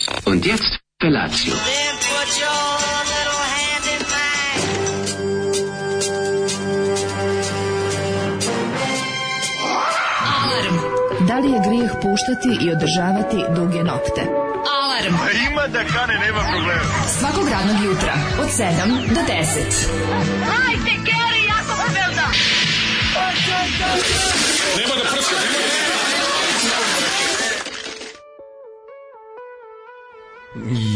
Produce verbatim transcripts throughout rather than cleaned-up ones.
Und jetzt Felatio. Then put your little hand in mine. Alarm. Da li je grijeh puštati i održavati duge nokte? Alarm. A ima da kane, nema problema. Svakog radnog jutra od sedam do deset. Hajde, Geri, jako se velda. Nema da prska, nema da...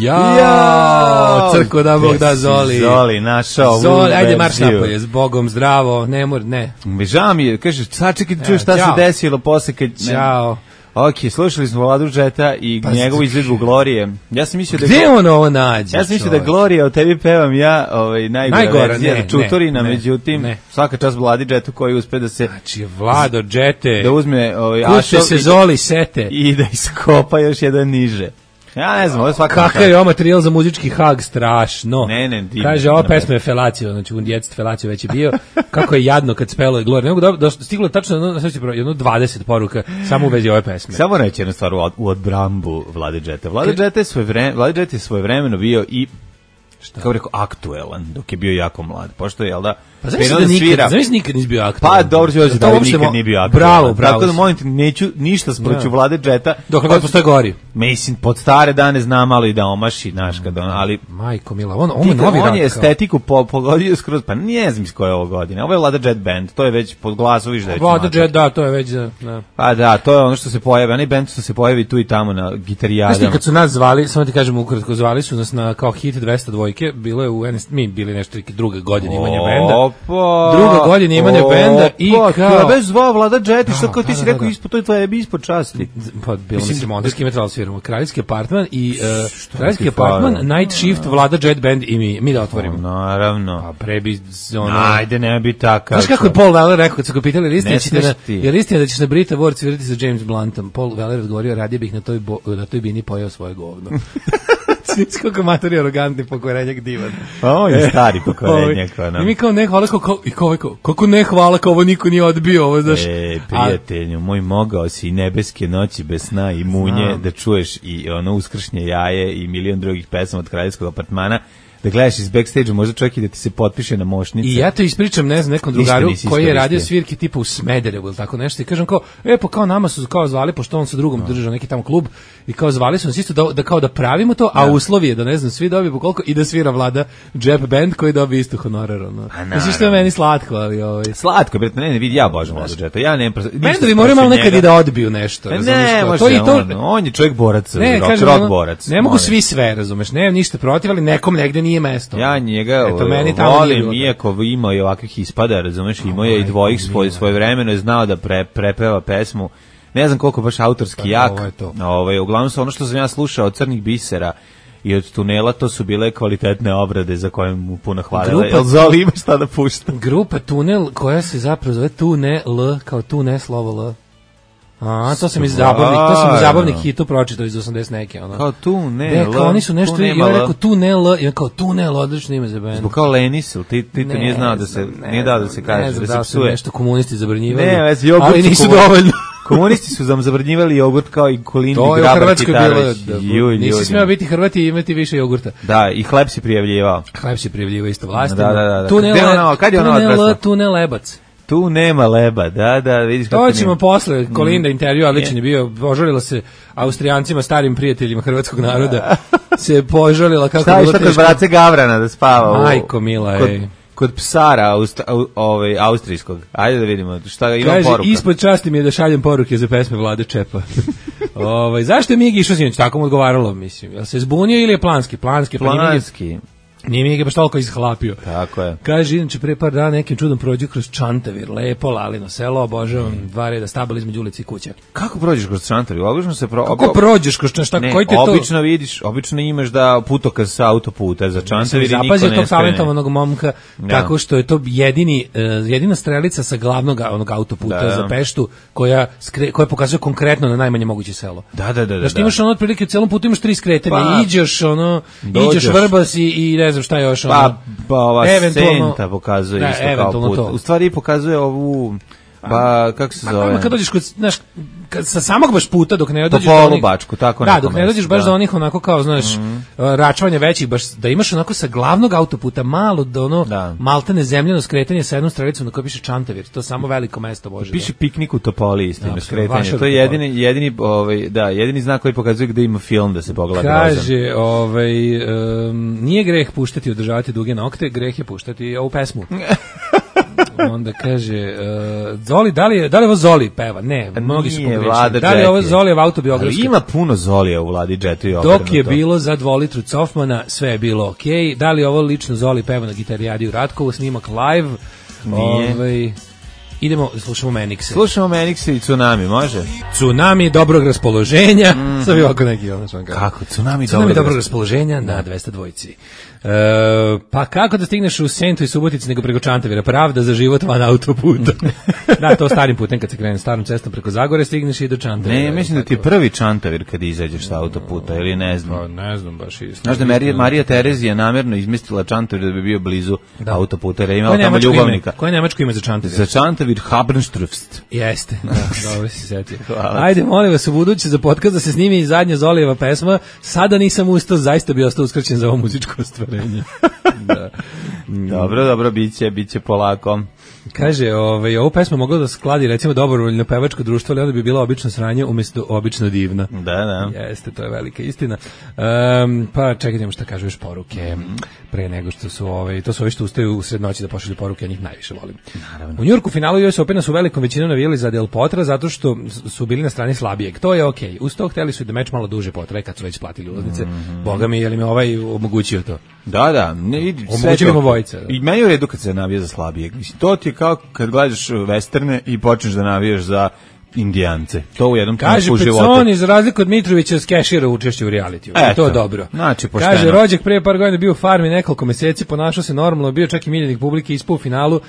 Ja, ja, crko da Bog da Zoli. Zoli, našao. Zoli, ajde marš napolje, s Bogom zdravo, ne mor, ne. Mi žao mi je, kažeš, sad čekaj da čuješ šta se desilo posle kad... Ćao. Ok, slušali smo Vladu Džeta i pa njegovu izvedbu Glorije. Ja sam mislio da... Gde on ovo nađe? Ja sam mislio da Glorija o tebi pevam ja, ovaj, najgora, najgora verzija, ne, Čuturina, ne, međutim, ne. Svaka čast Vladi Džetu koji uspe da se... Znači, Vlado Džete, da uzme ovaj, kuće se Zoli sete. I da iskopa još jedan niže. Ja ne znam, ovo je svaka... Kakav je ovo materijal za muzički hag, strašno. Ne, ne, divno. Kaže, ova pesma je Felacio, znači u djecet Felacio već je bio. Kako je jadno kad spelo je Glorija. Ne mogu da, da stiglo je tačno jedno, jedno dvadeset poruka samo u vezi ove pesme. Samo reći jednu stvar u, u odbrambu Vlade Džeta. Vlade Džeta je svoje vreme, Vlade Džeta je svojevremeno bio i šta? Kako rekao, aktuelan, dok je bio jako mlad. Pošto je, jel da, pa zamisli da nikad, zamisli nikad nisi bio aktuelan. Pa dobro ću da, da nikad nije bio aktuelan. Bravo, bravo. Tako da molim te, neću ništa sproću ja. Vlade Džeta. Dok god postoje gori. Mislim, pod stare dane zna malo i da omaši, znaš, kad on, ali... Majko mila, on, on je novi on je estetiku po, pogodio skroz, pa ne znam iz koje je ovo godine. Ovo je Vlada Džet band, to je već pod glasu, viš da je Vlada Džet, da, to je već za... Da. Pa da, to je ono što se pojavi, onaj band što se pojavi tu i tamo na gitarijadama. Znaš ti kad su nas zvali, samo ti kažem ukratko, zvali su nas na kao hit dvesta dvojke, bilo je u mi bili nešto druge godine imanja benda. Opa, druga godina imanja benda i kao... Bez zvao Vlada Džet, što kao ti si rekao, ispod, to je tvoje ispod časti. Pa bilo mi se montarski metal sviramo, Kraljevski apartman i uh, Kraljevski apartman, Night Shift, Vlada Džet band i mi, mi da otvorimo. O, naravno. A prebi... Ono... Ajde, ne bi takav. Znaš kako je Paul Weller rekao, kad su ga pitali, je li istina da ćeš na Brita Ward svirati sa James Bluntom? Paul Weller odgovorio, radije bih na toj, bo, na toj bini pojeo svoje govno. Sviš kako matori arogantni pokvarenjak divan. Pa on je stari pokvarenjak. I mi kao ne hvala, kao, i kao, kao, kako ne hvala, kao ovo niko nije odbio. Ovo, znaš. E, prijatelju, moj mogao si i nebeske noći bez sna i munje, znam. Da čuješ i ono uskršnje jaje i milion drugih pesama od Kraljevskog apartmana, da gledaš iz backstage-a, možda čovjek i da ti se potpiše na mošnice. I ja to ispričam, ne znam, nekom drugaru koji je radio svirke tipa u Smederevu ili tako nešto i kažem kao, e, pa kao nama su kao zvali, pošto on sa drugom držao neki tamo klub i kao zvali su nas isto da, da kao da pravimo to, a uslovi je da ne znam, svi dobiju po koliko i da svira Vlada Džep band koji dobije isto honorar. Ono. Mislim što je meni slatko, ali ovaj... Slatko, bre, ne, ne vidi, ja božem Vlada Džeta, ja nemam... Bendovi moraju malo nekad i da odbiju nešto, ne, može, to i to... on, on je čovjek borac, ne, rock, rock borac. Ne mogu svi sve, razumeš, ne, ništa protiv, ali nekom negde nije mesto. Ja njega eto, meni volim, iako ima i ovakvih ispada, razumeš, imao je i dvojih svoj, svoje vremeno je znao da pre, prepeva pesmu, ne znam koliko baš autorski pa, jak, ovaj, uglavnom su ono što sam ja slušao od Crnih bisera i od Tunela, to su bile kvalitetne obrade za koje mu puno hvalila. Jel Zoli ima šta da pušta? Grupa Tunel, koja se zapravo zove Tunel, kao tu ne slovo L. A, to sam iz zabavnik, to sam iz zabavnik hitu pročitao iz osamdeset neke, ono. Kao tu ne, ne, kao oni su nešto, i on rekao tu ne L, i on kao tu ne L, odlično ime za band. Zbog kao Lenis, ti, ti to nije znao da se, nije dao da se kaže, da se psuje. Nešto komunisti zabranjivali, ne, već jogurt, ali nisu dovoljno. Komunisti su nam zabranjivali jogurt kao i Kolindi Grabar Kitarović. To je u Hrvatskoj bilo, nisi smeo biti Hrvati i imati više jogurta. Da, i hleb si prijavljivao. Hleb si prijavljivao isto vlastima. Da, da, da. Tu ne L, tu ne Lebac. Tu nema leba, da, da, vidiš kako to ćemo nema. Posle, Kolinda intervju, ali ličan je bio, požalila se Austrijancima, starim prijateljima hrvatskog naroda, se požalila kako... Šta je šta kod brace Gavrana da spava? Majko mila, kod, ej. Kod psara aust, au, ovaj, austrijskog. Ajde da vidimo šta ima kaže, poruka. Kaže, ispod časti mi je da šaljem poruke za pesme Vlade Čepa. ovaj, zašto je Migi išao sinoć? Tako mu odgovaralo, mislim. Jel se zbunio ili je planski? Planski. Planski. Nije mi ga baš toliko izhlapio. Tako je. Kaže, inače, pre par dana nekim čudom prođu kroz Čantavir, lepo, lalino selo, obožavam, mm. dva reda stabala između ulice i kuće. Kako prođeš kroz Čantavir? Obično se pro... Kako prođeš kroz Čantavir? Koji ti to? Obično vidiš, obično imaš da putokaz sa autoputa za Čantavir i niko ne skrene. Zapazio tog talentovanog momka, ja. Tako što je to jedini, uh, jedina strelica sa glavnog onog autoputa da, za Peštu, koja, skre, koja pokazuje konkretno na najmanje moguće selo. Da, da, da. Znaš, da, imaš da. ono otprilike u celom putu imaš tri skretanja, pa, iđeš, ono, dođeš. Iđeš Vrbas i, i ne znam šta je još, ono. Pa, pa ova senta pokazuje da, isto kao put. To. U stvari pokazuje ovu Pa, kako se zove? Ma, kad dođeš kod, znaš, kad, sa samog baš puta dok ne dođeš do do onih... Bačku, tako da, dok ne dođeš baš da. do onih onako kao, znaš, mm. račvanja većih, baš da imaš onako sa glavnog autoputa malo do ono da. maltene zemljeno skretanje sa jednom stranicom na kojoj piše Čantavir, to je samo veliko mesto, Bože. Piše piknik u Topoli, istina, da, skretanje. To je jedini, jedini, ovaj, da, jedini znak koji pokazuje gde ima film da se pogleda. Kaže, ovaj, um, nije greh puštati i održavati duge nokte, greh je puštati ovu pesmu. Onda kaže, uh, Zoli, da li je, da li je ovo Zoli peva? Ne, mnogi su pogrešili. Da li je ovo Zolijev autobiografski? Ali ima puno Zolija u Vladi Džetri. Dok je bilo za dvolitru Cofmana, sve je bilo okej. Okay. Da li je ovo lično Zoli peva na gitarijadi u Ratkovu, snimak live? Nije. Ovaj, idemo, slušamo Menikse. Slušamo Menikse i Tsunami, može? Tsunami dobrog raspoloženja. Mm. Sad bi ovako neki ono što kako? Tsunami, Tsunami dobrog raspoloženja na dvesta dvojici. E, pa kako da stigneš u Sentu i Subotici nego preko Čantavira? Pravda za život van autoputa. Da, to starim putem kad se krene starom cestom preko Zagore stigneš i do Čantavira. Ne, mislim da ti je prvi Čantavir kad izađeš sa autoputa, ili ne znam. Pa ne znam baš isto. Znaš da Marija, Marija Terezija namjerno izmestila Čantavir da bi bio blizu da. autoputa, jer je imala tamo ljubavnika. Koje nemačko ime za Čantavir? Za Čantavir Habenstrufst. Jeste, da, dobro si setio. Ajde, molim vas, u buduće za podcast da se snimi i zadnja Zolijeva pesma. Sada nisam ustao, zaista bi ostao uskraćen za ovo muzičko ostvarenje. Da. Dobro, dobro, biće, biće polako. Kaže, ovaj, ovu pesmu moglo da skladi recimo dobrovoljno pevačko društvo, ali onda bi bila obično sranje umjesto obično divna. Da, da. Jeste, to je velika istina. Um, pa čekaj, šta kažu još poruke mm. pre nego što su ovaj, to su ovi što ustaju u sred noći da pošalju poruke, ja njih najviše volim. Naravno. U Njujorku finalu U S Opena su velikom većinom navijali za Del Potra zato što su bili na strani slabijeg. To je okej. Okay. Uz to hteli su da meč malo duže potraje kad su već platili ulaznice. Mm-hmm. Boga mi, je li me ovaj omogućio to? Da, da. Ne, vidi, omogućili mu vojice. Da. I meni je u redu kad se navija za slabijeg. Mislim, to ti je kao kad gledaš westerne i počneš da navijaš za Indijance. To u jednom trenutku u životu. Kaže Peconi, za razliku od Mitrovića, skešira učešće u realitiju. To je dobro. Znači, pošteno. Kaže, rođak pre par godina bio u farmi nekoliko meseci, ponašao se normalno, bio čak i miljenik publike, ispao u finalu.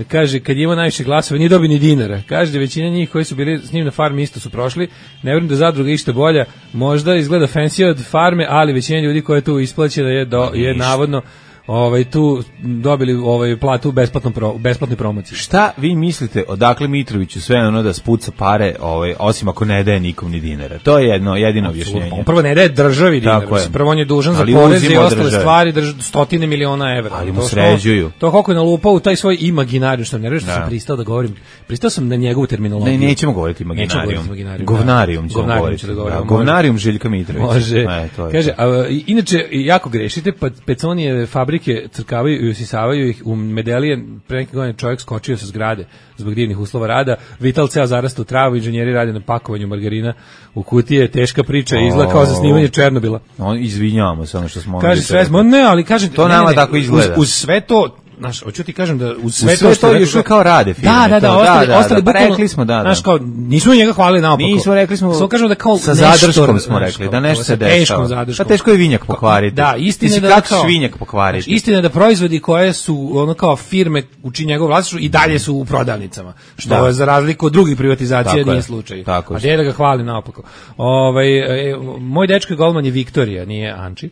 Kaže, kad je imao najviše glasova, nije dobio ni dinara. Kaže da većina njih koji su bili s njim na farmi isto su prošli. Ne vjerujem da zadruga išta bolja. Možda izgleda fancy od farme, ali većina ljudi koja je tu isplaćena je, do, je navodno ovaj tu dobili ovaj platu u besplatnom pro, besplatnoj promociji. Šta vi mislite odakle Mitroviću sve ono da spuca pare, ovaj osim ako ne daje nikom ni dinara? To je jedno jedino objašnjenje. Prvo ne daje državi dinara, prvo on je dužan za porez i ostale državi. Stvari drž, stotine miliona evra. Ali mu to sređuju. To, to koliko je nalupao u taj svoj imaginariju, što ne reći što sam pristao da govorim. Pristao sam na njegovu terminologiju. Ne, nećemo govoriti imaginarijum. Govnarijum ćemo govoriti. Govnarijum Željka Mitrovića. Može. E, to je. Kaže, a, inače jako grešite, pa Peconijeve fabrike crkavaju i usisavaju ih u Medelije. Pre neke godine čovjek skočio sa zgrade zbog divnih uslova rada. Vital ceo zarasta u travu, inženjeri rade na pakovanju margarina u kutije, teška priča, izgleda kao za snimanje Černobila. On izvinjavamo se ono što smo. Kaže sve, ne, ali kaže to ne, nama ne, tako izgleda. Uz, uz sve to znaš, hoću ti kažem da uz sve, sve to što još kao rade firme. Da, da, da, ostali, da, da, ostali da, pa rekli smo da, da. Znaš, kao, nismo njega hvalili naopako. Nismo, rekli smo, samo kažemo da kao sa zadrškom smo rekli, da nešto se dešava. Teškom zadrškom. Pa teško je vinjak pokvariti. Da, istina je da kako svinjak pokvariti. Istina je da proizvodi koje su ono kao firme u čiji njegov vlasništvo i dalje su u prodavnicama, što da. za razliku od drugih privatizacija nije slučaj. A gdje da ga hvali naopako. Ovaj e, moj dečko golman je Viktorija, nije Anči.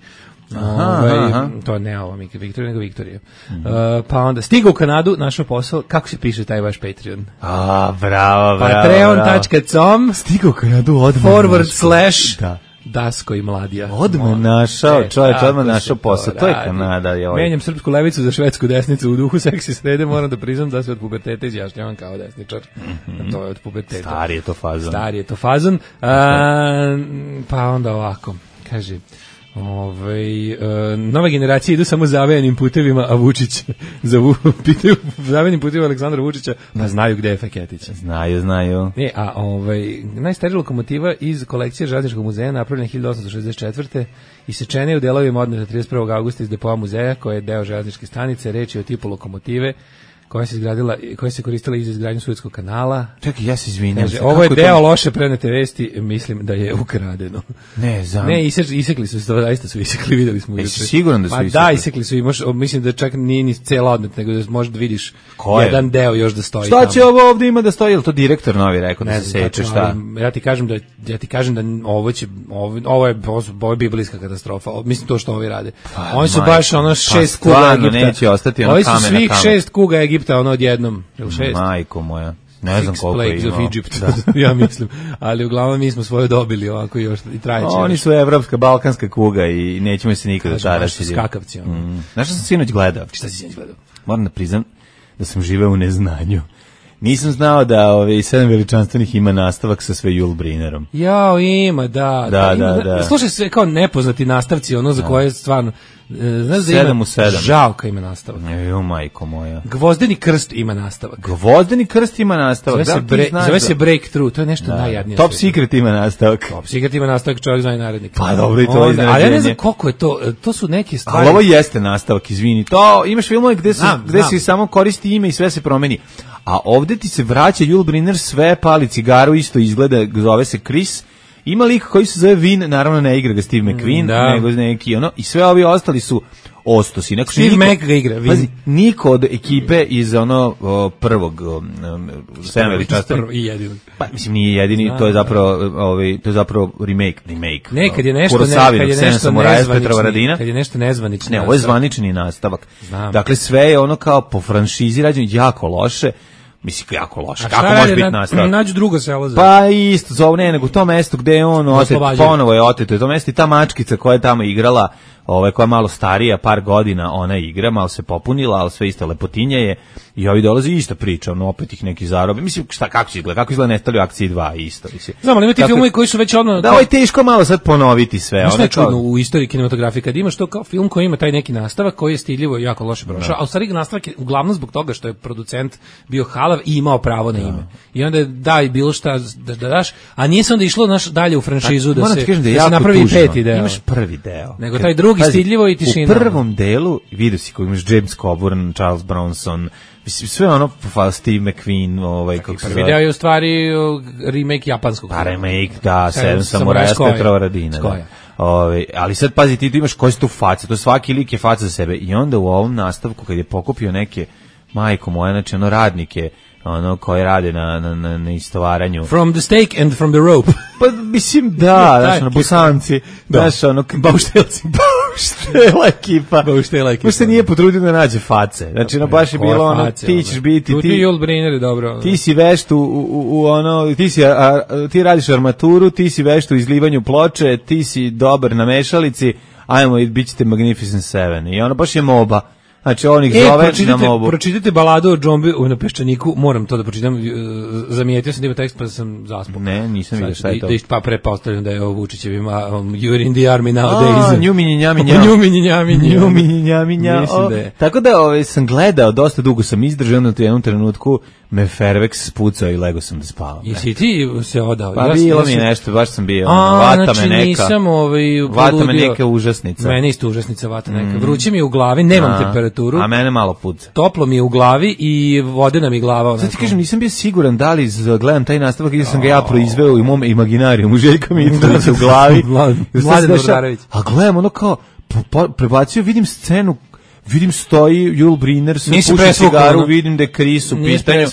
Aha, Ove, aha. To ne ovo Viktorija, nego Viktorija. Mm-hmm. Uh, pa onda stigao u Kanadu, našao posao. Kako se piše taj vaš Patreon? A, bravo, bravo. Patreon dot com Stigao u Kanadu odmah. Forward slash da. Dasko i Mladija. Odmah našao, čovječ, odmah našao posao. To je Kanada. Je ovaj. Menjam srpsku levicu za švedsku desnicu u duhu seksi srede, moram da priznam da se od puberteta izjašnjavam kao desničar. Mm-hmm. To je od puberteta. Stari je to fazon. Stari je to fazon. A, pa onda ovako, kaže... Ove, e, nove generacije idu samo zavejanim putevima, a Vučić za pitaju zavejanim putevima Aleksandra Vučića, pa znaju gde je Feketić. Znaju, znaju. Ne, a ovaj najstarija lokomotiva iz kolekcije Železničkog muzeja napravljena hiljadu osamsto šezdeset četvrte i sečena je u delovima odneta trideset prvog avgusta iz depoa muzeja, koji je deo železničke stanice. Reč je o tipu lokomotive koja se izgradila, koja se koristila i za izgradnju Suetskog kanala. Čekaj, ja se izvinjam. Kaže, ovo je deo to... loše prenete vesti, mislim da je ukradeno. Ne, znam. Ne, isek, isekli su se, zaista su isekli, videli smo. E, si siguran da su pa, isekli? Da, isekli su i mož, mislim da čak nije ni cela odnet, nego da možda vidiš Ko jedan je? Deo još da stoji šta tamo. Će ovo ovdje ima da stoji, ili to direktor novi rekao da se seče, šta? Ja ti kažem da, ja ti kažem da ovo će, ovo, ovo je, ovo je biblijska katastrofa, mislim to što ovi rade. Pa, oni su majko, baš ono šest pa, kuga Egipta. Neće ostati ono ovi su svih šest kuga Egipta, ono odjednom. Majko moja. Ne znam koliko je imao. Of Egypt, da. Ja mislim. Ali uglavnom mi smo svoje dobili ovako još i trajeće. Oni su evropska, balkanska kuga i nećemo se nikada tarasiti. Skakavci. Ono. Mm. Znaš što sam sinoć gledao? Šta si sinoć gledao? Moram da priznam da sam živeo u neznanju. Nisam znao da ove sedam veličanstvenih ima nastavak sa sve Jul Brinerom. Jao, ima, da. Da, da, ima, da. da. Slušaj sve kao nepoznati nastavci, ono za koje stvarno... Znaš da sedam ima, u sedam. Žalka ima nastavak. Jo, majko moja. Gvozdeni krst ima nastavak. Gvozdeni krst ima nastavak. Zove, da, se, bre, zove se Breakthrough, to je nešto da. najjadnije. Top Secret ima nastavak. Top Secret ima nastavak, čovjek zna i narednik. Pa dobro i to je Ali ja ne znam koliko je to, to su neke stvari. Ali ovo jeste nastavak, izvini. To, imaš filmove gde, se, znam, gde znam. se samo koristi ime i sve se promeni. A ovde ti se vraća Jul Brynner, sve pali cigaru, isto izgleda, zove se Chris. Ima lik koji se zove Vin, naravno ne igra ga Steve McQueen, da. nego neki ono, i sve ovi ostali su ostosi. Neko, Steve niko, Mac ga igra, Vin. Pazi, niko od ekipe iz ono o, prvog sedam veličanstvenih. I jedini. Pa mislim nije jedini, da, to je zapravo ovaj to je zapravo remake, remake. Ne, kad je nešto ne, kad je nešto nezvanično, kad je nešto nezvanično. Ne, ovo je zvanični nastavak. Znam. Dakle sve je ono kao po franšizi rađeno jako loše. Mislim, jako loše. Kako može biti nastavak? Nađu drugo selo za... Pa isto, zove, ne, nego to mesto gde je on otet, ponovo je oteto. To mesto i ta mačkica koja je tamo igrala, ove, koja je malo starija, par godina, ona igra, malo se popunila, ali sve isto lepotinja je. I ovi dolazi ista priča, ono, opet ih neki zarobe. Mislim, šta, kako će izgleda? Kako izgleda Nestali u akciji dva isto? Mislim. Znam, ali ima ti filmovi koji su već odmah... Da, ovo je teško malo sad ponoviti sve. Znaš šta je čudno u istoriji kinematografije? Kad imaš to kao film koji ima taj neki nastavak, koji je stiljivo i jako loše prošao, a u stvari nastavak je uglavnom zbog toga što je producent bio halav i imao pravo na ime. I onda daj bilo šta da, da daš, a nije se onda išlo naš dalje u franšizu da se, da, da se napravi tužno. Peti deo. Imaš prvi deo. Nego taj drugi Pazi, stidljivo i tišina. U prvom delu vidio si koji imaš James Coburn, Charles Bronson, mislim sve ono Steve McQueen, ovaj kako se prvi deo je u stvari remake japanskog. Pa remake, da, Sedam samuraja s Petrovaradina. Ovaj, ali sad pazi ti, ti imaš koje su tu face, to svaki lik je faca za sebe i onda u ovom nastavku kad je pokupio neke majko moja, znači ono radnike ono koji rade na na na, na istovaranju. From the stake and from the rope. Pa mislim da, znači na Bosanci, znaš ono bauštelci, bauštela ekipa. Bauštela ekipa. Baš se nije potrudio da nađe face. Znači na baš je bilo ono ti ćeš biti ti. Jul Brynner dobro. Ti si vešt u, u, u ono ti si a, a, ti radiš armaturu, ti si vešt u izlivanju ploče, ti si dobar na mešalici. Ajmo i bićete Magnificent Seven. I ono baš je moba. Znači on ih e, zove na mobu. Pročitajte baladu o džombi na Peščaniku, moram to da pročitam, zamijetio sam da ima tekst pa sam zaspao. Ne, nisam vidio šta je to. Da, da pa prepostavljam da je ovo Vučićevim um, You're in the army nowadays. A, njumi njami njami. Njumi njami njumi njami njami. Tako da ovaj, sam gledao, dosta dugo sam izdržao na jednom trenutku, me Fairvex spucao i lego sam da spavam. Jesi ti se odao? Pa ja bilo mi nešto, baš sam bio. A, vata znači, me neka. Nisam ovaj, vata me neka užasnica. Meni isto užasnica vata neka. Mm. Vruće mi je u glavi, nemam a, temperaturu. A mene malo puca. Toplo mi je u glavi i vodena mi glava. Sad ti kažem, nisam bio siguran da li gledam taj nastavak ili sam ga ja proizveo u mom imaginarijumu Željka Mitrovića u glavi. Mladen Bordarević. A gledam ono kao, prebacio, vidim scenu, vidim stoji Jul Brynner sa puši cigaru, vidim da je Chris u pitanju.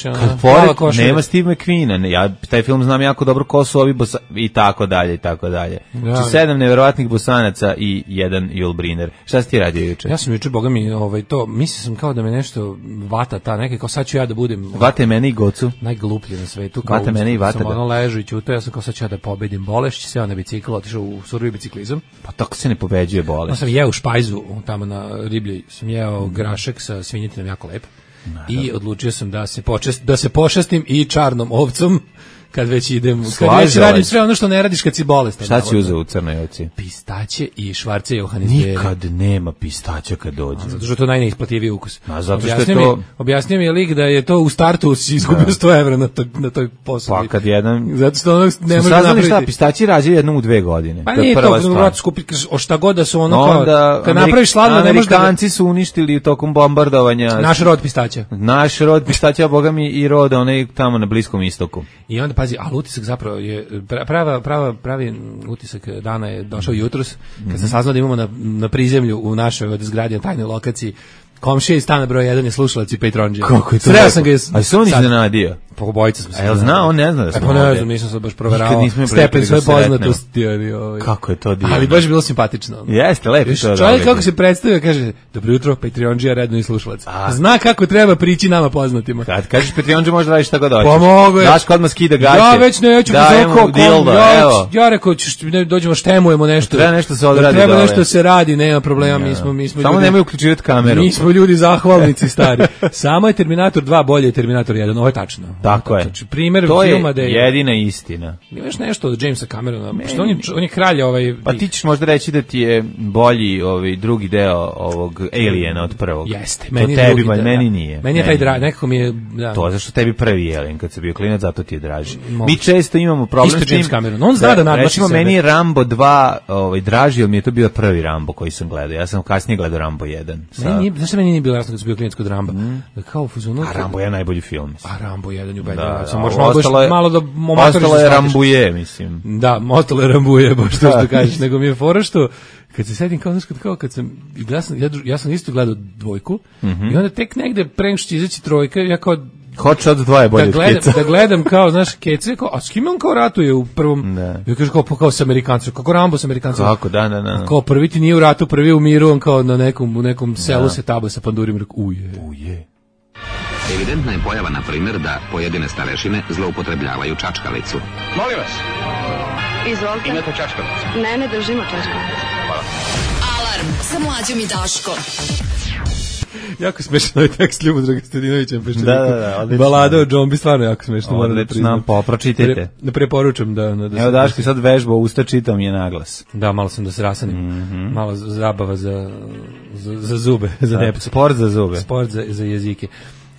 Kad pored nema Steve McQueena, ja taj film znam jako dobro ko su ovi bosa, i tako dalje i tako dalje. Znači sedam neverovatnih Bosanaca i jedan Jul Brynner. Šta si ti radio juče? Ja sam juče, boga mi, ovaj, to, mislio sam kao da me nešto vata ta, neke, kao sad ću ja da budem... Vate mene i Gocu. Najgluplji na svetu. Vate mene i vate. Sam ono ležu i ćuto, ja sam kao sad ću ja da pobedim bolešć, se ja na bicikl, otišao u surovi biciklizam. Pa tako se ne pobeđuje bolest. Ja sam jeo u špajzu tamo na riblji, sam jeo grašak sa svinjetinom jako lep. I odlučio sam da se počest, da se pošastim i čarnom ovcom kad već idem, kad već radim sve ono što ne radiš kad si bolestan. Šta si uzeo u Crnoj ovci? Pistaće i švarce Johannisbeere. Nikad nema pistaća kad dođe. A, zato što je to najneisplativiji ukus. A zato što objasnio je to... Mi, objasnio mi je lik da je to u startu izgubio sto evra na, to, na toj posadi. Pa kad jedan... Zato što ono ne može napraviti... šta, pistaći rađaju jednom u dve godine. Pa nije to, to vrat skupiti, o šta god da su ono no, kao... Da, kad Amerik, napraviš slavno, ne možeš da... Amerikanci su uništili tokom bombardovanja... Naš rod pistaća. Naš rod pistaća, boga mi i rod, onaj tamo na Bliskom istoku. I onda, pazi, ali utisak zapravo je prava prava pravi utisak dana je došao jutros kad sam saznao da imamo na na prizemlju u našoj zgradi na tajnoj lokaciji Komšija iz stana broj jedan je slušalac i Patreonđija. Kako je to? Sreo sam ga A se on iznenadio? Po obojica smo se. A jel zna, on ne zna da smo ovdje. Pa ne znam, nisam se baš proveravao stepen svoje poznatosti. Ovaj. Kako je to divno. Ali baš je bilo simpatično. Jeste, lepo to. Čovjek kako se predstavio, kaže, dobro jutro, Patreonđija, redno i slušalac. Zna kako treba prići nama poznatima. Kad kažeš Patreonđija, možda radiš šta god hoćeš. Pomogu je. Daš kod odmah skida gaće. Ja već neću dajemo dildo, evo. Ja rekao, dođemo, štemujemo nešto. Treba nešto se odradi. Treba nešto se radi, nema problema, mi smo mi smo Samo nemoj uključivati kameru. Mi smo ljudi zahvalnici stari. Samo je Terminator dva bolje od Terminator jedan, ovo je tačno. Tako je. Znači, primjer to filma je jedina istina. Imaš nešto od Jamesa Camerona, što on je, on je kralj ovaj... Pa ti ćeš možda reći da ti je bolji ovaj drugi deo ovog Aliena od prvog. Jeste, meni to tebi, drugi, meni da, nije. Meni je taj dra, nekako mi je... Da. To zašto tebi prvi Alien, kad se bio klinac, zato ti je draži. Moguće. Mi često imamo problem Isto s tim... James Cameron, on zna da, da nadmaši recimo, sebe. Meni je Rambo dva ovaj, draži, ali mi je to bio prvi Rambo koji sam gledao. Ja sam kasnije gledao Rambo jedan. Sa... Meni, znaš što meni nije bilo jasno kad sam bio klinac kod Ramba? Mm. Kao fuzonu... A Rambo je najbolji film. A Rambo jedan je ubedljivo. Da, da, možda malo, je, malo da ostalo je Rambuje, mislim. Da, ostalo je Rambuje, baš to što kažeš, nego mi je fora što kad se setim kao, znaš, kao kad sam, ja sam, ja, ja sam isto gledao dvojku mm -hmm. i onda tek negde pre nego što će izaći trojka, ja kao Hot Shots dva je bolje da od Keca. Da gledam kao, znaš, Kece, kao, a s kim on kao ratuje u prvom, ne. Ja kažem kao, kao s Amerikancima, kako Rambo s Amerikancima. Kako, da, da, da. Kao prvi ti nije u ratu, prvi u miru, on kao na nekom, u nekom selu da. Se taba sa pandurim, rekao, uje. Uje. Evidentna je pojava, na primjer, da pojedine starešine zloupotrebljavaju čačkalicu. Molim vas. Izvolite. Imate čačkalicu? Ne, ne držimo čačkalicu. Hvala. Alarm sa Mlađom i Daškom. Jako smešan ovaj tekst Ljubo Dragostadinovića. Da, da, da, odlično. Balada o džombi, stvarno jako smešno. Odlično, popročitajte. Ne preporučam da... da Evo Daško sad vežba usta, čitam je naglas. Da, malo sam da se rasanim. Mm -hmm. Malo zabava za, za, za zube, za da, nepce. Sport za zube. Sport za, za jezike.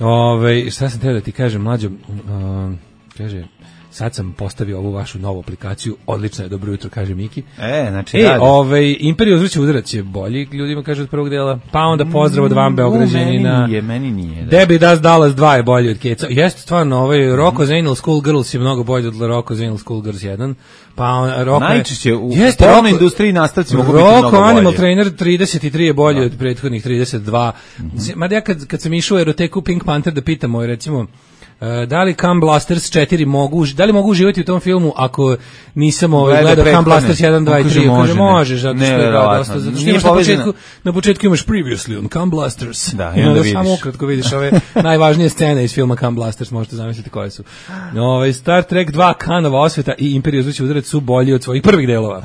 Ove, šta sam teo da ti kažem, Mlađo, uh, kaže... Sad sam postavio ovu vašu novu aplikaciju, odlično je, dobro jutro, kaže Miki. E, znači e, radi. Ovaj, Imperiju uzvrće udarac je bolji, ljudima kaže od prvog dela, pa onda pozdrav od vam Beograđanina. Meni nije, meni nije. Da. Debbie Does Dallas dva je bolji od Keca. Jeste stvarno, ovaj, Rocko's Anal School Girls je mnogo bolji od Rocko's Anal School Girls jedan. Pa on, Rocko najčešće u porno industriji nastavci mogu biti mnogo bolji. Rocko Animal Trainer trideset tri je bolji da. Od prethodnih trideset dva. Mm -hmm. Mada ja kad, kad sam išao u eroteku Pink Panther da pitam, ovaj, recimo, Uh, da li Cum Blasters četiri mogu, da li mogu uživati u tom filmu ako nisam ovaj gledao Cum Blasters jedan, dva i tri, kaže možeš, zato što je dosta, zato što imaš na početku, na početku imaš previously on Cum Blasters. Da, i onda vidiš. Samo ukratko vidiš ove najvažnije scene iz filma Cum Blasters, možete zamisliti koje su. Ovaj Star Trek dva, Kanova osveta i Imperija uzvrće udarac su bolji od svojih prvih delova.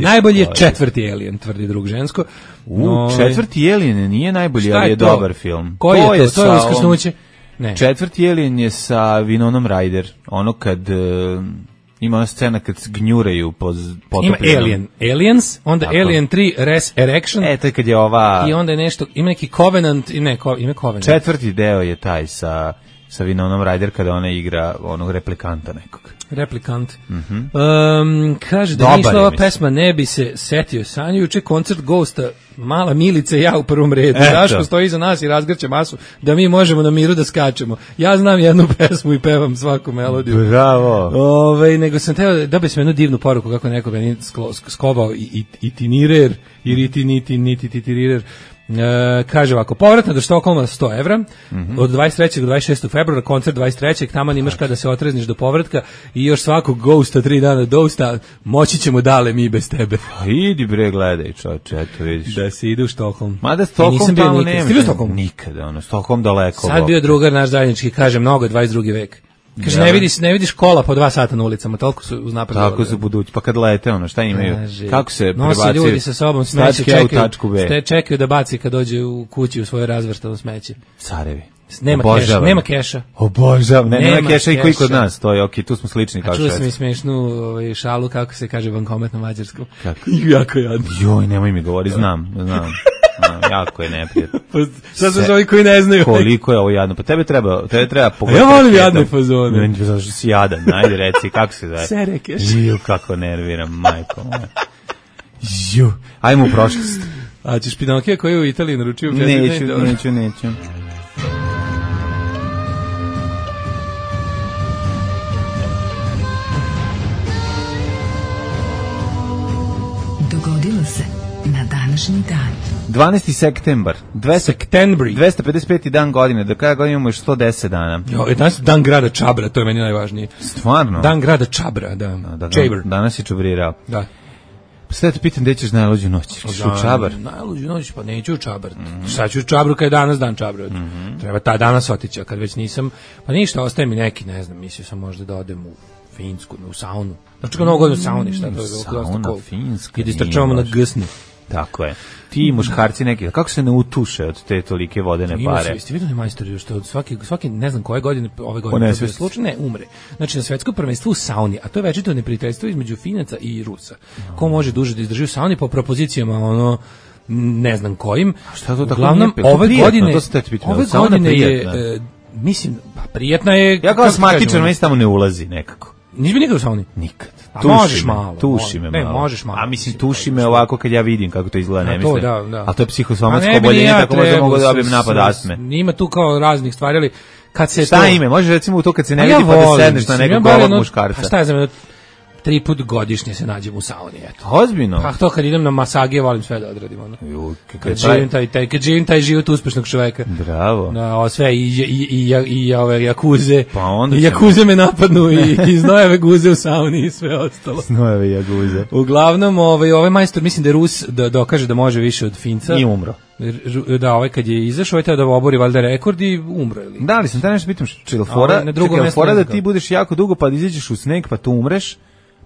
Najbolji je četvrti Alien, tvrdi drug žensko. U, no, četvrti Alien nije najbolji, ali je dobar film. Koji je to? To je Uskrsnuće. Ne. Četvrti Alien je sa Winonom Ryder, ono kad uh, ima ona scena kad gnjuraju po potopljenom. Ima Alien, Aliens, onda tako. Alien tri Resurrection. E, to je kad je ova... I onda je nešto, ima neki Covenant, ne, ko, ima Covenant. Četvrti deo je taj sa, sa Winonom Ryder kada ona igra onog replikanta nekog. Replikant. Mm -hmm. um, kaže da nije išla ova pesma, ne bi se setio. Sanju juče koncert Ghosta, Mala Milica i ja u prvom redu. Daško stoji iza nas i razgrće masu da mi možemo na miru da skačemo. Ja znam jednu pesmu i pevam svaku melodiju. Bravo. Ove, nego sam teo da bi sam jednu divnu poruku kako neko meni skovao i, i, itinirer, i riti, niti, niti, titirirer. E, kaže ovako, povratno do Štokholma sto evra, mm -hmm. od dvadeset trećeg do dvadeset šestog februara, koncert dvadeset trećeg taman imaš kada se otrezniš do povratka i još svakog Ghosta, tri dana Dosta, moći ćemo dale mi bez tebe. Pa idi bre, gledaj čoče, eto vidiš. Da se ide u Štokholm. Mada Štokholm tamo nema. Ti bio Štokholm? Nikada, ono, Štokholm daleko. Sad bio drugar naš zajednički, kaže, mnogo je dvadeset drugi vek. Kaže, ne vidiš, ne vidiš kola po dva sata na ulicama, toliko su uznapred. Tako su budući, pa kad lete, ono, šta imaju? Kaže, kako se prebacuju? Nosi ljudi sa sobom smeće, čekaju, čekaju da baci kad dođe u kući u svoje razvrstano smeće. Carevi. Nema keša, nema keša. Obožavam, ne, nema, nema keša i koji kod nas, to je okej, okay, tu smo slični kao Švedska. Čuo sam i smešnu ovaj, šalu, kako se kaže bankomat na mađarskom. Kako? Jako jadno. Joj, nemoj mi govori, znam, znam. No, jako je neprijatno. Sad su ovi koji ne znaju. Koliko je ovo jadno. Pa tebe treba, tebe treba pogledati. Ja volim jadne fazone. Meni je zašto si jadan. Ajde reci, kako se zove? Serekeš. Ju, kako nerviram, majko moja. Ju, ajmo u prošlost. A ćeš Pinokija koji je u Italiji naručio? Neću, neću, neću. Dogodilo se na današnji dan. dvanaesti septembar, dvesta pedeset peti dan godine, do kraja godine imamo još sto deset dana. Jo, je danas dan grada Čabra, to je meni najvažnije. Stvarno? Dan grada Čabra, da. da, da Čabr. Danas je čabrirao. Da. Sve te pitam gde ćeš najluđu noć, ćeš u Čabar? Najluđu noć, pa neću u Čabar. Mm-hmm. Sad ću u Čabru kad je danas dan Čabra. Mm-hmm. Treba ta danas otići, a kad već nisam, pa ništa, ostaje mi neki, ne znam, mislio sam možda da odem u Finsku, u saunu. Znači kao mnogo godinu u sauni, šta to je? Sauna, Finska, i istrčavamo na gsni. Tako je. Ti muškarci neki, kako se ne utuše od te tolike vodene ima pare? Ima se, vidio ne majstori, što od svaki, svaki, ne znam koje godine, ove godine, to slučaj, ne, umre. Znači, na svetskom prvenstvu u sauni, a to je večito neprijateljstvo između Finaca i Rusa. No. Ko može duže da izdrži u sauni po propozicijama, ono, ne znam kojim. A šta to tako uglavnom, nije? Ove prijetno, godine, ove godine je, e, mislim, pa prijetna je... Ja kao asmatičar, meni tamo ne ulazi nekako. Nisi bi nikad u sauni? Nikad. A tuši možeš me, malo. Tuši me ne, malo. možeš malo. A mislim, tuši me ovako kad ja vidim kako to izgleda, ne mislim. Da, da. A to je psihosomatsko oboljenje, ja tako možda mogu da dobijem napad astme. Ima tu kao raznih stvari, ali kad se šta to... ime? Može recimo u to kad se ne vidi pa da sedneš na nekog golog muškarca. Pa šta je za me, tri put godišnje se nađem u sauni, eto. Ozbiljno? Pa to kad idem na masage, volim sve da odradim, ono. Ju, kad živim taj, taj, kad živim taj život uspešnog čoveka. Bravo. Da, sve, i, i, i, i, i ove jakuze, pa onda i jakuze me napadnu, i, i znojeve guze u sauni i sve ostalo. Znojeve jaguze. Uglavnom, ovaj, ovaj majstor, mislim da je Rus da dokaže da može više od Finca. I umro. Da, ovaj kad je izašao, ovaj treba da obori valjda rekord i umro. Ili? Da, ali sam te nešto pitam, čilfora, čilfora da ti budeš jako dugo pa da izađeš u sneg pa tu umreš,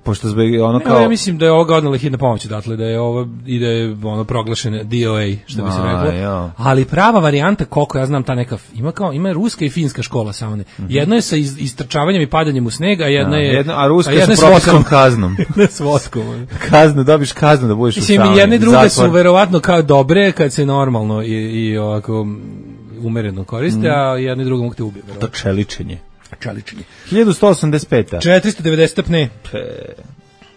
pošto zbog ono kao... Ne, ja mislim da je ovoga odnala hitna pomoć, dakle, da je ovo, i da je ono proglašene D O A, što bi se reklo. Jo. Ali prava varijanta, koliko ja znam, ta neka, ima kao, ima ruska i finska škola saune. Mm-hmm. Jedno je sa iz, istrčavanjem i padanjem u sneg, a jedna je... Jedna, a ruska je sa propiskom kaznom. Jedna s voskom. Kaznu, dobiš kaznu da budeš u sauni. Mislim, jedne i druge su verovatno kao dobre, kad se normalno i, i ovako umereno koriste, mm. a jedne i druge mogu te ubije. To čeličenje. Čeličenje. hiljadu sto osamdeset peta. četiristo devedeset stepne. Pe.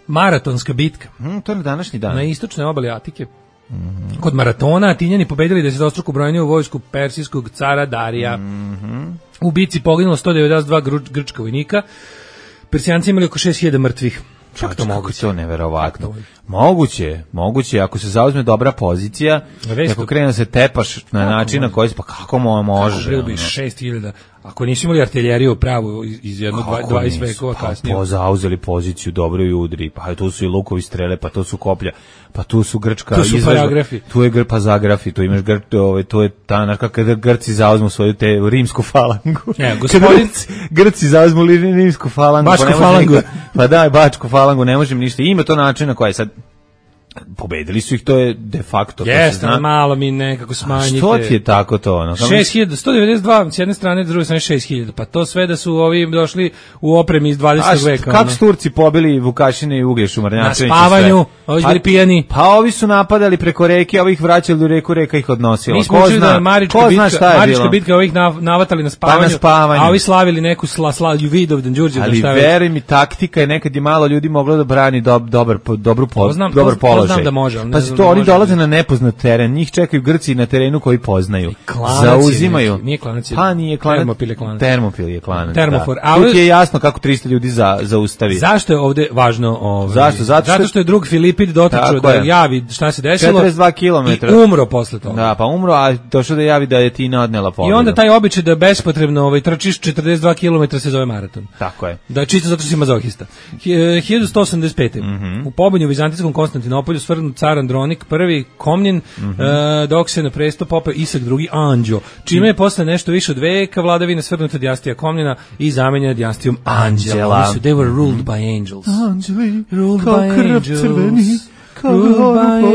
Maratonska bitka. Mm, to je na današnji dan. Na istočnoj obali Atike. Mm-hmm. Kod maratona Atinjani pobedili desetostruku brojniju vojsku persijskog cara Darija. Mm-hmm. U bici poginulo sto devedeset dva gr grčka vojnika. Persijanci imali oko šest hiljada mrtvih. Kako to moguće? To neverovatno. Moguće, moguće, ako se zauzme dobra pozicija, ako krene da se tepaš na način na koji se, pa kako mo može? Kako bi šest hiljada, ako nisu imali artiljeriju pravu iz jednog dvadeset vekova kasnije. Pa zauzeli poziciju dobro i udri, pa tu su i lukovi strele, pa to su koplja, pa tu su grčka tu su izvežba, tu je pa zagrafi, tu imaš gr, ovaj, to je ta, znaš kako kada Grci zauzmu svoju te rimsku falangu. Ne, gospodin... Grci zauzmu rimsku falangu. Bačku falangu. Nikad, pa daj, bačku falangu, ne možem ništa. Ima to način na koji sad pobedili su ih, to je de facto. Jeste, malo mi nekako smanjite. A što ti je tako to? Ono? šest hiljada, sto devedeset dva s jedne strane, s druge strane šest hiljada. Pa to sve da su ovi došli u opremi iz dvadesetog veka. Kako su Turci pobili Vukašine i Uglješu, Marnjačevića? Na spavanju, ovi bili pijani. Pa ovi su napadali preko reke, a ovi ih vraćali u reku, reka ih odnosila. Mi smo čuli da je Marička bitka, Marička bitka ovih navatali na spavanju, pa na spavanju, a ovi slavili neku sla, sla, Vidovdan, Đurđevdan. Ali veri mi, taktika je nekad je malo ljudi moglo da brani dob, dobar, dobru, znam, dobar položaj. Znam da može, ali pa to oni dolaze na nepoznat teren, njih čekaju Grci na terenu koji poznaju. Zauzimaju. Nije klanac, pa nije klanac. Termopil je klanac. Termopil je klanac. Termofor. Da. Ali... Tu je jasno kako trista ljudi za, zaustavi. Zašto je ovde važno? Ovaj, Zašto? Zato što, zato što je drug Filipid dotrčao da javi šta se desilo. četrdeset dva kilometra. I umro posle toga. Da, pa umro, a došao da javi da je Tina odnela pobedu. I onda taj običaj da bespotrebno ovaj, trčiš četrdeset dva kilometra se zove maraton. Tako je. Da, čisto zato što si mazohista. hiljadu sto osamdeset pete. Mm-hmm. U pobunju u Vizantijskom Konstantinopolju svrgnut car Andronik prvi Komnjen, mm-hmm. uh, dok se na presto popeo Isak drugi Anđo, čime je posle nešto više od veka vladavine svrgnuta dinastija Komnjena i zamenjena dinastijom Anđela. Su, they were ruled by angels. Anđeli, ruled kao by krv crveni, kao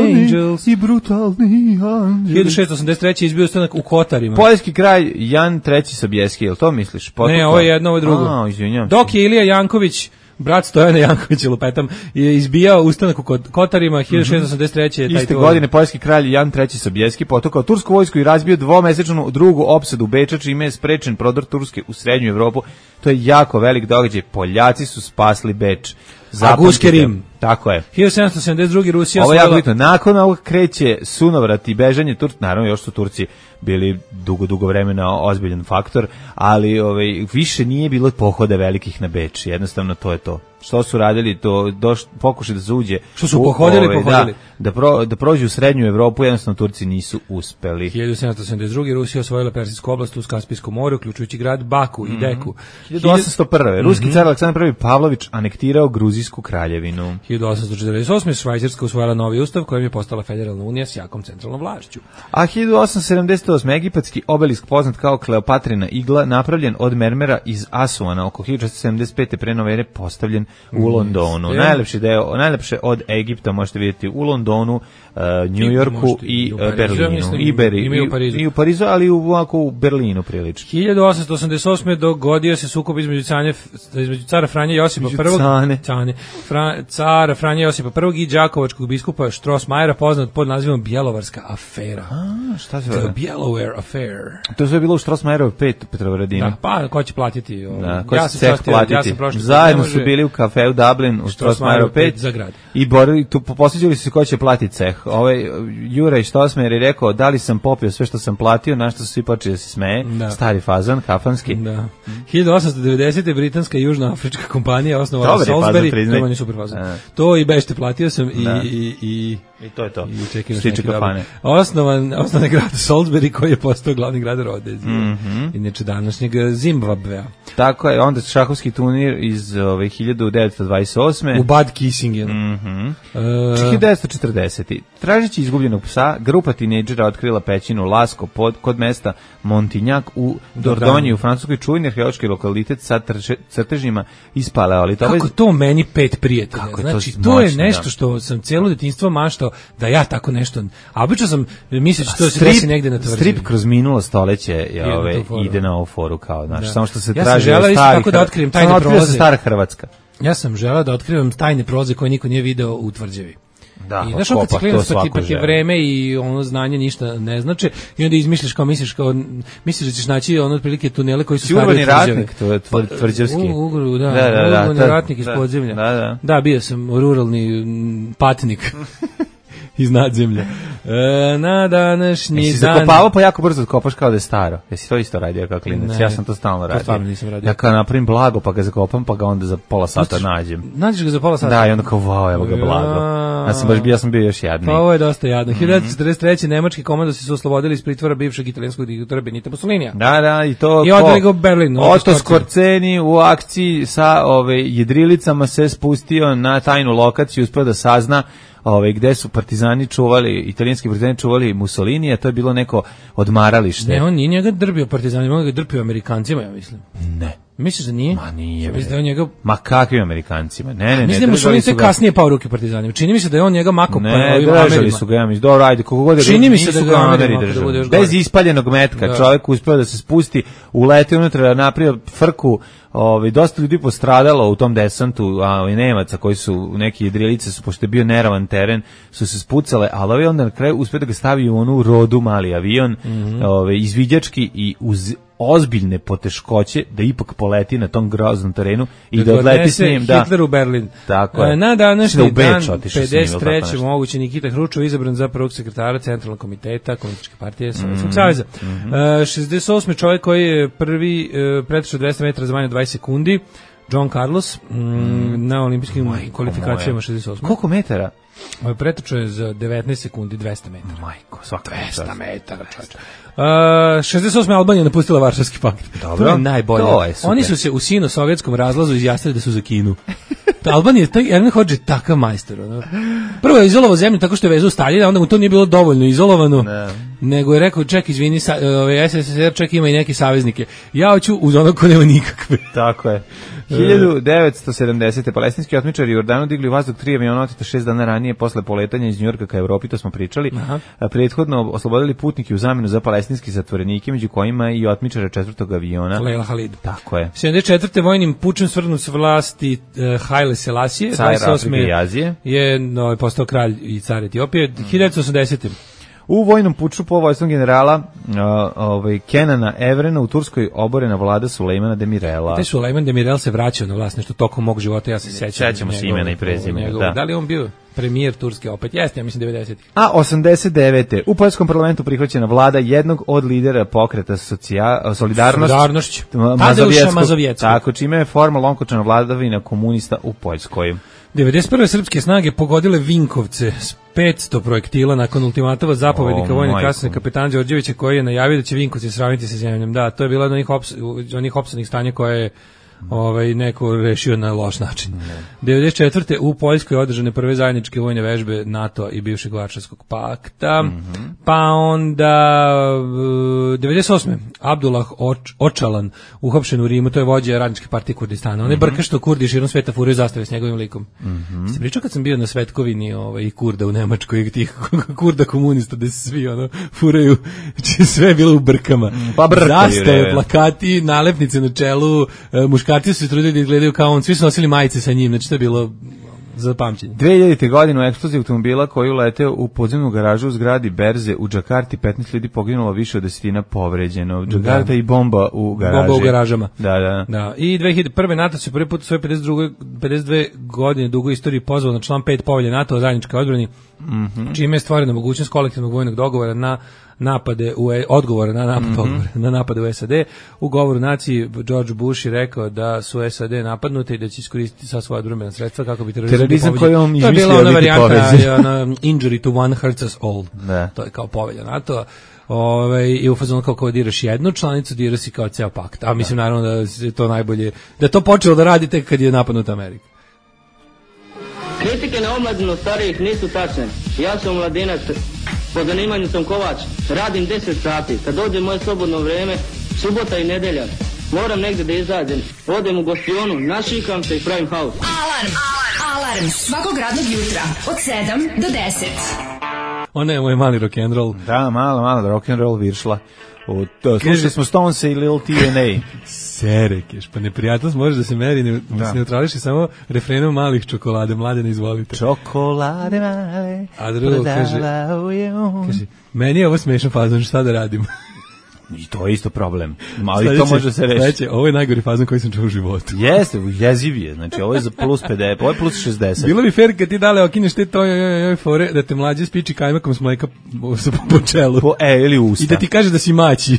angels i brutalni anđeli. hiljadu šeststo osamdeset treće izbio ustanak u Kotarima. Poljski kralj Jan treći Sobieski, je li to misliš? Potukla? Ne, ovo je jedno, ovo je drugo. A, izvinjam. Dok je Ilija Janković, brat Stojana Jankovića, lupetam, je izbijao ustanak u Kotarima, hiljadu šeststo osamdeset treće je taj iste godine poljski kralj Jan treći Sobieski potukao tursku vojsku i razbio dvomesečnu drugu opsadu Beča, čime je sprečen prodor Turske u srednju Evropu. To je jako velik događaj. Poljaci su spasli Beč. A Guske Rim. Tako je. hiljadu sedamsto sedamdeset drugi Rusija ovo je jako bitno. Nakon ovog kreće sunovrat i bežanje Turci. Naravno, još su Turci bili dugo, dugo vremena ozbiljan faktor, ali ovaj, više nije bilo pohoda velikih na Beč. Jednostavno, to je to. što su radili, to doš, pokušaj da se uđe. Što su pohodili, ove, pohodili. Da, da, pro, da prođu u srednju Evropu, jednostavno Turci nisu uspeli. hiljadu sedamsto sedamdeset druge. Rusija osvojila Persijsku oblast uz Kaspijsko more, uključujući grad Baku mm-hmm. i Deku. hiljadu osamsto prve. Ruski mm-hmm. car Aleksandar prvi Pavlović anektirao Gruzijsku kraljevinu. hiljadu osamsto četrdeset osme. Švajcarska usvojila novi ustav kojim je postala federalna unija s jakom centralnom vlašću. A hiljadu osamsto sedamdeset osme. Egipatski obelisk poznat kao Kleopatrina igla, napravljen od mermera iz Asuana, oko hiljadu četiristo sedamdeset pete pre nove ere, postavljen u Londonu. Mm, najlepši deo, najlepše od Egipta možete vidjeti u Londonu, uh, New Yorku i, i Berlinu. Mislim, I, Beri, i, u Parizu. I u Parizu, ali u, ovako, u Berlinu prilično. hiljadu osamsto osamdeset osme. dogodio se sukob između, cane, između cara Franje Josipa prvog. Cane. Cane. Fra, cara Franje Josipa prvog i đakovačkog biskupa Strossmayera, poznat pod nazivom Bjelovarska afera. A, šta se The Bellower Affair. To je sve bilo u Strossmayerov pet Petrovaradinu. Da, pa ko će platiti? O, da, ko ja će ceh platiti? Ja sam prošli, zajedno su bili u kafeu Dublin u Strossmayerov pet za grad. I borili, tu posveđali su se ko će platiti ceh. Ovaj Juraj Strossmayer je rekao da li sam popio sve što sam platio, na što su svi počeli da se smeje. Da. Stari fazan, kafanski. Da. hiljadu osamsto devedesete. britanska južnoafrička kompanija osnovala Salisbury. To je super fazan. To i bešte platio sam i, i, i I to je to. I čekaj neki kafane. Osnovan, osnovan grad Salisbury koji je postao glavni grad Rodezije. Mm-hmm. Inače današnjeg Zimbabvea. Tako je, onda šahovski turnir iz ove, hiljadu devetsto dvadeset osme. U Bad Kissingenu. Mm-hmm. Uh, hiljadu devetsto četrdesete. Tražeći izgubljenog psa, grupa tinejdžera otkrila pećinu Lasko pod, kod mesta Montignac u Dordogne u Francuskoj, čuveni arheološki lokalitet sa trže, crtežima iz paleolita. Kako to meni pet prijatelja? Kako znači, to, to je nešto da. Što sam cijelo detinjstvo maštao da ja tako nešto. A obično sam misleći to se desi negde na tvrđavi. Strip kroz minulo stoleće je ove ide na ovu foru kao, znači, samo što se ja traži od starih. Tako da otkrijem tajne prolaze. Stara Hrvatska. Ja sam želeo da otkrivam tajne prolaze koje niko nije video u tvrđavi. Da, i znaš, kad se klinac pa ti pa je vreme i ono znanje ništa ne znači i onda izmišljaš kao misliš kao misliš da ćeš naći ono otprilike tunele koji su stariji od ratnik, to je tvrđavski. U Ugru, da, da, da, urbani da, ratnik iz podzemlja. Da, da. Da, bio sam ruralni patnik. Iz nadzemlja. E, na današnji Jesi dan... Jesi zakopavao pa jako brzo kopaš kao da je staro? Jesi to isto radio kao klinac? Ne, ja sam to stalno radio. To stvarno nisam radio. Ja kao napravim blago pa ga zakopam pa ga onda za pola sata nađem. Nađeš ga za pola sata? Da, i onda kao wow, evo ga blago. Ja sam baš bio, ja sam bio još jadniji. Pa ovo je dosta jadno. Mm-hmm. hiljadu devetsto četrdeset treće. nemački komandosi su oslobodili iz pritvora bivšeg italijanskog diktatora Benita Mussolinija. Da, da, i to... I odveli ga u Berlin. Otto Skorceni u akciji sa ove jedrilicama se spustio na tajnu lokaciju, uspeo da sazna Ove, gde su partizani čuvali, italijanski partizani čuvali Mussolini, a to je bilo neko odmaralište. Ne, on nije njega drbio partizanima, on ga drpio Amerikancima, ja mislim. Ne. Misliš da nije? Ma nije. Mislim da on njega... Ma kakvim Amerikancima? Ne, ne, ne. Mislim da Mussolini se kasnije pao ruke partizanima. Čini mi se da je on njega mako ne, pa ovim Amerima. Su ga, ja mislim, dobro, ajde, koliko god je... Čini mi se da ga Ameri držali. Bez ispaljenog metka, da. Čovjek uspeo da se spusti, uleti unutra, napravio frku, ovaj dosta ljudi postradalo u tom desantu, a ovaj Nemaca koji su neki jedrilice su, pošto je bio neravan teren, su se spucale, ali ovaj onda na kraju uspeo da ga stavi u onu rodu mali avion, mm-hmm. ovaj izviđački i uz ozbiljne poteškoće da ipak poleti na tom groznom terenu i da, da odleti s njim da Hitler u Berlin. Tako je. Na današnji dan pedeset treće moguće Nikita Hruščov izabran za prvog sekretara Centralnog komiteta Komunističke partije Sovjetskog saveza. Mm-hmm. Uh, šezdeset osme čovjek koji je prvi uh, pretrčao dvesta metara za manje od dvadeset sekundi, John Carlos, mm, mm. na olimpijskim Majko kvalifikacijama šezdeset osme. Koliko metara? Ovaj pretrčao je za devetnaest sekundi dvesta metara. Majko, svaka dvesta metara, čovječe. Uh, šezdeset osme Albanija napustila Varšavski pakt. Dobro, to je najbolje. To je Oni su se u sino-sovjetskom razlazu izjasnili da su za Kinu. Albanija, taj Erne Hodže takav majstor. Ono. Prvo je izolovao zemlju tako što je vezao Staljina, onda mu to nije bilo dovoljno izolovano, ne. Nego je rekao, ček, izvini, sa, ove, S S S R, ček, ima i neke saveznike. Ja hoću uz ono ko nema nikakve. Tako je. hiljadu devetsto sedamdesete. palestinski otmičari u Jordanu digli u vazduh tri aviona oteta šest dana ranije posle poletanja iz Njujorka ka Evropi, to smo pričali. Aha. Prethodno oslobodili putnike u zamenu za palestinski zatvorenike, među kojima i otmičara četvrtog aviona. Leila Halid. Tako je. sedamdeset četvrte vojnim pučem svrgnut s vlasti uh, Haile Selassie, dvadeset osme je no, postao kralj i car Etiopije. Mm. hiljadu osamdesete. U vojnom puču po vojstvom generala uh, ovaj, Kenana Evrena u Turskoj oborena vlada Sulejmana Demirela. Taj Sulejman Demirel se vraćao na vlast nešto tokom mog života, ja se sećam. Sećamo se imena i prezimena. Da. Da li on bio? premijer Turske opet. Jeste, ja mislim devedesetih. A osamdeset devete u poljskom parlamentu prihvaćena vlada jednog od lidera pokreta socija, Solidarnost. Solidarnošć. Tadeuša Mazovjeckog. Tako, čime je formalno okončana vladavina komunista u Poljskoj. devedeset prve srpske snage pogodile Vinkovce s petsto projektila nakon ultimatova zapovednika oh, vojne kasne kapetana Đorđevića koji je najavio da će Vinkovci sravniti sa zemljom. Da, to je bila od onih, ops, onih opsadnih stanja koje je ovaj, neko rešio na loš način. devedeset četvrte u Poljskoj održane prve zajedničke vojne vežbe NATO i bivšeg Varšavskog pakta. Mm-hmm. Pa onda devedeset osme Abdullah Oč, Očalan uhapšen u Rimu, to je vođa radničke partije Kurdistana. On je mm-hmm. brka što Kurdi širom sveta furaju zastave s njegovim likom. Mm-hmm. Se pričao kad sam bio na Svetkovini ovaj, i Kurda u Nemačkoj, tih Kurda komunista gde se svi ono, furaju, či sve je bilo u brkama. Pa brkaju, zastave, plakati, nalepnice na čelu, muškarci su se trudili da izgledaju kao on, svi su nosili majice sa njim, znači to je bilo za pamćenje. dve hiljadite godine u eksploziji automobila koji uleteo u podzemnu garažu u zgradi Berze u Džakarti, petnaest ljudi poginulo, više od desetina povređeno. Džakarta da. I bomba u garaži. Bomba u garažama. Da, da. Da. I dve hiljade prve NATO se prvi put u svoje pedeset druge, pedeset dve godine dugoj istoriji pozvao na član pet povelje NATO o zajedničkoj odbrani, mm-hmm. čime je stvorena mogućnost kolektivnog vojnog dogovora na napade u odgovora na napad mm-hmm. na napade u S A D. U govoru naciji George Bush je rekao da su S A D napadnute i da će iskoristiti sva svoja odbrambena sredstva kako bi terorizam, terorizam koji on izmislio biti pobeđen. To je bila ona varijanta ona, injury to one hurts us all. Da. To je kao povelja NATO. Ove, i u fazonu kao kao diraš jednu članicu, diraš si kao ceo pakt. A mislim naravno da je to najbolje, da je to počelo da radi tek kad je napadnuta Amerika. Kritike na omladinu starijih nisu tačne. Ja sam mladinac, po zanimanju sam kovač, radim deset sati. Kad dođe moje slobodno vreme, subota i nedelja, moram negde da izađem. Odem u gostionu, našikam se i pravim haos. Alarm! Alarm! Svakog radnog jutra od sedam do deset. Ona je moj mali rock'n'roll. Da, malo, malo rock'n'roll viršla. Slušali smo Stonesa i Lil T N A. Serekeš, pa neprijatnost može da se meri, ne, da. se neutrališi samo refrenom malih čokolade, mlade ne izvolite. Čokolade male, a drugo kaže, kaže, meni je ovo smešan fazon, šta da radim? I to je isto problem. Ali to može se reći. Sledeće, ovo je najgori fazon koji sam čuo u životu. Jeste, jeziv je. Znači, ovo je za plus pedeset, ovo je plus šezdeset. Bilo bi fair kad ti dale okineš te to joj, joj, joj, fore, da te mlađe spiči kajmakom s mleka po čelu. Po, e, ili usta. I da ti kaže da si maći.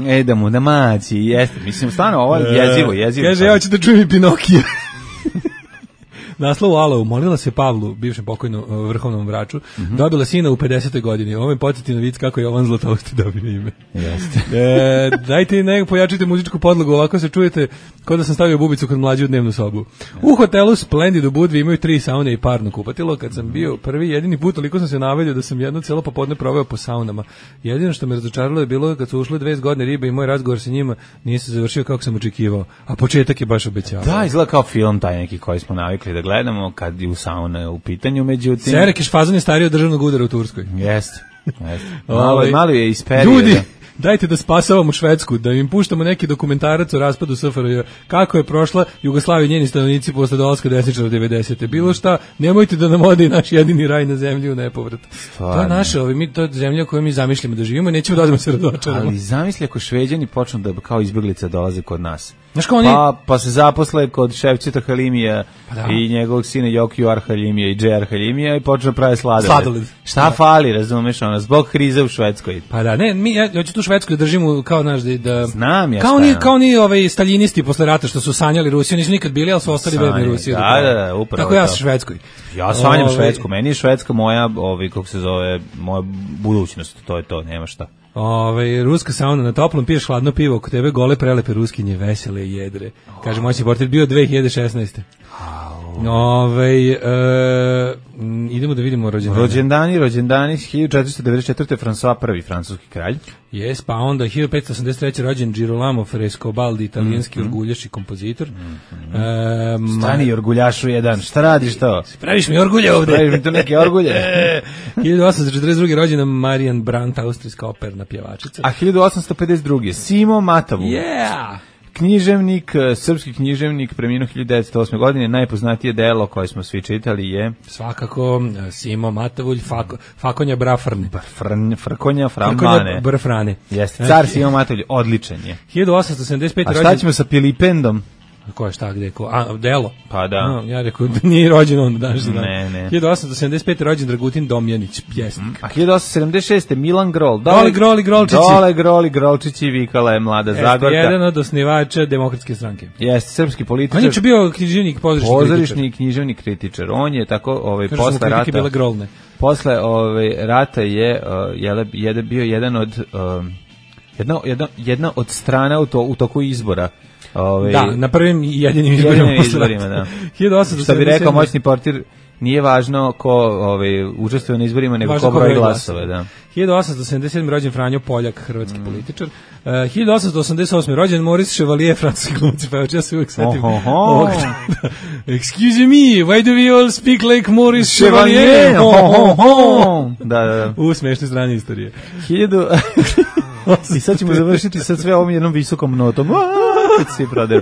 E, da mu da maći, jeste. Mislim, stvarno, ovo je jezivo, jezivo. Kaže, ja ću da čujem i Pinokija. Naslov u Alovu, molila se Pavlu, bivšem pokojnom vrhovnom vraču, mm-hmm. dobila sina u pedesetoj godini. Ovo je podsjeti na vic kako je Jovan Zlatosti dobio ime. Jeste. e, dajte nego pojačite muzičku podlogu, ovako se čujete kao da sam stavio bubicu kod mlađe u dnevnu sobu. U hotelu Splendid u Budvi imaju tri saune i parno kupatilo. Kad sam bio prvi jedini put, toliko sam se naveljao da sam jedno cijelo popodne proveo po saunama. Jedino što me razočaralo je bilo kad su ušle dve zgodne ribe i moj razgovor sa njima nije se završio kako sam očekivao. A početak je baš obećavao. Da, izgleda kao film taj neki koji smo navikli da gledamo kad je u sauna u pitanju, međutim... Serekeš fazon je stariji od državnog udara u Turskoj. Jeste, jeste. Malo, malo je iz perioda. Ljudi, dajte da spasavamo Švedsku, da im puštamo neki dokumentarac o raspadu S F R J, kako je prošla Jugoslavija i njeni stanovnici posle dolaska desničara devedesete. Bilo šta, nemojte da nam ode naš jedini raj na zemlji u nepovrat. Stvarno. To je naša, ovi, mi, to je zemlja koju mi zamišljamo da živimo i nećemo da odemo se razočaramo. Ali zamisli ako Šveđani počnu da kao izbjeglice dolaze kod nas. Znaš kao oni... Pa, pa se zaposle kod Ševčeta Halimija pa da. I njegovog sina Jokiju Arhalimija i Džej Arhalimija i počne da pravi sladoled. Sladoled. Šta da. Fali, razumeš, ona, zbog krize u Švedskoj. Pa da, ne, mi, ja, ja ću tu Švedsku da držimo kao, znaš, da... Znam ja kao ni, kao ni ovaj staljinisti posle rata što su sanjali Rusiju, nisu nikad bili, ali su ostali verni Rusiji. Da, da, da, upravo. Tako ja sa Švedskoj. Ja sanjam Ove... Švedsku, meni je Švedska moja, ovaj, kako se zove, moja budućnost, to je to, nema šta. Ove, ruska sauna na toplom, piješ hladno pivo, oko tebe gole prelepe ruskinje, vesele i jedre. Kaže, moćni portir bio dve hiljade šesnaeste. Ove, e, idemo da vidimo rođendane. Rođendani, rođendani, hiljadu četiristo devedeset četvrte. François prvi, francuski kralj. Jes, pa onda hiljadu petsto osamdeset treće. rođen Girolamo Frescobaldi, italijanski mm-hmm. orguljaš i kompozitor. Mm-hmm. E, Stani orguljašu jedan, šta radiš to? Praviš mi orgulje ovde. Praviš mi to neke orgulje. hiljadu osamsto četrdeset druge. rođena Marian Brandt, austrijska operna pjevačica. A hiljadu osamsto pedeset druge. Simo Matavu. Yeah! Književnik, srpski književnik, preminuo hiljadu devetsto osme. godine, najpoznatije delo koje smo svi čitali je... Svakako, Simo Matavulj, Fako, Fakonja Brafrne. Frn, frkonja Framane. Brafrane. Jeste, car Simo Matavulj, odličan je. hiljadu osamsto sedamdeset pete. A šta ćemo sa Pilipendom? Ko je šta, gde, ko? A, delo. Pa da. No, ja rekao, nije rođen on danas. Ne, ne. hiljadu osamsto sedamdeset pete rođen Dragutin Domjanić, pjesnik. A hiljadu osamsto sedamdeset šeste Milan Grol. Dole groli grolčići. Dole groli grolčići, vikala je mlada Jeste Zagorka. Jedan od osnivača Demokratske stranke. Jeste, srpski političar. On je bio književnik, pozorišni kritičar. Pozorišni književni kritičar. On je tako, ovaj, Kažu posle rata... bile grolne. Posle ovaj, rata je, uh, je, je bio jedan od... Uh, jedna, jedna, jedna od strana u, to, u toku izbora. Ove, da, na prvim i jedinim izborima. Jedinim izborima, da. hiljadu osamsto sedamdeset sedme. Što bi rekao moćni portir, nije važno ko ove, učestvuje na izborima, nego važno ko broj glasove. Da. hiljadu osamsto sedamdeset sedme. rođen Franjo Poljak, hrvatski mm. političar. Uh, hiljadu osamsto osamdeset osme. rođen Maurice Chevalier, francuski glumac, pa ja se uvijek setim. Ovog, excuse me, why do we all speak like Maurice Chevalier? Ho, ho, ho. Da, da, da. U smešne strane istorije. Hiljadu... I sad ćemo završiti sad sve ovom jednom visokom notom. Svi proderu.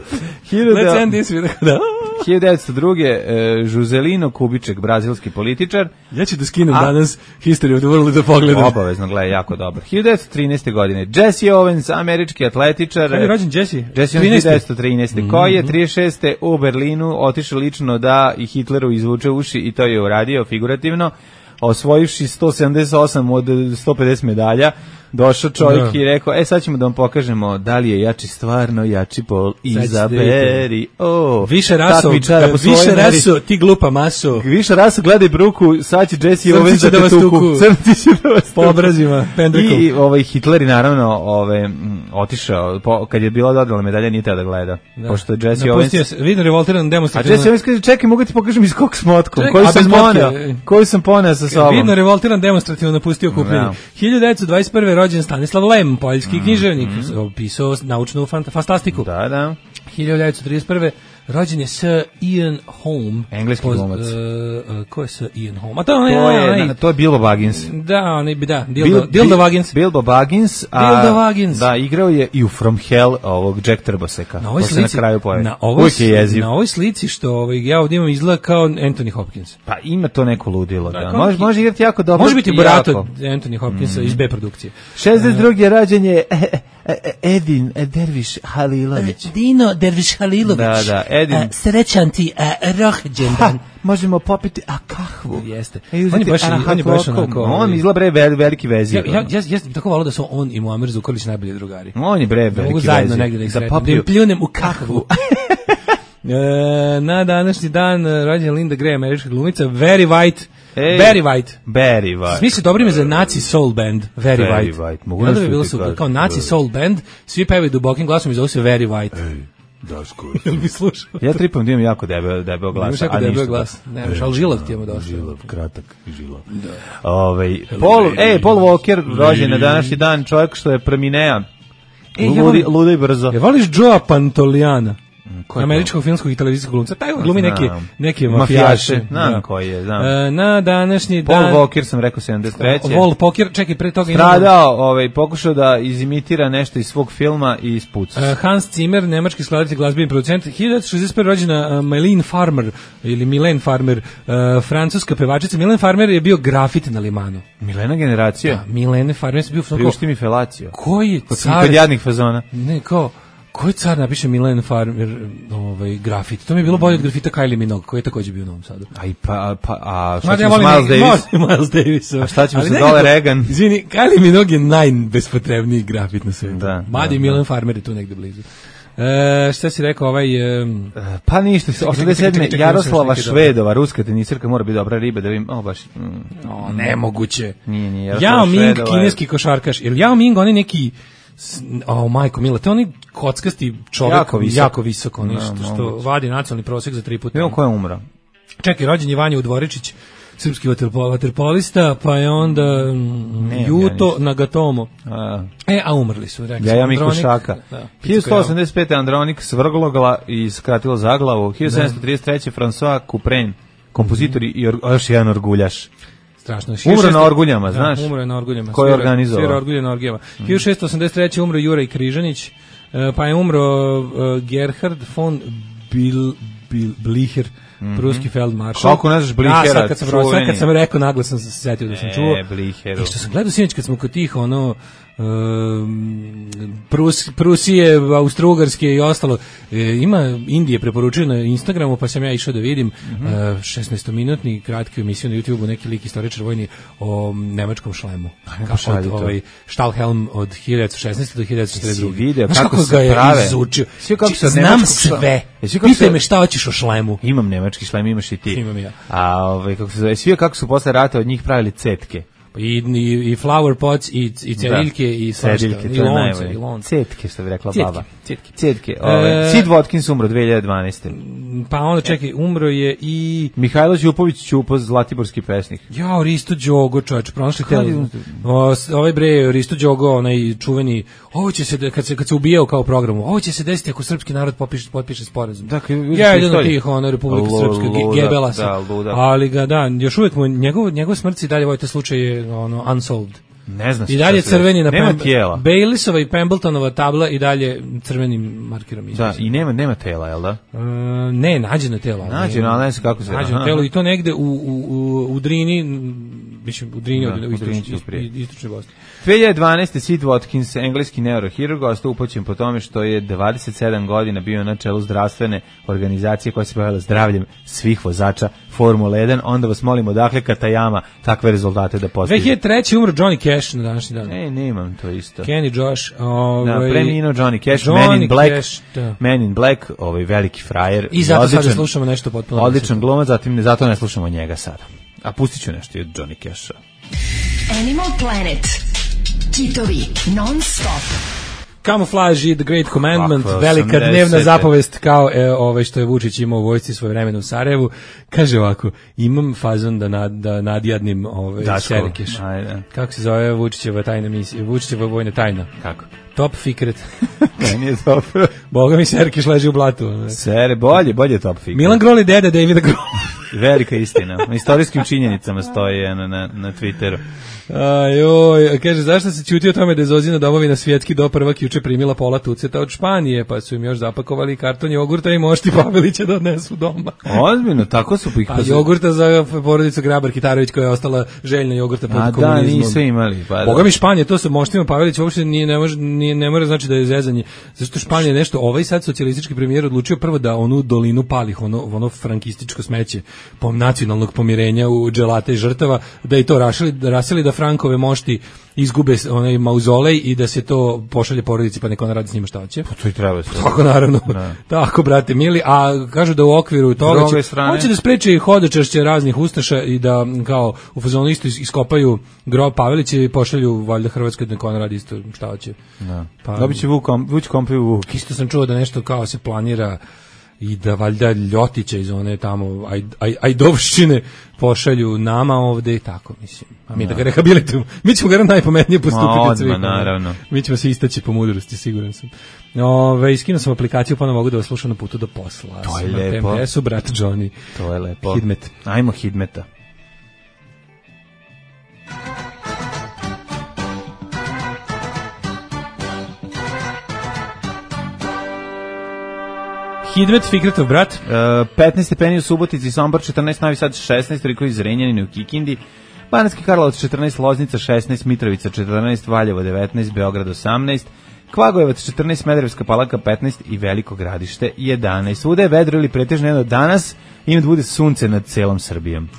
Let's end this with da. hiljadu devetsto druge. Žuzelino Kubiček, brazilski političar. Ja ću da skinem A? danas History of the World da pogledam. Obavezno, gledaj, jako dobro. hiljadu devetsto trinaeste. godine. Jesse Owens, američki atletičar. Kada je rođen Jesse? Jesse Owens hiljadu devetsto trinaeste. Mm-hmm. Koji je trideset šeste. u Berlinu otišao lično da i Hitleru izvuče uši i to je uradio figurativno, osvojivši sto sedamdeset osam od sto pedeset medalja. Došao čovjek i rekao, e sad ćemo da vam pokažemo da li je jači stvarno, jači pol, izaberi. Oh, više raso, više raso, ti glupa maso. Više raso, gledaj bruku, sad će Jesse Owens da te tuku. Crnci će da vas tuku. Po obrazima, pendrekom. I ovaj, Hitler je naravno ovaj, otišao, po, kad je bila dodala medalja, nije teo da gleda. Da. Pošto je Jesse Owens... Vidno revoltiran demonstrativno. A Jesse Owens kaže, čekaj, mogu ti pokažem iz kog smotkom, koju sam poneo, koju sam poneo sa sobom. Vidno revoltiran demonstrativno napustio kupljenje. hiljadu devetsto dvadeset prve. rođen Stanislav Lem, poljski mm, književnik, mm. pisao naučnu fantastiku. Da, da. hiljadu devetsto trideset prve. rođen je Sir Ian Holm. Engleski glumac. Uh, uh, ko je Sir Ian Holm? A to, on, to, je, je, na, to je Bilbo Baggins. Da, on je, da, Dildo, Bil, Dildo Baggins. Bilbo Baggins. A, Dildo Baggins. Da, igrao je i u From Hell ovog Jack Trboseka. Na ovoj slici, na, kraju na, ovoj, na ovoj slici što ovaj, ja ovdje imam izgleda kao Anthony Hopkins. Pa ima to neko ludilo. Da. Da. Može, može igrati jako dobro. Može biti Borato Anthony Hopkinsa mm. iz B produkcije. šezdeset druge. Uh, rađen je Edin Derviš Halilović. Dino Derviš Halilović. Da, da, Edin. Uh, srećan ti uh, rođendan. Možemo popiti a kahvu. Jeste. E, on je baš, on je baš onako... On izgleda bre vel, veliki vezir. Ja, ja, ja, ja tako volao da su on i Muamer Zukorlić najbolji drugari. On je bre veliki vezir. Mogu zajedno negdje da ih sretnem. Da im pljunem u kahvu. e, na današnji dan rođena Linda Gray, američka glumica. Very White. Ej, Barry White. Barry White. Smisli dobro ime za Nazi Soul Band. Very Barry White. White. Mogu da bi bilo super. Kao Nazi Soul Band, svi pevaju dubokim glasom i zove se Very White. Ej, Daško. Jel bi slušao? Ja tripam da imam jako debel, debel glas. Imaš jako debel glas. Ne, e, ali žilav ti je mu došao. Žilav, kratak žilav. Da. Ove, Paul, ej, Paul Walker, rođen na današnji dan, čovjek što je preminea. E, Ludi, luda i brzo. Je voliš Joea Pantoliana? Američkog filmskog i televizijskog glumca. Taj glumi neki neki mafijaše. Znam koji je, znam. E, na današnji Paul dan... Paul Walker sam rekao sedamdeset treće. Paul Walker, čekaj, pre toga... Stradao, imamo... ovaj, pokušao da izimitira nešto iz svog filma i ispuca. E, Hans Zimmer, nemački skladatelj, glazbeni producent. hiljadu šezdeset prve. rođena uh, Mylène Farmer, ili Mylène Farmer, uh, francuska pevačica. Mylène Farmer je bio grafit na Limanu. Milena generacija? Da, Mylène Farmer je bio... Priušti mi felaciju. Koji je car... Kod jadnih fazona. Ne, kao... Koji car napiše Mylène Farmer ovaj, grafit? To mi je bilo bolje od grafita Kylie Minogue, koji je također bio u Novom Sadu. Aj, pa, pa, a šta ćemo s Miles Davis? Miles Davis. A šta ćemo sa dole Reagan? Izvini, Kylie Minogue je najbespotrebniji grafit na svijetu. Da, Madi da, Mylène da. Farmer je tu negde blizu. E, šta si rekao ovaj... Um... Pa ništa, osamdeset sedme. Jaroslava Švedova, ruska tenisirka, mora biti dobra riba da vidim, o baš... Mm, o, nemoguće. Nije, nije, Yao Ming, kineski košarkaš. Jer Yao Ming, on je neki... O, oh, majko mila, to je onaj kockasti čovjek, jako visok, jako visoko, no, što, što vadi nacionalni prosjek za tri puta. Evo ko je umro? Čekaj, rođen je Vanja Udvoričić, srpski vaterpolista, pa je onda ne, Juto ja Nagatomo. A. E, a umrli su, rekli ja, ja Miko Šaka. Da, hiljadu sto osamdeset pete. Andronik svrglogla i skratilo zaglavu. hiljadu sedamsto trideset treće. François Couperin, kompozitor i or, još jedan orguljaš. Strašno. Umro na orguljama, znaš? Da, umro je na orguljama. Ko je organizovao? Svira orgulje na orgijama. Mm. hiljadu šessto osamdeset treće. umro Juraj Križanić, pa je umro uh, Gerhard von Bil, Bil, Blicher, mm-hmm. pruski feldmaršal. Kako ne znaš Blihera? Ja, sad kad sam, sad kad sam rekao, naglas sam se setio da sam e, čuo. Bliheru. I što sam gledao sinoć kad smo kod tih, ono, Um, Prus, Prusije, Austro-Ugarske i ostalo. E, ima Indije preporučio na Instagramu, pa sam ja išao da vidim mm-hmm. uh, šesnaestominutni kratki emisiju na YouTubeu, neki lik istoričar vojni o nemačkom šlemu. Kako od, ovaj, Stahlhelm od hiljadu šesnaeste do hiljadu četrdeset druge. Si video kako, kako kako se prave? Izučio. Kako se znam sve. Pitaj se... me šta hoćeš o šlemu. Imam nemački šlem, imaš i ti. Imam ja. A ovaj, kako se zove, svi kako su posle rata od njih pravili cetke. I, i, i flower pots, i, i cediljke, da. I svašta, i lonce, i lonce. Cetke, što bi rekla cetke, baba. Cetke. Cetke. Ove, e, Sid Watkins umro dve hiljade dvanaeste. Pa onda, čekaj, umro je i... Mihajlo Ćupović Ćupo, zlatiborski pesnik. Ja, Risto Đogo, čovječ, pronašli telo. Ovaj bre, Risto Đogo, onaj čuveni, ovo će se, kad se, kad se ubijao kao programu, ovo će se desiti ako srpski narod potpiše, potpiše sporazum. Dakle, ja, jedan od tih, ono, Republika Srpska, Gebela se. Ali ga, da, još uvijek mu, njegov, njegov smrci dalje, ovaj te slučaj je, ono, unsolved. Ne znam. I dalje crveni na nema tijela. Baileysova i Pembletonova tabla i dalje crvenim markerom izvisi. Da, i nema nema tela, je l' da? Uh, ne, nađeno telo. Nađeno, ali ne znam kako se... Nađeno telo i to negde u, u, u, u Drini, mislim, u Drini, da, u, u istočnoj istočnoj Bosni. dve hiljade dvanaeste. Sid Watkins, engleski neurohirurg, ostao upoćen po tome što je dvadeset sedam godina bio na čelu zdravstvene organizacije koja se bavila zdravljem svih vozača Formula jedan. Onda vas molimo, dakle, Katayama takve rezultate da postiže. dve hiljade treće. umro Johnny Cash na današnji dan. E, nemam to isto. Kenny Josh. Ovaj, da, preminuo Johnny Cash, Johnny Man in Black, Cash, da. Man in Black, ovaj veliki frajer. I zato odličan, sada slušamo nešto potpuno. Odličan glumac, zatim ne, zato ne slušamo njega sada. A pustit ću nešto od Johnny Casha. Animal Planet. Kitovi non stop. Camouflage i The Great Commandment, Kako, velika dnevna zapovest kao e, ovaj što je Vučić imao u vojsci svoje vremena u Sarajevu. Kaže ovako, imam fazon da, nad, da nadjadnim ovaj, Serkeš. Kako se zove Vučićeva tajna misija? Vučićeva vojna tajna. Kako? Top Secret. Ne, nije dobro. Boga mi Serkeš leži u blatu. Sere, bolje, bolje Top Secret. Milan Groli deda Davida Groli. Velika istina. Na istorijskim činjenicama stoji na, na, na Twitteru. Ajoj, kaže, zašto se ćuti o tome da je Zozina domovina svjetski do prvak juče primila pola tuceta od Španije, pa su im još zapakovali karton jogurta i mošti Pavelića da odnesu doma. Ozbiljno, tako su ih... A jogurta za porodicu Grabar Kitarović koja je ostala željna jogurta pod A komunizmom. Da, nisu imali. Pa da. Boga mi Španije, to su moštima Pavelić, uopšte nije, ne, može, nije, ne mora znači da je zezanje. Zašto Španije nešto, ovaj sad socijalistički premijer odlučio prvo da onu dolinu palih, ono, ono frankističko smeće po nacionalnog pomirenja u dželate i žrtava, da i to rašili, da rasili da Frankove mošti izgube onaj mauzolej i da se to pošalje porodici pa neko ona radi s njima šta hoće. Pa to i treba se. Tako naravno. Ne. Tako, brate mili, a kažu da u okviru toga će, hoće da spreči hodočašće raznih ustaša i da kao u fazonu isto iskopaju grob Pavelića i pošalju valjda Hrvatskoj da neko ona radi isto šta hoće. Da. Pa, dobit će Vuk, Vuć kompliju Vuk. Isto sam čuo da nešto kao se planira i da valjda Ljotića iz one tamo aj, aj, Ajdovščine pošalju nama ovde i tako, mislim. A mi da, da ga rehabilitujemo. Mi ćemo ga najpametnije postupiti od svih. Naravno. Mi ćemo se istaći po mudrosti, siguran sam. Ove, iskinuo sam aplikaciju, pa ne mogu da vas slušam na putu do posla. To je lepo. P M S-u, brat Johnny. To je lepo. Hidmet. Ajmo Hidmeta. Hidmet, Fikretov brat. Uh, petnaest stepeni u Subotici, Sombor četrnaest, Novi Sad šesnaest, Riko iz Renjanina u Kikindi, Banatski Karlovac četrnaest, Loznica šesnaest, Mitrovica četrnaest, Valjevo devetnaest, Beograd osamnaest, Kvagojevac četrnaest, Smederevska Palanka petnaest i Veliko Gradište jedanaest. Svuda je vedro ili pretežno jedno danas i da bude sunce nad celom Srbijom.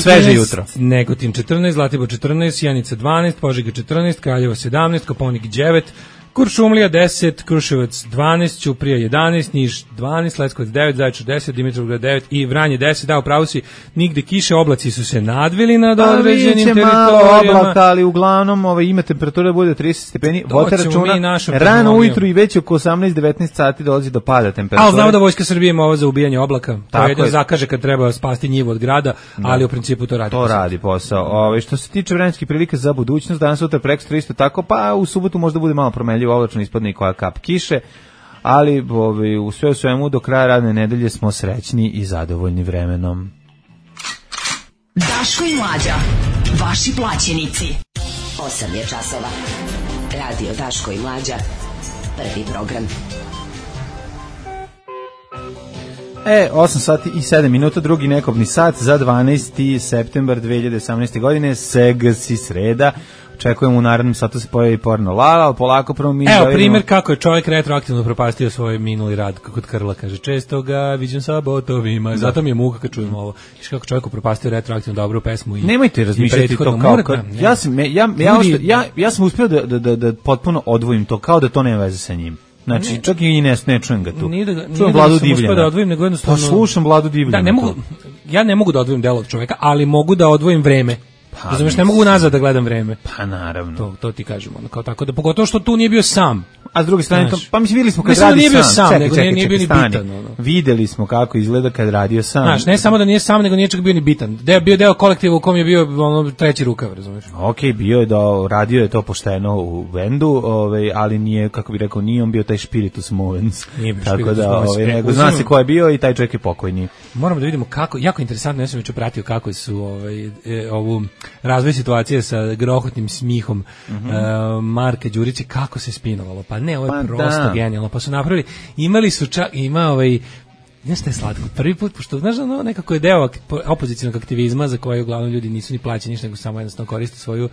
Sveže jutro. Negotin četrnaest, Zlatibor četrnaest, Sjenica dvanaest, Požega četrnaest, Kraljevo sedamnaest, Koponik devet, Kuršumlija deset, Kruševac dvanaest, Ćuprija jedanaest, Niš dvanaest, Leskovac devet, Zaječar deset, Dimitrovgrad devet i Vranje deset. Da, upravo si, nigde kiše, oblaci su se nadvili nad određenim teritorijama. Malo oblaka, ali uglavnom ovaj, ima temperatura bude trideset stepeni. Vodite računa, rano ujutru i već oko osamnaest devetnaest sati dolazi do pada temperature. Ali znamo da Vojska Srbije ima ovo za ubijanje oblaka. To jedno zakaže kad treba spasti njivu od grada, da. Ali u principu to radi. To posao. radi posao. Ove, što se tiče vremenskih prilika za budućnost, danas sutra prekstra isto tako, pa u subotu možda bude malo promenljivo. Oblačno ispadne i koja kap kiše, ali ovi, u sve u svemu do kraja radne nedelje smo srećni i zadovoljni vremenom. Daško i Mlađa, vaši plaćenici. osam je časova. Radio Daško i Mlađa, prvi program. E, osam sati i sedam minuta, drugi nekobni sat za dvanaesti septembar dve hiljade osamnaeste. godine, Segasi sreda. Očekujemo u narednom satu se pojavi porno Lala, ali polako prvo mi... Evo, primjer kako je čovjek retroaktivno propastio svoj minuli rad, kako Krla kaže, često ga viđem sa botovima, zato mi je muka kad čujem ovo. Viš kako čovjek propastio retroaktivno dobru pesmu i... Nemojte razmišljati to kao... Kad, ja, sam, ja, ja, ja, ja, ja sam uspio da, da, da potpuno odvojim to, kao da to nema veze sa njim. Znači, ne, čak i ne, ne čujem ga tu. Nije da, čujem nije Vladu da Divljana. Da odvojim, nego jednostavno... Pa slušam Vladu Divljana. Da, ne mogu, ja ne mogu da odvojim delo od čoveka, ali mogu da odvojim vreme. Pa, razumeš, ne mogu nazad da gledam vreme. Pa naravno. To, to ti kažemo, ono, kao tako da, pogotovo što tu nije bio sam. A s druge strane, to, pa mislim, videli smo kad mislim, radi nije bio sam. sam, čekaj, nego čekaj, nije, čekaj, nije bio ni bitan. Ono. Videli smo kako izgleda kad radio sam. Znaš, ne samo da nije sam, nego nije čak bio ni bitan. Deo, bio deo kolektiva u kom je bio ono, treći rukav, razumeš? Ok, bio je da radio je to pošteno u bendu, ovaj, ali nije, kako bi rekao, nije on bio taj spiritus movens. Nije bio tako da, ovaj, nego zna se ko je bio i taj čovjek je pokojni. Moramo da vidimo kako, jako interesantno, ja sam već pratio kako su ovaj, e, ovu razvoj situacije sa grohotnim smihom mm -hmm. uh, Marka Đurića, kako se spinovalo. Pa ne, ovo je pa prosto da. Genijalno. Pa su napravili, imali su čak, ima ovaj, nešto je slatko, prvi put, pošto znaš da no, nekako je deo opozicionog aktivizma za koje uglavnom ljudi nisu ni plaćeni ništa, nego samo jednostavno koriste svoju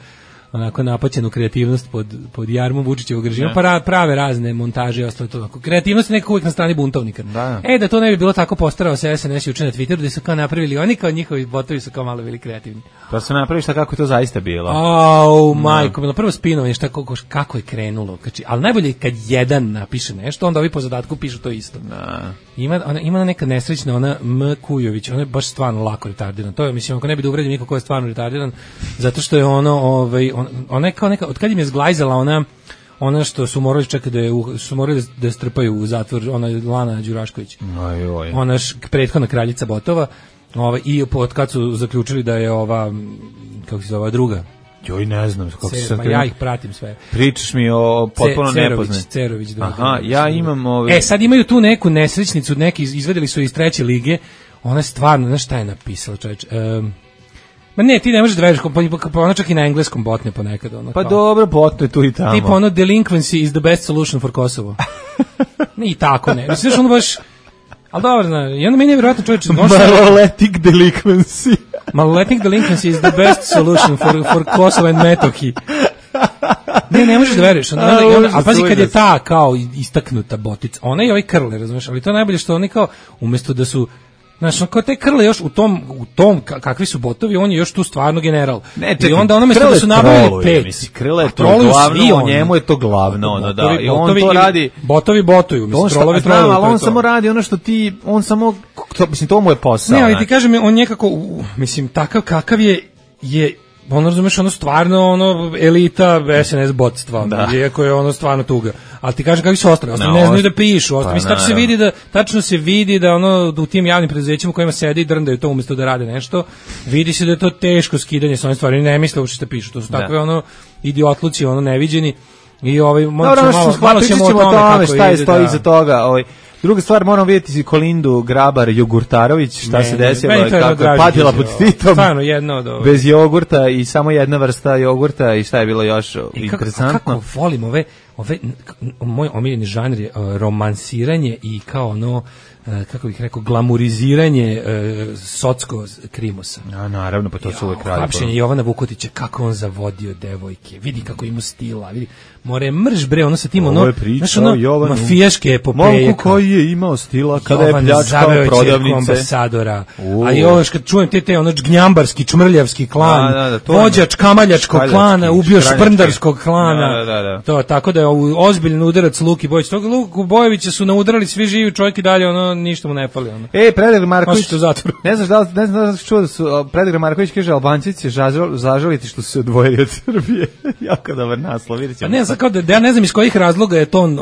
onako napaćenu kreativnost pod, pod jarmom Vučićevog režima, pa prave razne montaže i ostalo to. Kreativnost je nekako uvijek na strani buntovnika. Da. E, da to ne bi bilo tako, postarao se es en es juče na Twitteru, da su kao napravili, oni kao njihovi botovi su kao malo bili kreativni. Pa se napravi šta kako je to zaista bilo. Au, oh, majko, no. Prvo spinovanje, šta, kako, kako je krenulo. Kači, ali najbolje kad jedan napiše nešto, onda ovi po zadatku pišu to isto. Da. Ima, ona, ima neka nesrećna, ona M. Kujović, ona je baš stvarno lako retardiran. To je, mislim, ako ne bi da uvredim niko ko je stvarno retardiran, zato što je ono, ovaj, on, ona je kao neka, od kad im je zglajzala ona, ona što su morali čekati da je, su morali da strpaju u zatvor, ona Lana Đurašković. Aj, oj. Ona š, prethodna kraljica botova, ovaj, i od kad su zaključili da je ova, kako se zove, druga, joj, ne znam kako Cer, se pa ja ih pratim sve. Pričaš mi o potpuno nepoznat. Cerović, Cerović. Aha, ja imam ove... E, sad imaju tu neku nesrećnicu, neki izvedeli su iz treće lige. Ona je stvarno, znaš šta je napisala, čoveč? Um, ma ne, ti ne možeš da veriš, pa, pa ona čak i na engleskom botne ponekad. Ono, pa kao, dobro, botne tu i tamo. Tipa ono, delinquency is the best solution for Kosovo. Ne, i tako ne. Mislim, ono baš... Ali dobro, zna, i onda meni je vjerojatno čovječ... Maloletnik delinquency. Maloletnik delinquency is the best solution for, for Kosovo and Metohiji. Ne, ne možeš da veruješ. Onda, onda, onda, ali pazi kad je ta kao istaknuta botica, ona i ovaj Krle, razumiješ, ali to je najbolje što oni kao, umjesto da su, znaš, kao te Krle još u tom, u tom kakvi su botovi, on je još tu stvarno general. Ne, čekaj, i onda ono mesto da su nabavili pet. Misli, Krle je to glavno, njemu je to glavno, ono, da. I on to radi... Botovi botuju, mislim, trolovi trolovi. Ali on samo radi ono što ti, on samo, to, mislim, to mu je posao. Ne, ali ti kažem, on nekako, mislim, takav kakav je, je ono, razumeš, ono stvarno ono elita es en es botstva, da. Iako je ono stvarno tuga. Ali ti kažem kakvi su ostali, ostali no, ne znaju da pišu, ostali, pa, mislim, tačno se vidi da tačno se vidi da ono u tim javnim preduzećima u kojima sede i drndaju to umjesto da rade nešto, vidi se da je to teško skidanje sa onih stvari, ne misle uopšte šta pišu, to su da. Takve ono idiotluci, ono neviđeni. I ovaj možemo malo, malo ćemo o tome, tome šta je stoji iza toga, ovaj. Druga stvar, moramo vidjeti Kolindu Grabar Jogurtarović, šta ne, se desilo, kako je patila pod Titom, stvarno jedno od ovih. Bez jogurta i samo jedna vrsta jogurta i šta je bilo još I interesantno. Kako, kako volim ove, ove, moj omiljeni žanr je uh, romansiranje i kao ono, uh, kako bih rekao, glamuriziranje uh, socko krimosa. A, naravno, pa to su uvek radi. Hapšenje Jovana Vukotića, kako on zavodio devojke, vidi kako ima stila, vidi, more mrž bre, ono sa tim, ono, znaš, ono, Jovanu, mafijaške epopeje. Momku koji je imao stila kada Jovan je pljačkao prodavnice. Ambasadora. A i ovo kad čujem te te ono gnjambarski, čmrljavski klan, da, da, da, vođač kamaljačkog klana, ubio šprndarskog klana. Da, da, da. To tako da je ozbiljan udarac Luki Bojić. Tog Luku Bojevića su naudarali svi živi, čovjek i dalje ono ništa mu ne fali ono. Ej, Predrag Marković, ne znaš da li, ne znam da li čuo da su Predrag Marković kaže Albanci će zažaliti što su se odvojili od Srbije. Jako dobar naslov, vidite. Pa ne znam kao da ja ne znam iz kojih razloga je to on,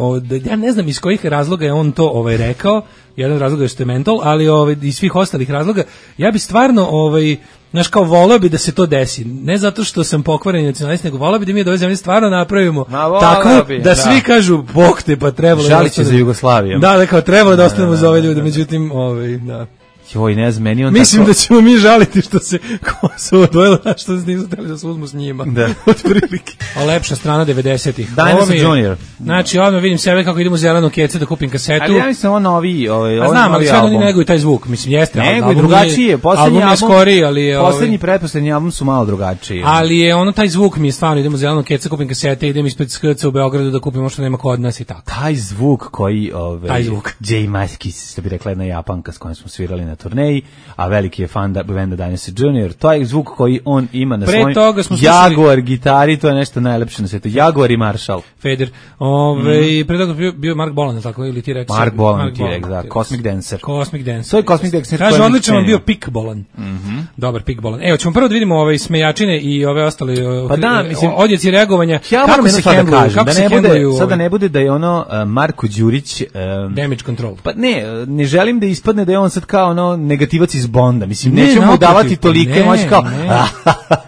ja ne znam iz kojih razloga je on to ovaj rekao. Jedan razlog je što je mental, ali ovaj iz svih ostalih razloga ja bi stvarno ovaj znaš kao voleo bi da se to desi. Ne zato što sam pokvareni nacionalist, nego voleo bi da mi od ove zemlje stvarno napravimo tako bi, da, da svi kažu bog te pa trebalo žali će za Jugoslavijom. Da, da kao trebalo da ostanemo za ove ljude, međutim, ovaj da. Joj, ne znam, meni on Mislim tako... da ćemo mi žaliti što se Kosovo odvojilo, što se nisu hteli da se uzmu s njima. Da. Od prilike. A lepša strana devedesetih. Dinosaur Junior. Znači, odmah vidim sebe kako idemo u zelenu kecu da kupim kasetu. Ali ja mislim, on novi, ovaj, A znam, ali sve oni neguju taj zvuk. Mislim, jeste. Nego, drugačiji je. Poslednji album, skori, ali, poslednji, pretposlednji album su malo drugačiji. Ali je ono, taj zvuk mi je stvarno, idemo u zelenu kecu, kupim kasete, idem ispred Skrca u Beogradu da kupim što nema kod nas i tako. Taj zvuk koji, ovaj, taj zvuk. Jay Maskis, što bi rekla jedna Japanka s kojom smo svirali na turneji, a veliki je fan da benda Dinosaur Junior. To je zvuk koji on ima na svojim Jaguar gitari, to je nešto najlepše na svijetu. Jaguar i Marshall. Feder. Ove, mm. Pre toga bio, bio Mark Bolan, tako ili T-Rex? Mark Bolan, T-Rex, da. Cosmic Dancer. Cosmic Dancer. To je Cosmic Dancer. Kaže, odlično vam bio Pik Bolan. Mm -hmm. Dobar Pik Bolan. Evo, ćemo prvo da vidimo ove smejačine i ove ostale pa da, mislim, odjeci reagovanja. Ja kako se hendluju, da kako da se ne bude, hendluju. Sada ne bude da je ono uh, Marko Đurić... Um, damage control. Pa ne, ne želim da ispadne da je on sad kao ono negativac iz Bonda. Mislim, ne, nećemo mu davati tolike, može kao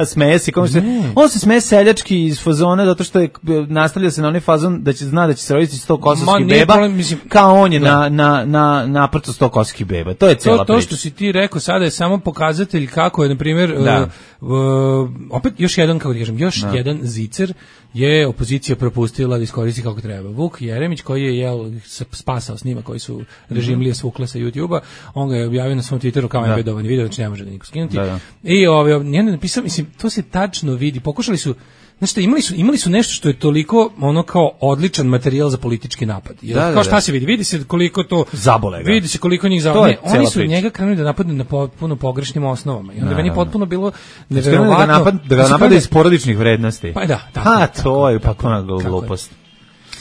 smeje se, kao se, on se smeje seljački iz fazona zato što je nastavlja se na onaj fazon da će zna da će se roditi sto kosovskih beba, problem, mislim, kao on je da. na na na naprto sto kosovskih beba. To je cela to, priča. To što si ti rekao sada je samo pokazatelj kako je na primjer uh, uh, opet još jedan, kako da kažem, još da. jedan zicer je opozicija propustila da iskoristi kako treba. Vuk Jeremić koji je jel spasao snima koji su režimlije svukle sa YouTubea, on ga je objavio na svom Twitteru kao embedovani video, znači ne može da niko skinuti. Da, da. I ovaj njene napisao, mislim, to se tačno vidi. Pokušali su, znači imali su imali su nešto što je toliko ono kao odličan materijal za politički napad. Jer, da, kao šta da. se vidi? Vidi se koliko to zabole ga. Vidi se koliko njih zabole. Oni su priča. njega krenuli da napadnu na potpuno pogrešnim osnovama. I onda meni potpuno bilo neverovatno da ga napad, da ga napada iz porodičnih vrednosti. Pa da, tako. Ha, to je potpuna glupost.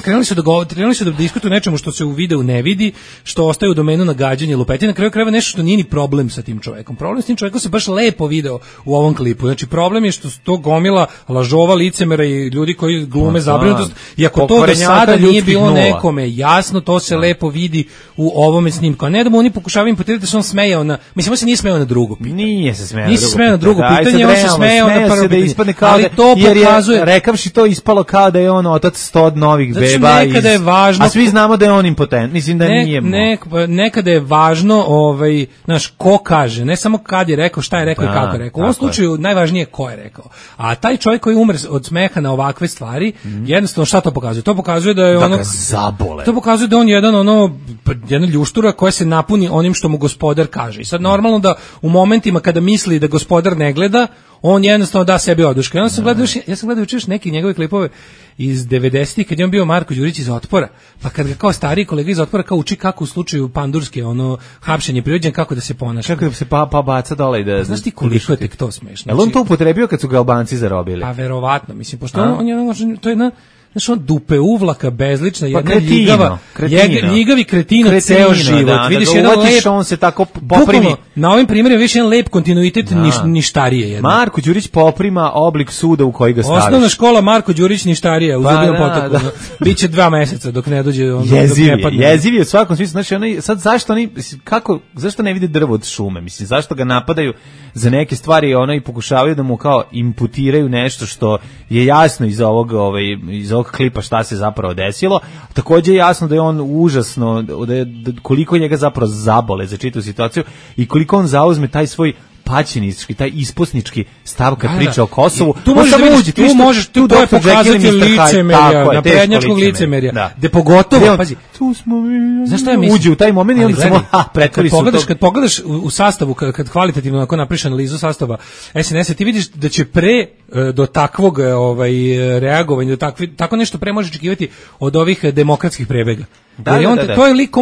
Krenuli su da go, krenuli su da diskutuju nečemu što se u videu ne vidi, što ostaje u domenu nagađanja i lupetanja, na kraju krajeva nešto što nije ni problem sa tim čovekom. Problem s tim čovekom se baš lepo video u ovom klipu. Znači problem je što to gomila lažova, licemera i ljudi koji glume zabrinutost. I ako to do sada nije bilo nula. nekome jasno, to se da. lepo vidi u ovome snimku. A ne da mu oni pokušavaju imputirati da se on smejao na, mislim on se nije smejao na drugo pitanje. Nije se smejao nije na drugo, smejao na drugo pitanje, pitanje on se smejao na prvo pitanje. Da ali to pokazuje, rekavši to ispalo kao da je on otac sto novih beba nekada je važno, a svi znamo da je on impotent, mislim da ne, nije ne, nekada je važno ovaj, znaš, ko kaže, ne samo kad je rekao, šta je rekao da, i kako je rekao. U ovom slučaju je. najvažnije je ko je rekao. A taj čovjek koji umre od smeha na ovakve stvari, mm. jednostavno šta to pokazuje? To pokazuje da je da ono zabole. To pokazuje da on jedan ono jedna ljuštura koja se napuni onim što mu gospodar kaže. I sad normalno da u momentima kada misli da gospodar ne gleda, on jednostavno da sebi oduška. Ja sam gledao još, ja sam gledao još neke njegove klipove iz devedesetih kad je on bio Marko Đurić iz Otpora. Pa kad ga kao stariji kolega iz Otpora kao uči kako u slučaju Pandurske ono hapšenje prirođen kako da se ponaša. Kako da se pa pa baca dole i da. Znaš ti koliko je tek to smešno. Jel on to upotrebio kad su ga Albanci zarobili? Pa verovatno, mislim pošto on, on je to je jedna znaš, on dupe uvlaka, bezlična, jedna pa kretino, ljigava, kretino. ljigavi kretino, kretino ceo život. Da, vidiš da jedan lep, on se tako poprimi. Na ovim primjerima vidiš jedan lep kontinuitet da. niš, ništarije. Jedno. Marko Đurić poprima oblik suda u koji ga staviš. Osnovna škola Marko Đurić ništarija u pa, Zubinom da, potoku. Da. Biće dva meseca dok ne dođe. On, jeziv dok ne padne. je, jeziv je u svakom smislu. Znači, onaj, sad zašto oni, kako, zašto ne vide drvo od šume? Mislim, zašto ga napadaju za neke stvari ono i pokušavaju da mu kao imputiraju nešto što je jasno iz ovog, ovaj, iz ovog klipa šta se zapravo desilo. Takođe je jasno da je on užasno, da je, da koliko njega zapravo zabole za čitavu situaciju i koliko on zauzme taj svoj paćenički, taj isposnički stav kad priča o Kosovu. Tu možeš da vidiš, tu možeš, tu to je pokazati licemerja, naprednjačkog licemerja, gde pogotovo, pazi, tu smo mi, znaš šta ja mislim? Uđe u taj moment i onda samo, ha, pretvori su to. Kad pogledaš u sastavu, kad kvalitativno ako napriš analizu sastava S N S-a, ti vidiš da će pre do takvog ovaj, reagovanja, do takvi, tako nešto pre možeš očekivati od ovih demokratskih prebega. Da, Jer on, da, da, da. To je lik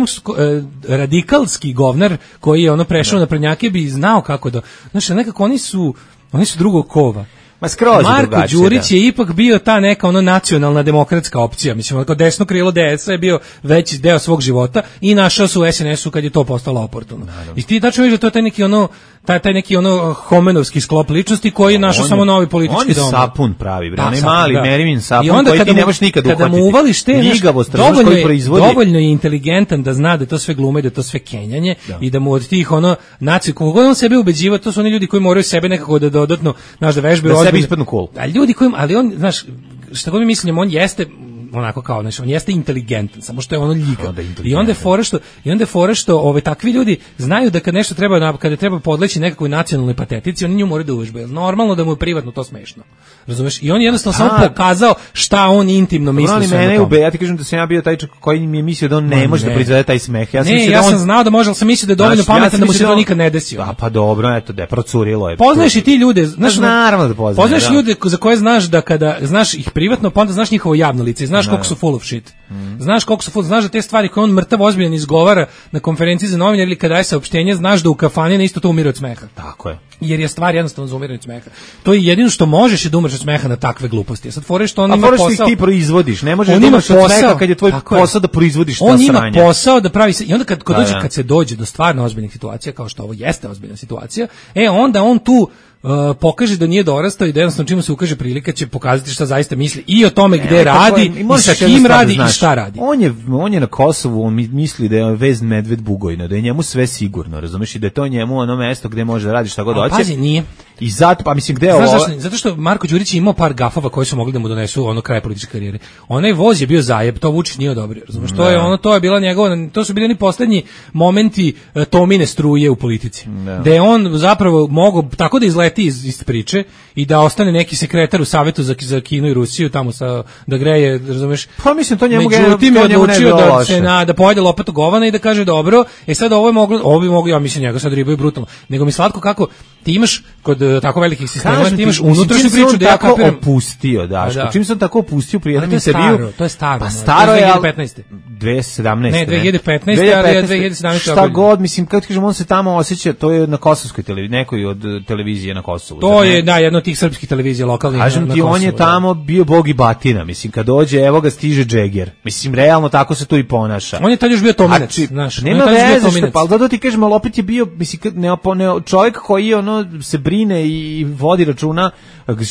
radikalski govnar koji je ono prešao na prednjake bi znao kako da, znači nekako oni su oni su drugog kova. Ma skroz Marko Đurić da. je ipak bio ta neka ono nacionalna demokratska opcija, mislim kao desno krilo D S-a je bio veći deo svog života i našao se u S N S-u kad je to postalo oportuno. I ti tačno vidiš da to je taj neki ono taj taj neki ono homenovski sklop ličnosti koji je našao samo novi politički dom. On je sapun pravi, bre, onaj mali da. Merivin sapun koji ti ne možeš nikad uhvatiti. Kada mu uvališ te Ljigavost, dovoljno, koji proizvodi. dovoljno je inteligentan da zna da to sve glume, da to sve kenjanje da. i da mu od tih ono nacije koliko on sebe ubeđiva, to su oni ljudi koji moraju sebe nekako da dodatno znaš da vežbaju da sebi ispadnu cool. A ljudi koji, ali on, znaš, šta god mi mislim, on jeste onako kao, znači, on jeste inteligentan, samo što je ono ljiga. I onda je fora što, i onda je fora što ove, takvi ljudi znaju da kad nešto treba, kada treba podleći nekakvoj nacionalnoj patetici, oni nju moraju da uvežbaju. Normalno da mu je privatno to smešno. Razumeš? I on je jednostavno samo pokazao šta on intimno misli. Ali mene ube, ja ti kažem da sam ja bio taj čovjek koji mi je mislio da on ne, ne može ne. da proizvede taj smeh. Ja sam ne, ja sam on... znao da može, ali sam mislio da je dovoljno znači, pametan ja da mu se to nikad ne desio. Da, pa dobro, eto, da je procurilo je. Poznaješ i ti ljude, znaš, naravno da poznaš. Poznaješ da. ljude za koje znaš da kada znaš ih privatno, pa onda znaš njihovo javno lice, znaš koliko su full of shit. Mm. Znaš koliko su full, znaš da te stvari koje on mrtav ozbiljan izgovara na konferenciji za novinare ili kada daje saopštenje, znaš da u kafani na isto to umire od smeha. Tako je. Jer je stvar jednostavno za umiranje od smeha. To je jedino što možeš je da umreš od smeha na takve gluposti. Sad fore što on a ima posao. A fore što ti proizvodiš, ne možeš da umreš od smeha kad je tvoj posao da proizvodiš ta sranja. On ima posao da pravi se i onda kad kad, dođe, kad se dođe do stvarno ozbiljnih situacija kao što ovo jeste ozbiljna situacija, e onda on tu Uh, pokaže da nije dorastao i da jednostavno čim se ukaže prilika će pokazati šta zaista misli i o tome gde e, radi je, i sa kim radi da i šta radi. On je, on je na Kosovu, on misli da je vez medved Bugojna, da je njemu sve sigurno, razumeš, i da je to njemu ono mesto gde može da radi šta god hoće. Pazi, nije. I zato, pa mislim, gde je ovo? Zašto? Zato što Marko Đurić je imao par gafova koji su mogli da mu donesu ono kraj političke karijere. Onaj voz je bio zajeb, to Vučić nije odobrio, razumeš, to je ono, to je bila njegova, to su bili oni poslednji momenti uh, Tomine struje u politici. Ne. Da je on zapravo mogao tako da izleti iz, iz priče i da ostane neki sekretar u savetu za, za Kinu i Rusiju tamo sa da greje, razumeš? Pa mislim to njemu Međutim, je odlučio da se na da pojede lopatu govana i da kaže dobro, e sad ovo je moglo, ovo bi moglo, ja mislim njega sad ribaju brutalno. Nego mi slatko kako ti imaš kod uh, tako velikih sistema, ti imaš unutrašnju priču da ja kapiram opustio, Daško. Da. Čim sam tako opustio pri jednom intervjuu, to je staro, pa staro je dve hiljade petnaeste. dve hiljade sedamnaeste. Ne, dve hiljade petnaeste, ali dve hiljade sedamnaeste. Šta god, mislim, kako ti kažem, on se tamo osjeća, to je na kosovskoj televiziji, nekoj od televizije na Kosovu. To je, da, jedno od tih srpskih televizija lokalnih na, na Kosovu. Kažem ti, on je tamo bio bog i batina, mislim, kad dođe, evo ga stiže Džeger. Mislim, realno tako se to i ponaša. On je tad još bio Tominac, znaš. Nema veze, što, pa ali da ti kažem, ali opet je bio, mislim, ne, ne, čovjek koji ono se brine i vodi računa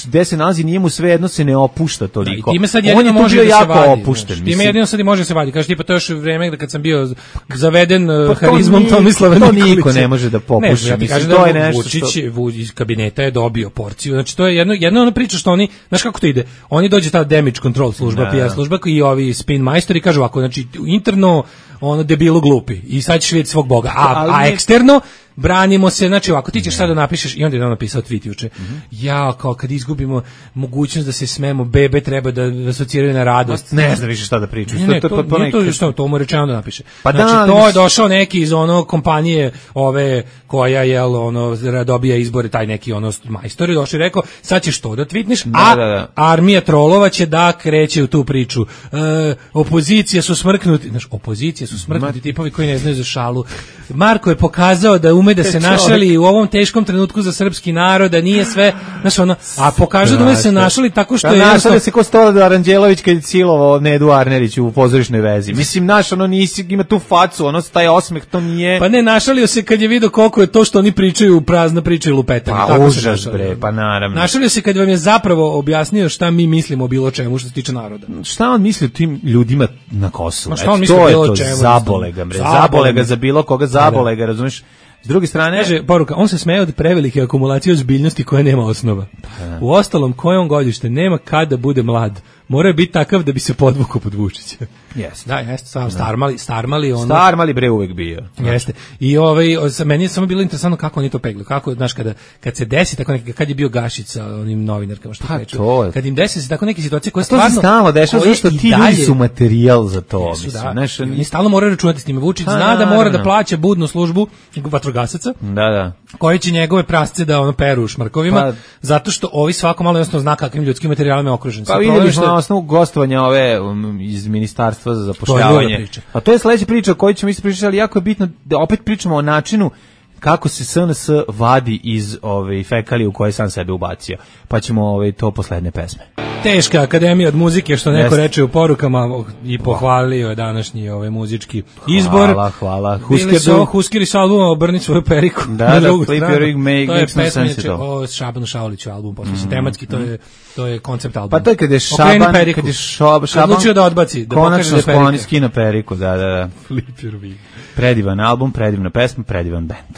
gde se nalazi, nije mu sve jedno se ne opušta toliko. Da, time sad on je može bio da jako vadi, opušten. Znaš, time jedino sad i može se vadi. Kaže tipa to još vreme da kad sam bio zaveden pa harizmom Tomislava Nikolića. To niko ne može da popuši. Ne, ja mislim, to je nešto Vučić što... iz kabineta je dobio porciju. Znači to je jedno jedno ona priča što oni, znaš kako to ide. Oni dođe ta damage control služba, P R služba i ovi spin majstori kažu ovako, znači interno ono debilo glupi i sad ćeš vidjeti svog boga. A, a eksterno branimo se, znači ovako ti ćeš sad da napišeš i onda je on napisao tweet juče. Mm-hmm. Ja, kao kad izgubimo mogućnost da se smemo, bebe treba da asociraju na radost. Ne znam više šta da pričam. Ne, ne, to, to, to, nije to, što, to mu rečeno da napiše. Pa znači, da, to je došao neki iz ono kompanije ove koja je ono dobija izbore, taj neki ono majstor je došao i rekao, sad ćeš to da tweetneš, da, a da, da. armija trolova će da kreće u tu priču. E, opozicija su smrknuti, znaš, opozicija su smrknuti tipovi koji ne znaju za šalu. Marko je pokazao da ume da se našali u ovom teškom trenutku za srpski narod, da nije sve, znaš ono, a pokaže da ume da se našali tako što je jednostavno... se ko Stola Aranđelović kad je silovao Nedu Arnerić u pozorišnoj vezi. Mislim, naš, ono, nisi, ima tu facu, ono, taj osmeh, to nije... Pa ne, našalio se kad je vidio koliko je to što oni pričaju, prazna priča i lupetanje. Pa užas, bre, pa naravno. Našalio se kad vam je zapravo objasnio šta mi mislimo o bilo čemu što se tiče naroda. Šta on misli o tim ljudima na Kosovu? Ma šta on misli o bilo čemu? Zabole ga, bre, zabole ga za bilo koga, zabole ga, razumiješ? S druge strane, kaže poruka, on se smeje od prevelike akumulacije ozbiljnosti koja nema osnova. Pa, u ostalom, koje on godište, nema kad da bude mlad. Mora biti takav da bi se podvukao pod Vučića. Jeste. Da, jeste, sam starmali, starmali ono. Starmali bre uvek bio. Jeste. I ovaj meni je samo bilo interesantno kako oni to peglaju. Kako, znaš, kada kad se desi tako neki, kad je bio Gašić sa onim novinarkama što kažu. Pa, kad im desi se tako neke situacije koje stvarno to se stalno dešava, zato što ti ljudi su materijal za to, jesu, mislim. Da, znaš, oni stalno moraju računati s njime. Vučić zna da, da mora da plaća budnu službu vatrogasaca. Da, da. Koji će njegove prasce da ono peru u šmrkovima, pa, zato što ovi svako malo jasno zna kakvim ljudskim materijalima je okružen. Pa videli smo na osnovu gostovanja ove um, iz ministarstva za zapošljavanje. A to je sledeća priča o kojoj ćemo isto pričati, ali jako je bitno da opet pričamo o načinu kako se S N S vadi iz ove fekalije u koje sam sebe ubacio. Pa ćemo ove to poslednje pesme. Teška akademija od muzike, što neko yes. reče u porukama i pohvalio je današnji ovaj muzički izbor. Hvala, hvala. Huskeri su, Huskeri su albuma Obrni svoju periku. Da, da, Flip Your Rig Make to je pesma o Šabanu Šauliću album, posle mm, tematski, to je to je koncept albuma. Pa to je kad je Šaban, kad je Šaban, Šaban odlučio da odbaci, da pokaže da je perika. Konačno skina periku, da, da, da. Flip Your Rig. Predivan album, predivna pesma, predivan bend.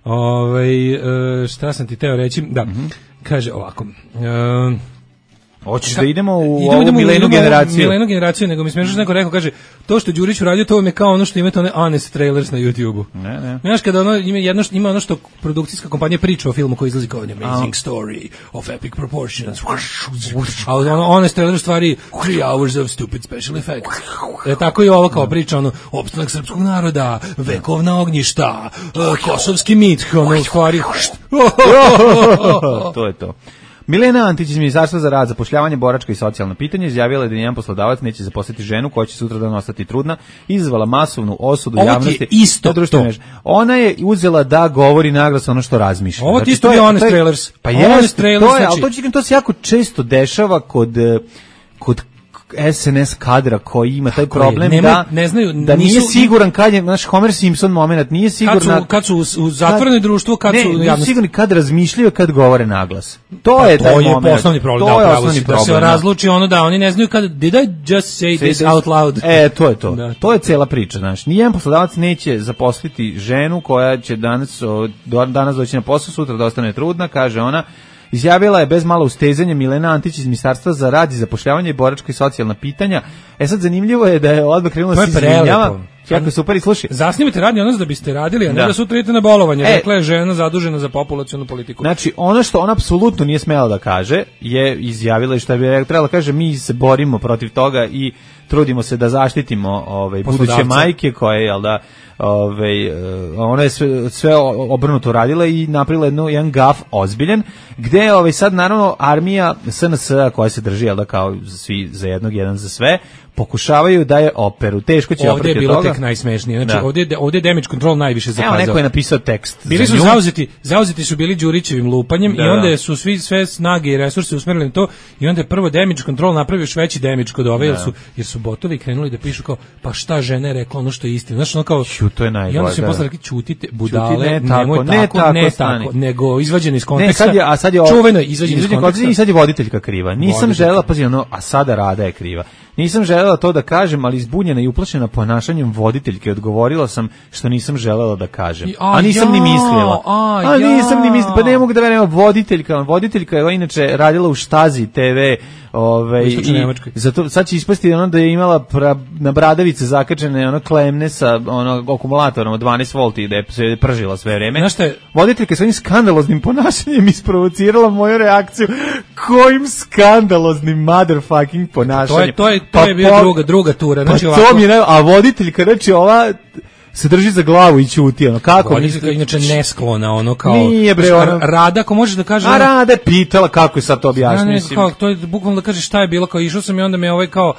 Ovaj šta sam ti teo reći? Da. Mm-hmm. Kaže ovako. Uh, Hoćeš da idemo u ovu milenu generaciju? Milenu generaciju, nego mi smiješno neko rekao, kaže, to što Đurić uradio, to vam je kao ono što imate one honest trailers na YouTubeu. Ne, ne. Znaš, kada ono, ima, jedno što, ima ono što produkcijska kompanija priča o filmu koji izlazi kao an amazing story of epic proportions. A ono, honest trailer stvari three hours of stupid special effects. E, tako i ovo kao priča, ono, opstanak srpskog naroda, vekovna ognjišta, uh, kosovski mit, ono, stvari. To je to. Milena Antić iz Ministarstva za rad, zapošljavanje, boračka i socijalna pitanja izjavila je da nijedan poslodavac neće zaposliti ženu koja će sutradan ostati trudna, izazvala masovnu osudu ovo javnosti. Ovo ti je isto to. Ona je uzela da govori naglas ono što razmišlja. Ovo ti isto je honest trailers. Pa honest trailers, to je, ali to, znači... to se jako često dešava kod, kod S N S kadra koji ima taj problem nema, da, ne znaju, da nisu, nije siguran kad je, naš Homer Simpson moment, nije siguran kad su, kad su u, u zatvorenom društvu, kad ne, su u javnosti. javnosti. Nisu sigurni kad razmišljaju, kad govore naglas. To pa je to taj je moment. osnovni problem, to da, je osnovni osnovni problem. Da se razluči ono da oni ne znaju kad, did I just say, say this out loud? E, to je to. Da. To je cela priča, znaš. Nijedan poslodavac neće zaposliti ženu koja će danas, danas doći na posao, sutra da ostane trudna, kaže ona. Izjavila je bez malo ustezanja Milena Antić iz Ministarstva za rad i zapošljavanje i boračka i socijalna pitanja. E sad zanimljivo je da je odmah krenula da se izvinjava. Jako super i slušaj. Zasnimite radni odnos da biste radili, a ne da, da sutra idete na bolovanje. E, dakle, žena zadužena za populacionu politiku. Znači, ono što ona apsolutno nije smela da kaže, je izjavila i što bi trebala kaže, mi se borimo protiv toga i trudimo se da zaštitimo ove, buduće majke koje, jel da, ove, ona je sve, sve obrnuto radila i napravila jednu, jedan gaf ozbiljen, gde ove, sad naravno armija S N S-a koja se drži, jel da, kao svi za jednog, jedan za sve, pokušavaju da je operu. Teško će ovdje je bilo toga. Tek najsmešnije. Znači, da. ovdje, ovdje je damage control najviše zakazao. Evo, neko je napisao tekst. Bili su zauzeti, zauzeti su bili Đurićevim lupanjem da, i onda su svi sve snage i resurse usmerili na to i onda je prvo damage control napravio još veći damage kod ove, jer su, jer su botovi krenuli da pišu kao, pa šta žena je rekla ono što je istina. Znači, ono kao, Ću, to je najbolje. I onda su im posle rekli, ćutite, budale, Čuti, ne nemoj tako, tako, ne tako, ne tako nego izvađeno iz konteksta. Ne, sad je, a sad je čuveno izvađeno iz konteksta. I sad je voditeljka kriva. Nisam želela, pazi, ono, a sada Rada je kriva. Nisam želela to da kažem, ali izbunjena i uplašena ponašanjem voditeljke odgovorila sam što nisam želela da kažem. I, a, a nisam ja, ni mislila. A, a nisam ni mislila. Pa ne mogu da verujem, voditeljka. Voditeljka je inače radila u Štazi te ve. Ove, i, zato sad će ispasti ono da je imala pra, na bradavice zakačene ono klemne sa ono akumulatorom od dvanaest volti da je se pržila sve vreme. Voditeljka svojim skandaloznim ponašanjem isprovocirala moju reakciju. Kojim skandaloznim motherfucking ponašanjem. To je, to je, to pa je bio po, druga, druga tura. Znači, pa to mi je ne, a voditeljka, znači ova se drži za glavu i ćuti, ono, kako? Voditeljka je inače nesklona, ono, kao... Nije, bre, ono... Rada, ako možeš da kažeš... A Rada je pitala kako je sad to objašnjeno, mislim. Kao, to je bukvalno da kažeš šta je bilo, kao išao sam i onda me ovaj kao...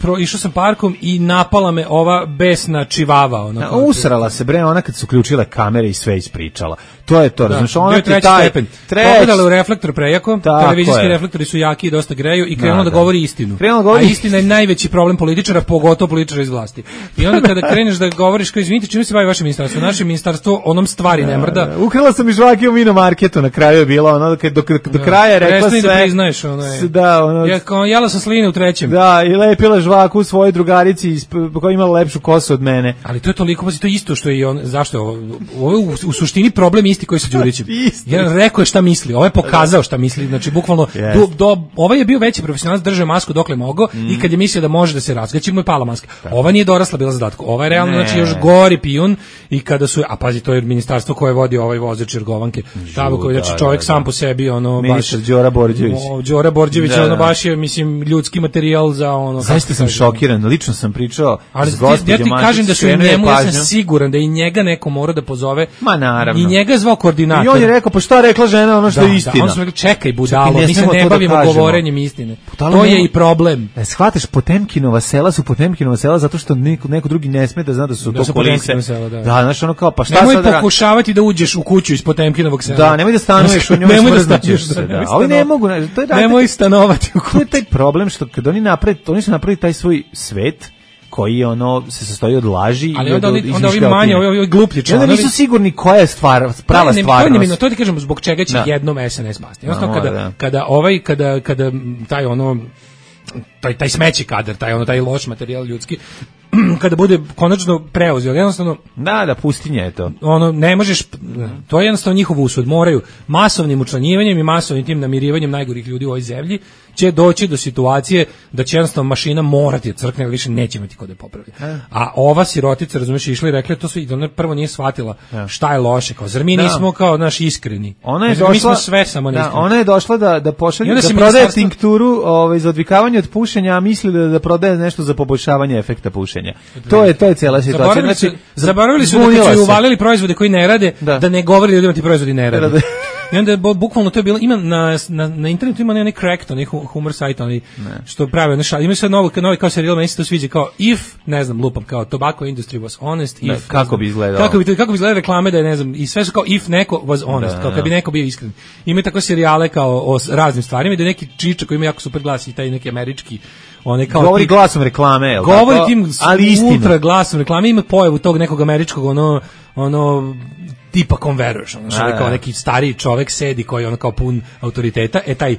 Pro, išao sam parkom i napala me ova besna čivava. Ono, A, usrala se, bre, ona kad su uključile kamere i sve ispričala. To je to, da, znači ona treći taj stepen. Treć... Pogledala u reflektor prejako, televizijski reflektori su jaki i dosta greju i krenula da, da govori istinu. Da govori... A istina je najveći problem političara, pogotovo političara iz vlasti. I onda kada kreneš da govoriš, kao izvinite, čime se bavi vaše ministarstvo? Naše ministarstvo onom stvari ne mrda. Ukrala sam i žvake u Mino Marketu, na kraju je bila ono, do, do, do da. kraja je rekla sve. Da priznaješ, ono je. Da, ono... Ja, kao, jela sam sline u trećem. Da, i lepila žvaku u svojoj drugarici koja imala lepšu kosu od mene. Ali to je toliko, pa to je isto što je i on, zašto je ovo, ovo je u, u suštini problem isti koji sa Đurićem. Jedan rekao je šta misli, ovaj je pokazao šta misli, znači bukvalno yes. do, do, ovaj je bio veći profesionalac, držao masku dokle mogao mm. i kad je mislio da može da se razgaći mu je pala maska. Tako. Ova nije dorasla bila zadatku. Ova je realno ne. znači još gori pijun i kada su, a pazi, to je ministarstvo koje vodi ovaj vozač Jergovanke. Tamo koji znači čovjek da, sam po sebi ono ministar baš Đora Borđević. O, Đora Borđević da, ono baš je mislim ljudski materijal za ono. Zaista sam šokiran, lično sam pričao ali s gospođom. Ja ti kažem da su i njemu, ja sam siguran da i njega neko mora da pozove. Ma naravno. I njega je zvao koordinator. I on je rekao, pa šta rekla žena ono što da, je istina. Da, on su rekli, čekaj budalo, mi se ne bavimo da govorenjem istine. Budalo to je nema... i problem. E, shvataš, Potemkinova sela su Potemkinova sela zato što neko, neko drugi ne sme da zna da su da to kulise. Sela, da. da, znaš, ono kao, pa šta nemoj sad... Nemoj pokušavati da uđeš u kuću iz Potemkinovog sela. Da, nemoj da stanuješ u njoj. Nemoj da stanuješ se, da. Ali ne mogu, to je nemoj stanovati u kući. To je taj problem što kad oni naprave, oni su napravili taj svoj svet koji ono se sastoji od laži ali i od onda onda ovi manje ovi ovi gluplji članovi. Onda nisu sigurni koja je stvar, prava stvar. To je to ti kažemo zbog čega će da. jednom S N S pasti. Jednostavno kada da. kada ovaj kada kada taj ono taj taj smeći kadar, taj ono taj loš materijal ljudski kada bude konačno preuzeo, jednostavno da, da, pustinja je to. Ono, ne možeš, to je jednostavno njihov usud, moraju masovnim učlanjivanjem i masovnim tim namirivanjem najgorih ljudi u ovoj zemlji će doći do situacije da će jednostavno mašina morati da crkne, ali više neće imati ko da je popravi. A ova sirotica, razumiješ, išla i rekla to sve, i ona prvo nije shvatila šta je loše, kao zar mi da. nismo kao naš iskreni. Ona je došla, mi smo sve samo da, ona je došla da da pošalje da prodaje ministarstvo... tinkturu, ovaj za odvikavanje od pušenja, a misli da da prodaje nešto za poboljšavanje efekta pušenja. To je to je cela situacija. Zaboravili su, znači zaboravili su da su uvalili proizvode koji ne rade, da, da ne govori ljudima ti proizvodi ne rade. I onda je bukvalno to je bilo, ima na, na, na internetu ima neki cracked, onaj humor sajt, onaj što pravi, onaj šal, ima sad novo, novi kao serijal, meni se to sviđa, kao if, ne znam, lupam, kao tobacco industry was honest, ne, if, kako znam, bi izgledalo? Kako bi, kako bi izgledalo reklame da je, ne znam, i sve su kao if neko was honest, da, kao kad bi neko bio iskren. Ima tako serijale kao o raznim stvarima, da je neki čiča koji ima jako super glas i taj neki američki, one kao govori tip, glasom reklame, je l' govori tako? Tim ali ultra glasom reklame, ima pojavu tog nekog američkog ono ono tipa conversion, znači kao neki stariji čovjek sedi koji je ono kao pun autoriteta, e taj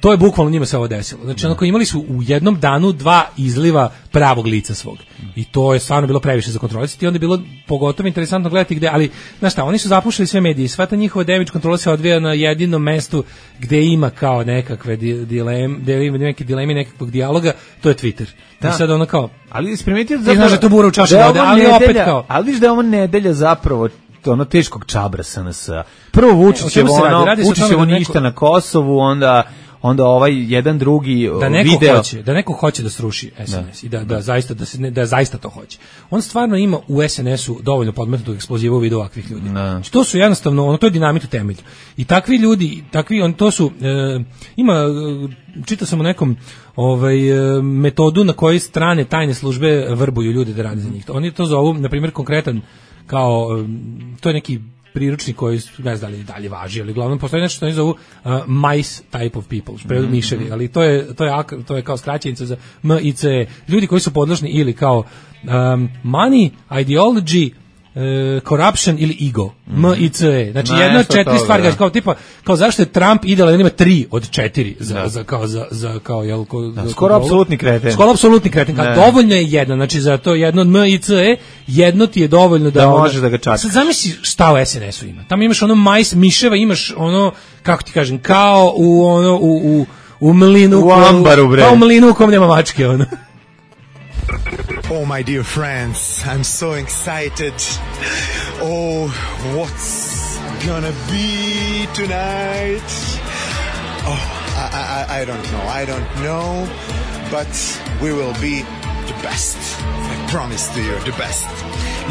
to je bukvalno njima se ovo desilo. Znači onako imali su u jednom danu dva izliva pravog lica svog. I to je stvarno bilo previše za kontrolisati i onda je bilo pogotovo interesantno gledati gde, ali znaš šta, oni su zapušili sve medije i sva ta njihova damage kontrola se odvija na jedinom mestu gde ima kao nekakve dileme, gde ima neke dileme nekakvog dijaloga, to je Twitter. Da. I sad ono kao, ali isprimetio zapravo, ti znaš da to bura u čaši vode, ali nedelja, opet kao. Ali viš da je ovo nedelja zapravo ono teškog čabra S N S. Prvo Vučićevo ono, Vučićevo ništa na Kosovu, onda onda ovaj jedan drugi da neko video hoće, da neko hoće da sruši S N S da. i da da zaista da se ne, da zaista to hoće. On stvarno ima u S N S-u dovoljno podmetnutog eksploziva u vidu ovakvih ljudi. Znači, to su jednostavno, ono to je dinamit u temelju. I takvi ljudi, takvi on to su e, ima čitao sam o nekom ovaj metodu na kojoj strane tajne službe vrbuju ljude da rade za njih. Oni to zovu, na primjer, konkretan kao to je neki priručnik koji ne znam da li dalje važi, ali uglavnom postoji nešto što oni zovu uh, mice type of people, prevedu mm-hmm. miševi, ali to je to je to je kao skraćenica za M I C E. Ljudi koji su podložni ili kao um, money, ideology, Uh, corruption ili ego, mm. M I C E. Znači, jedna od četiri stvari, da. kao tipa, kao zašto je Trump idealan, ima tri od četiri za, da. za kao, za, za, kao, jel, ko, da, skoro apsolutni kreten. Skoro apsolutni kreten, kao dovoljno je jedan, znači za to jedno od M I C E, jedno ti je dovoljno da... Da možeš da ga čakaš. Sad zamisli šta u S N S-u ima. Tamo imaš ono majs, miševa, imaš ono, kako ti kažem, kao u ono, u, u, u mlinu, u ambaru, bre. Kao u mlinu u kom nema mačke, ono. Oh, my dear friends, I'm so excited. Oh, what's gonna be tonight? Oh, I, I, I don't know, I don't know, but we will be the best. I promise to you, the best.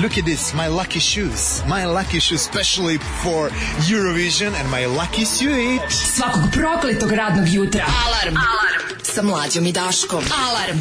Look at this, my lucky shoes. My lucky shoes, especially for Eurovision, and my lucky suit. Svakog prokletog radnog jutra. Alarm. Alarm. Sa Mlađom i Daškom. Alarm.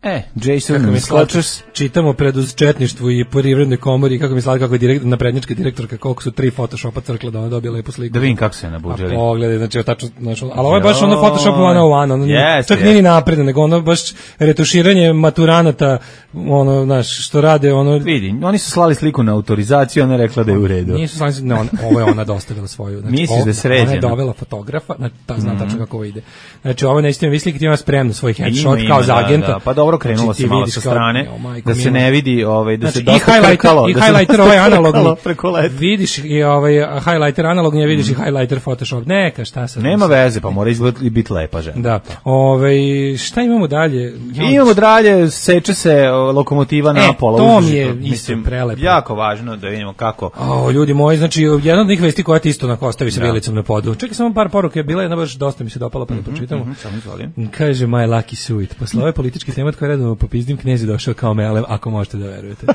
E, Jason Scotchers. Čitamo preduz četništvu i privrednoj komori, kako mi slali kako je direkt, naprednjačka direktorka, koliko su tri photoshopa crkla da ona dobije lepu sliku. Da vidim kako se nabuđali. A pogledaj, znači, tačno, znači, ali ovo je baš ono Photoshop one oh one, ono, yes, čak yes. nije napredno, nego ono baš retuširanje maturanata, ono, znaš, što rade, ono... Vidi, oni su slali sliku na autorizaciju, ona je rekla da je u redu. Nisu slali, ne, on, ovo je ona dostavila svoju. Znači, misliš da je sređena? Ona je dovela fotografa, znači, ta zna mm-hmm. tačno kako ovo ide. Znači, ovo nećete mi misliti, ima spremno svoj headshot kao za agenta. Da, da. Pa dobro, krenulo se malo sa strane, kao, da se ne vidi, ovaj, da znači, se dosta krkalo. I highlighter ovaj analogni, vidiš i ovaj highlighter analogni, a vidiš mm. i highlighter Photoshop. Neka, šta sad? Nema veze, pa mora izgledati biti lepa žena. Da. Ovaj, šta imamo dalje? Imamo dalje, seče se lokomotiva na pola. To mi je isto prelepo. Jako važno da vidimo kako. O, ljudi moji, znači, jedna od njih vesti koja ti isto onako ostavi sa bilicom na podu. Čekaj samo par poruka, je bila jedna baš dosta mi se dopala, pa da pročitamo. Mm -hmm, samo izvolim. Kaže My Lucky Suit. Posle ove političke teme koje redovno popizdim, knez je došao kao melem, ako možete da verujete.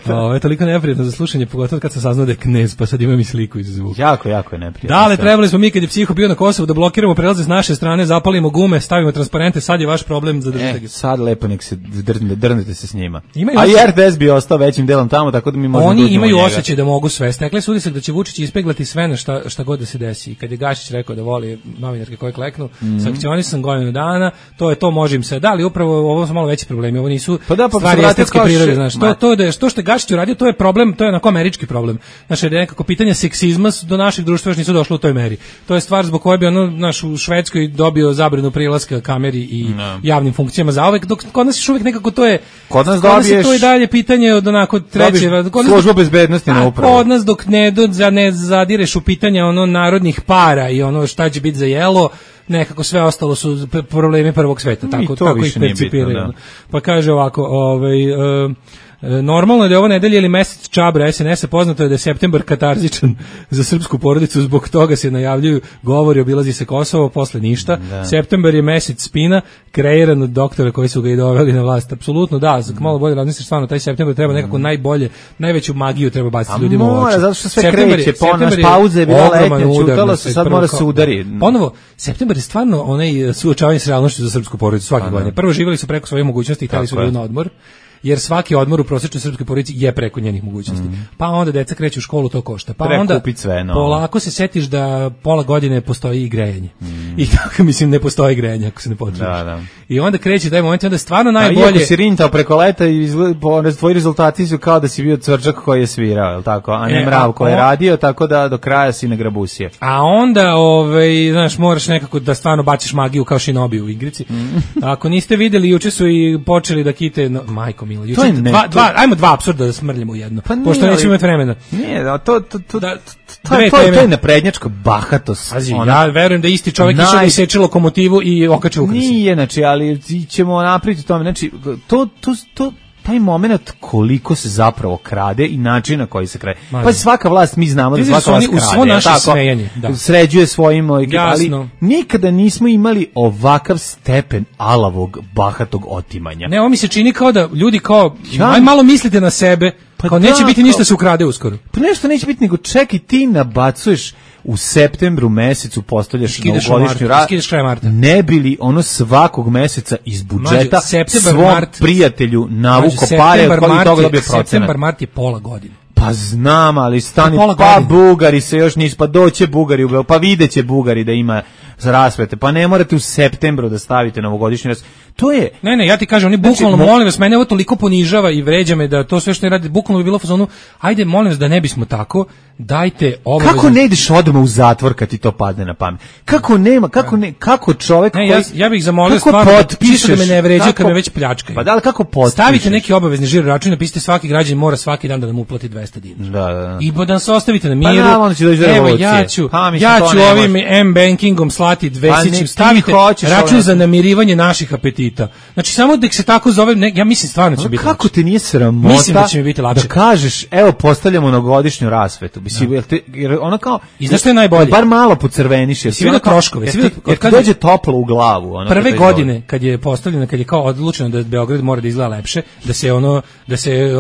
Ovo je toliko neprijatno za slušanje, pogotovo kad sam saznao da je knez, pa sad imam i sliku iz zvuka. Jako, jako je neprijatno. Da, ali trebali smo mi kad je psiho bio na Kosovu da blokiramo prelaze s naše strane, zapalimo gume, stavimo transparente, sad je vaš problem za držite ga. E, sad lepo nek se drnete, drnete se s njima. Imaju a i R T S bi ostao većim delom tamo, tako da mi možemo oni imaju osjećaj da mogu sve. Stekle su utisak da će Vučić ispeglati sve na šta, šta god da se desi. I kad je Gašić rekao da voli novinarke koje kleknu, mm. sankcionisan godinu dana, to je to, može im se. Da, ali upravo ovo su malo veći problemi. Ovo nisu pa da, pa stvari estetske prirode, znaš. To, to, da je, to što je Gašić uradio, to je problem, to je onako američki problem. Znači, da je nekako pitanje seksizma do naših društva još nisu došlo u toj meri. To je stvar zbog koje bi ono, naš, u Švedskoj dobio zabranu prilaska kameri i no. javnim funkcijama zauvek, dok kod nas još uvijek nekako to je, kod nas, kod nas dobiješ, je to i dalje pitanje od onako treće, kod nas, služba bezbednosti na upravu. Kod nas dok ne, do, ne zadireš u pitanje ono narodnih para i ono šta će biti za jelo, nekako sve ostalo su problemi prvog sveta, tako, tako ih percipiraju. Pa kaže ovako, ovaj... Uh, normalno je da je ovo nedelje ili mesec čabra es en es a, poznato je da je septembar katarzičan za srpsku porodicu, zbog toga se najavljuju govori, obilazi se Kosovo, posle ništa. Da. Septembar je mesec spina, kreiran od doktora koji su ga i doveli na vlast. Apsolutno da, malo bolje razmisliš, stvarno taj septembar treba nekako najbolje, najveću magiju treba baciti ljudima u oči. Zato što sve kreće, ponaš pauze je bila letnja, čutalo se, sad mora se udari. Ponovo, septembar je stvarno onaj suočavanje s realnošću za srpsku porodicu svake godine. Prvo živjeli su preko svojih mogućnosti i hteli su na odmor, jer svaki odmor u prosječnoj srpskoj porodici je preko njenih mogućnosti. Mm. Pa onda deca kreću u školu, to košta. Pa onda sve, no. polako se setiš da pola godine postoji i grejanje. Mm. I tako, mislim, ne postoji grejanje ako se ne potrebiš. Da, da. I onda kreće taj moment, onda stvarno najbolje... A iako si rintao preko leta i tvoji rezultati su kao da si bio cvrčak koji je svirao, je li tako? A ne e, mrav koji je radio, tako da do kraja si na grabusije. A onda, ovaj, znaš, moraš nekako da stvarno baciš magiju kao Shinobi u igrici. Mm. Ako niste videli, juče su i počeli da kite... No, majko, Juče, to je ne, dva, dva, ajmo dva apsurda da smrljamo u jedno, pa pošto nećemo imati vremena. Nije, da, to, to, to, da, to, je, to, je, to je naprednjačka bahatost. Pazi, ja verujem da isti čovjek naj... išao da seče lokomotivu i okače ukrasi. Nije, znači, ali ćemo napraviti tome, znači, to, to, to, taj moment koliko se zapravo krade i način na koji se krade. Pa svaka vlast, mi znamo da svaka vlast krade. U svo naše smejanje. Da. Sređuje svojim, ali nikada nismo imali ovakav stepen alavog, bahatog otimanja. Ne, ovo mi se čini kao da ljudi kao, ja, aj malo mislite na sebe, pa kao da, neće biti ništa se ukrade uskoro. Pa nešto neće biti, nego čekaj, ti nabacuješ u septembru mesecu, postavljaš novogodišnju radu, ne bili ono svakog meseca iz budžeta svom mart, prijatelju navuko pare od kojih toga dobije procenat. Septembar, mart je pola godine. Pa znam, ali stani, pa Bugari se još nisu, pa doće Bugari, pa videće Bugari da ima rasvete, pa ne morate u septembru da stavite novogodišnju rasvetu. To je... Ne, ne, ja ti kažem, oni bukvalno, znači, molim vas, mene ovo toliko ponižava i vređa me da to sve što ne radi, bukvalno bi bilo u fazonu, ajde, molim vas da ne bismo tako, dajte obavezno... Kako ne ideš odmah u zatvor kad ti to padne na pamet? Kako nema, kako ne, kako čovek ne, koji... Ja, ja bih zamolio stvarno potpišeš, da me ne vređa kad me već pljačkaju. Pa da li kako potpišeš? Stavite neki obavezni žiro račun, napišite svaki građanin mora svaki dan da nam uplati dvesta dinara. Da, da, da. I da nas ostavite na miru. Pa da, onda će doći do Evo, ja ću, ha, ja ću ovim M-bankingom slati dvesićim, stavite račun za namirivanje naših apetita. Znači, samo da se tako zove, ne, ja mislim stvarno će biti. Kako te nije sramota? Mislim da će mi biti lakše. Da kažeš, evo postavljamo novogodišnju rasvetu. Mislim, jer, te, jer ona kao i znaš što je najbolje? Bar malo pocrveniš, jer si vidio troškove, si vidio kad dođe toplo u glavu, ona prve godine kad je postavljeno, kad je kao odlučeno da Beograd mora da izgleda lepše, da se ono da se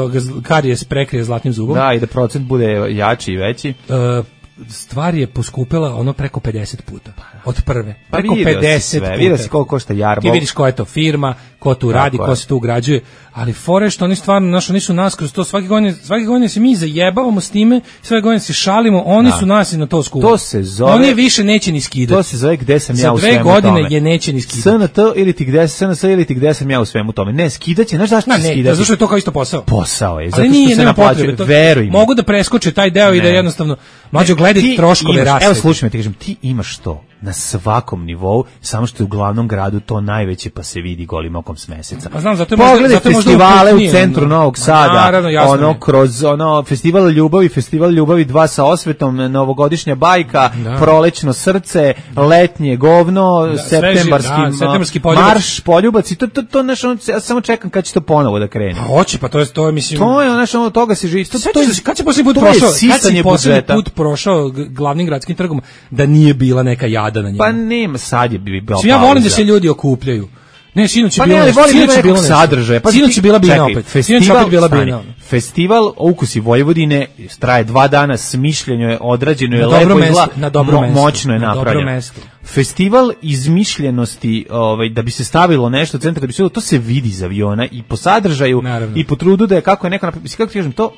karijes prekrije zlatnim zubom. Da, i da procent bude jači i veći. Uh, stvar je poskupela ono preko pedeset puta. Od prve. Pa preko pedeset puta. Vidio si koliko košta jarbol. Ti vidiš koja je to firma, ko tu radi, ko se tu ugrađuje, ali fore što oni stvarno, znaš, oni su nas kroz to, svake godine, svake godine se mi zajebavamo s time, svake godine se šalimo, oni da. su nas i na to skuvali. To se zove... Oni više neće ni skidati. To se zove gde sam ja u svemu tome. Za dve godine je neće ni skidati. S N T ili ti gde, S N S ili ti gde sam ja u svemu tome. Ne, skidaće, znaš zašto će skidati? Ne, zato što je to kao isto posao. Posao je, zato što se naplaćuje, veruj mi. Mogu da preskoče taj deo i da jednostavno, mlađo gledaj troškove rasvete. Evo slušaj me, ti kažem, ti imaš to na svakom nivou, samo što je u glavnom gradu to najveće, pa se vidi golim okom s meseca. Pa znam, zato pogledaj zato festivale u centru Novog Sada, naravno, ono je. kroz ono festival ljubavi, festival ljubavi dva sa osvetom, novogodišnja bajka, da. prolećno srce, letnje govno, da, septembarski, da, septembarski poljubac. Marš, poljubac i to to to naš, ono, ja samo čekam kad će to ponovo da krene. A hoće, pa to je to je mislim. To je naš ono toga se živi. To, to je kad se poslednji put prošao, kad se poslednji put prošao glavnim gradskim trgom da nije bila neka jada na njemu. Pa nema, sad je bi bilo. Ja volim da se ljudi okupljaju. Ne, sinoć je pa bilo, ne, sinoć je bilo sadržaje. Pa sinoć je bila bina opet. Festival, opet bila bina. Festival Ukusi Vojvodine traje dva dana, smišljeno je, odrađeno je, lepo izgleda, na dobro mesto, moćno je napravljeno. Festival izmišljenosti, ovaj, da bi se stavilo nešto u centar, da bi se to se vidi iz aviona i po sadržaju, naravno. I po trudu da je kako je neko napravio, kako ti kažem to,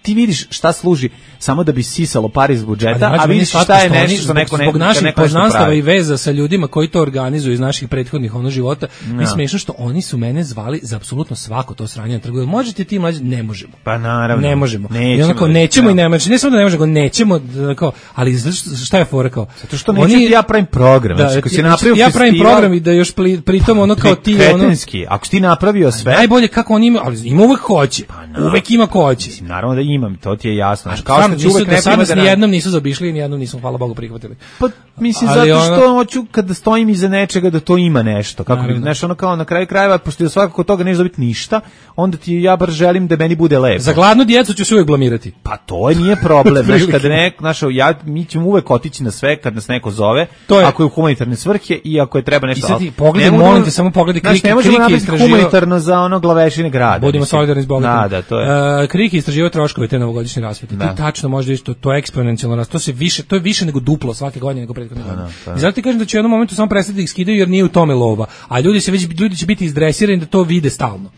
ti vidiš šta služi samo da bi sisalo pare iz budžeta, ali, a vidiš šta je nešto što neko ne zbog naših poznanstava i veza sa ljudima koji to organizuju iz naših prethodnih ono života. No. Mi smešno što oni su mene zvali za apsolutno svako to sranje na trgu. Možete ti mlađi, ne možemo. Pa naravno. Ne možemo. Nećemo, I onako nećemo no. i ne možemo. Ne samo da ne možemo, nećemo kao, ali šta je fora kao? Zato što neću ti ja pravim program. Da, znači, ako si napravio ja pravim program i da još pritom ono kao ti kretenski. Ako si ti napravio sve, najbolje kako oni imaju, ali ima uvek hoće. Pa uvek ima ko hoće. Mislim, naravno da imam, to ti je jasno. Znači, kao što ću uvek ne primati da ni jednom nisu zaobišli, ni jednom nismo, hvala Bogu, prihvatili. Pa mislim ali zato što ono... hoću kada stojim iza nečega da to ima nešto. Kako bi, znaš, ono kao na kraju krajeva, pošto svakako toga neće dobiti ništa, onda ti ja bar želim da meni bude lepo. Za gladnu djecu ću se uvek blamirati. Pa to nije problem, znaš, kad ne, znaš, ja mi ćemo uvek otići na sve kad nas neko zove, to je, ako je u humanitarne svrhe i ako je treba nešto. I sad ti pogledaj, molim te, samo pogledaj Kriki, ne možemo napraviti humanitarno za ono glavešine grada. Budimo solidarni s bogatima. Da, da, to je. Uh, Kriki istraživao troškove te novogodišnje rasvete. Ti tačno možda isto, to je eksponencijalno rast, to se više, to je više nego duplo svake godine nego prethodne godine. I zato ti kažem da će u jednom momentu samo prestati da ih skidaju jer nije u tome lova, a ljudi se već ljudi će biti izdresirani da to vide stalno.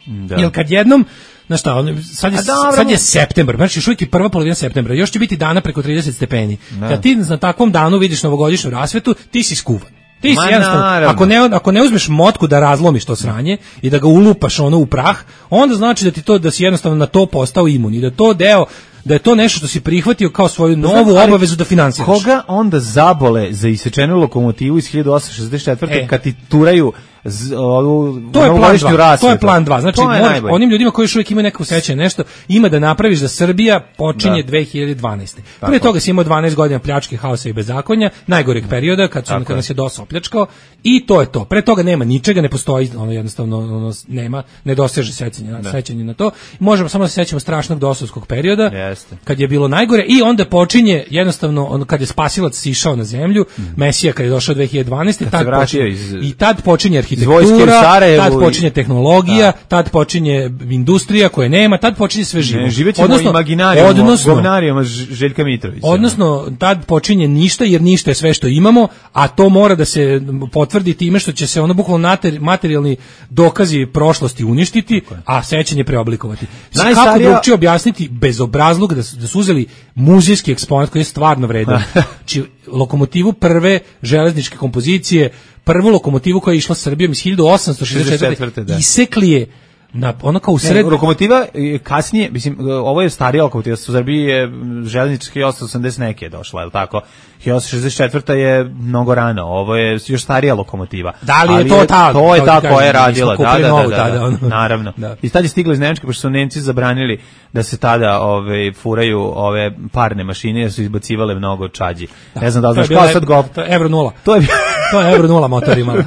Da. Jer kad jednom, znaš šta, sad je, sad je septembar, znači još uvijek je prva polovina septembra, još će biti dana preko trideset stepeni. Da. Kad ti na takvom danu vidiš novogodišnju rasvetu, ti si skuvan. Ti si jednostavno, ako ne, ako ne uzmeš motku da razlomiš to sranje i da ga ulupaš ono u prah, onda znači da ti to, da si jednostavno na to postao imun i da to deo, da je to nešto što si prihvatio kao svoju novu znači, obavezu da finansiraš. Koga onda zabole za isečenu lokomotivu iz hiljadu osamsto šezdeset četvrte E. kad ti turaju z, ovu, to je plan dva. To je plan dva. Znači, moraš, onim ljudima koji još uvijek imaju neko sećanje nešto, ima da napraviš da Srbija počinje da. dve hiljade dvanaeste Prije toga si imao dvanaest godina pljačke, haosa i bezakonja, najgoreg perioda kad, su, kad nas je DOS opljačkao i to je to. Pre toga nema ničega, ne postoji, ono jednostavno ono, nema, ne doseže sećanje, da. sećanje na to. Možemo samo da se sećamo strašnog dosovskog perioda. Jeste. Kad je bilo najgore i onda počinje jednostavno ono kad je spasilac sišao na zemlju, mm. Mesija kad je došao dve hiljade dvanaeste tad počinje, iz... i tad počinje arhitektura, tad počinje tehnologija, da. tad počinje industrija koje nema, tad počinje sve živo. Ne, živećemo imaginarijom, odnosno, govnarijom Željka Mitrovića. Odnosno, tad počinje ništa, jer ništa je sve što imamo, a to mora da se potvrdi time što će se ono bukvalno materijalni dokazi prošlosti uništiti, a sećanje preoblikovati. Najstarija... Kako drugčije objasniti bezobrazluk da su, da su uzeli muzejski eksponat koji je stvarno vredan. Či lokomotivu prve železničke kompozicije, prvu lokomotivu koja je išla Srbijom iz hiljadu osamsto šezdeset četvrte Da. Isekli je na ono kao u sred... Ne, lokomotiva kasnije, mislim, ovo je starija lokomotiva, u Srbiji je železnička hiljadu osamsto osamdeset neke je došla, je li tako? hiljadu osamsto šezdeset četvrta je mnogo rano, ovo je još starija lokomotiva. Da li je ali to ta? To je ta koja je radila, da, da, da, da, da, da, naravno. Da. I tad je stigla iz Nemačke, pošto su Nemci zabranili da se tada ove, furaju ove parne mašine, jer su izbacivale mnogo čađi. Da. Ne znam da li znaš kao sad go... To je Euro nula. To je to je Euro nula motor imala.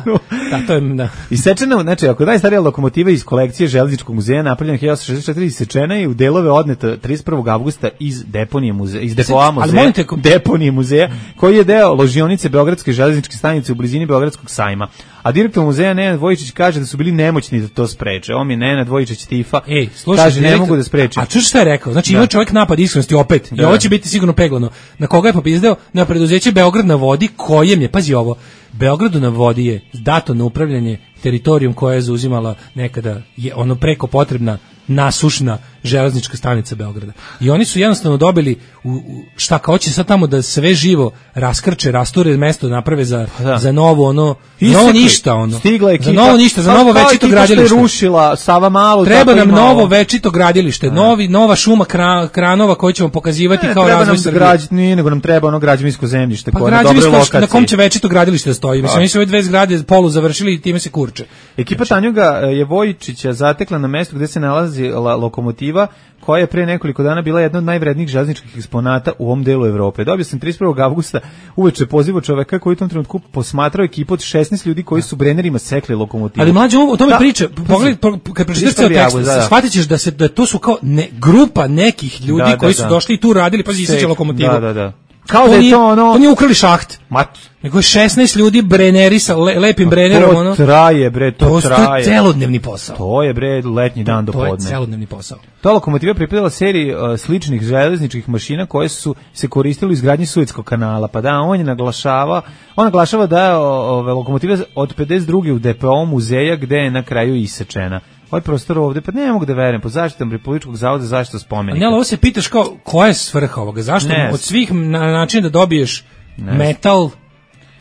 Da, to je, da. Isečena, znači, ako je najstarija lokomotiva iz kolekcije Železničkog muzeja napravljena hiljadu osamsto šezdeset četvrte isečena je u delove odneta trideset prvog avgusta iz deponije muzeja, iz depoa muzeja, te... deponije muzeja, koji je deo ložionice Beogradske železničke stanice u blizini Beogradskog sajma. A direktor muzeja Nenad Vojičić kaže da su bili nemoćni da to spreče. On je Nenad Vojičić Tifa. Ej, slušaj, kaže direktor, ne mogu da spreče. A čuš šta je rekao? Znači, ima čovjek napad iskrenosti opet. Da. I ovo će biti sigurno peglano. Na koga je popizdeo? Na preduzeće Beograd na vodi, kojem je, pazi ovo, Beogradu na vodi je dato na upravljanje teritorijom koja je zauzimala nekada je ono preko potrebna nasušna železnička stanica Beograda. I oni su jednostavno dobili u, u, šta kao će sad tamo da sve živo raskrče, rasture mesto naprave za, da. za novo ono, novo ništa ono. Stigla za novo ništa, za novo večito gradilište. Rušila Sava Malu. Treba nam novo večito gradilište, novi, nova šuma kra, kranova koju ćemo pokazivati ne, kao razvoj Srbije. Građ, nije, nego nam treba ono građevinsko zemljište pa koje je na dobroj lokaciji. Na kom će večito gradilište da stoji? Mislim, oni su ove dve zgrade polu završili i time se kurče. Ekipa Tanjuga je Vojičića zatekla na mestu gde se nalazi lokomotiva koja je pre nekoliko dana bila jedna od najvrednijih železničkih eksponata u ovom delu Evrope. Dobio sam trideset prvog avgusta uveče poziv čoveka koji u tom trenutku posmatrao ekipu od šesnaest ljudi koji su brenerima sekli lokomotivu. Ali mlađe, o tome priča, pogledaj, kad pročitaš ceo tekst, da, da. shvatit ćeš da, se, da to su kao ne, grupa nekih ljudi da, koji da, su da. došli i tu radili, pa iseče lokomotivu. Da, da, da. Kao to da je to ono... To nije ukrali šaht. Mat. Nego je šesnaest ljudi breneri sa le, lepim brenerom. To ono. traje, bre, to, to traje. To je celodnevni posao. To je, bre, letnji dan do podne. To je celodnevni posao. Ta lokomotiva pripadala seriji uh, sličnih železničkih mašina koje su se koristile u izgradnji Suetskog kanala. Pa da, on je naglašava, on naglašava da je ove lokomotiva od pedeset druge u depo muzeja gde je na kraju isečena. Ovaj prostor ovde, pa ne mogu da verujem, po zaštitom Republičkog zavoda za zaštitu spomenika. Ne, ali ovo se pitaš kao, koja je svrha ovoga? Zašto ne. Od svih na načina da dobiješ ne. metal,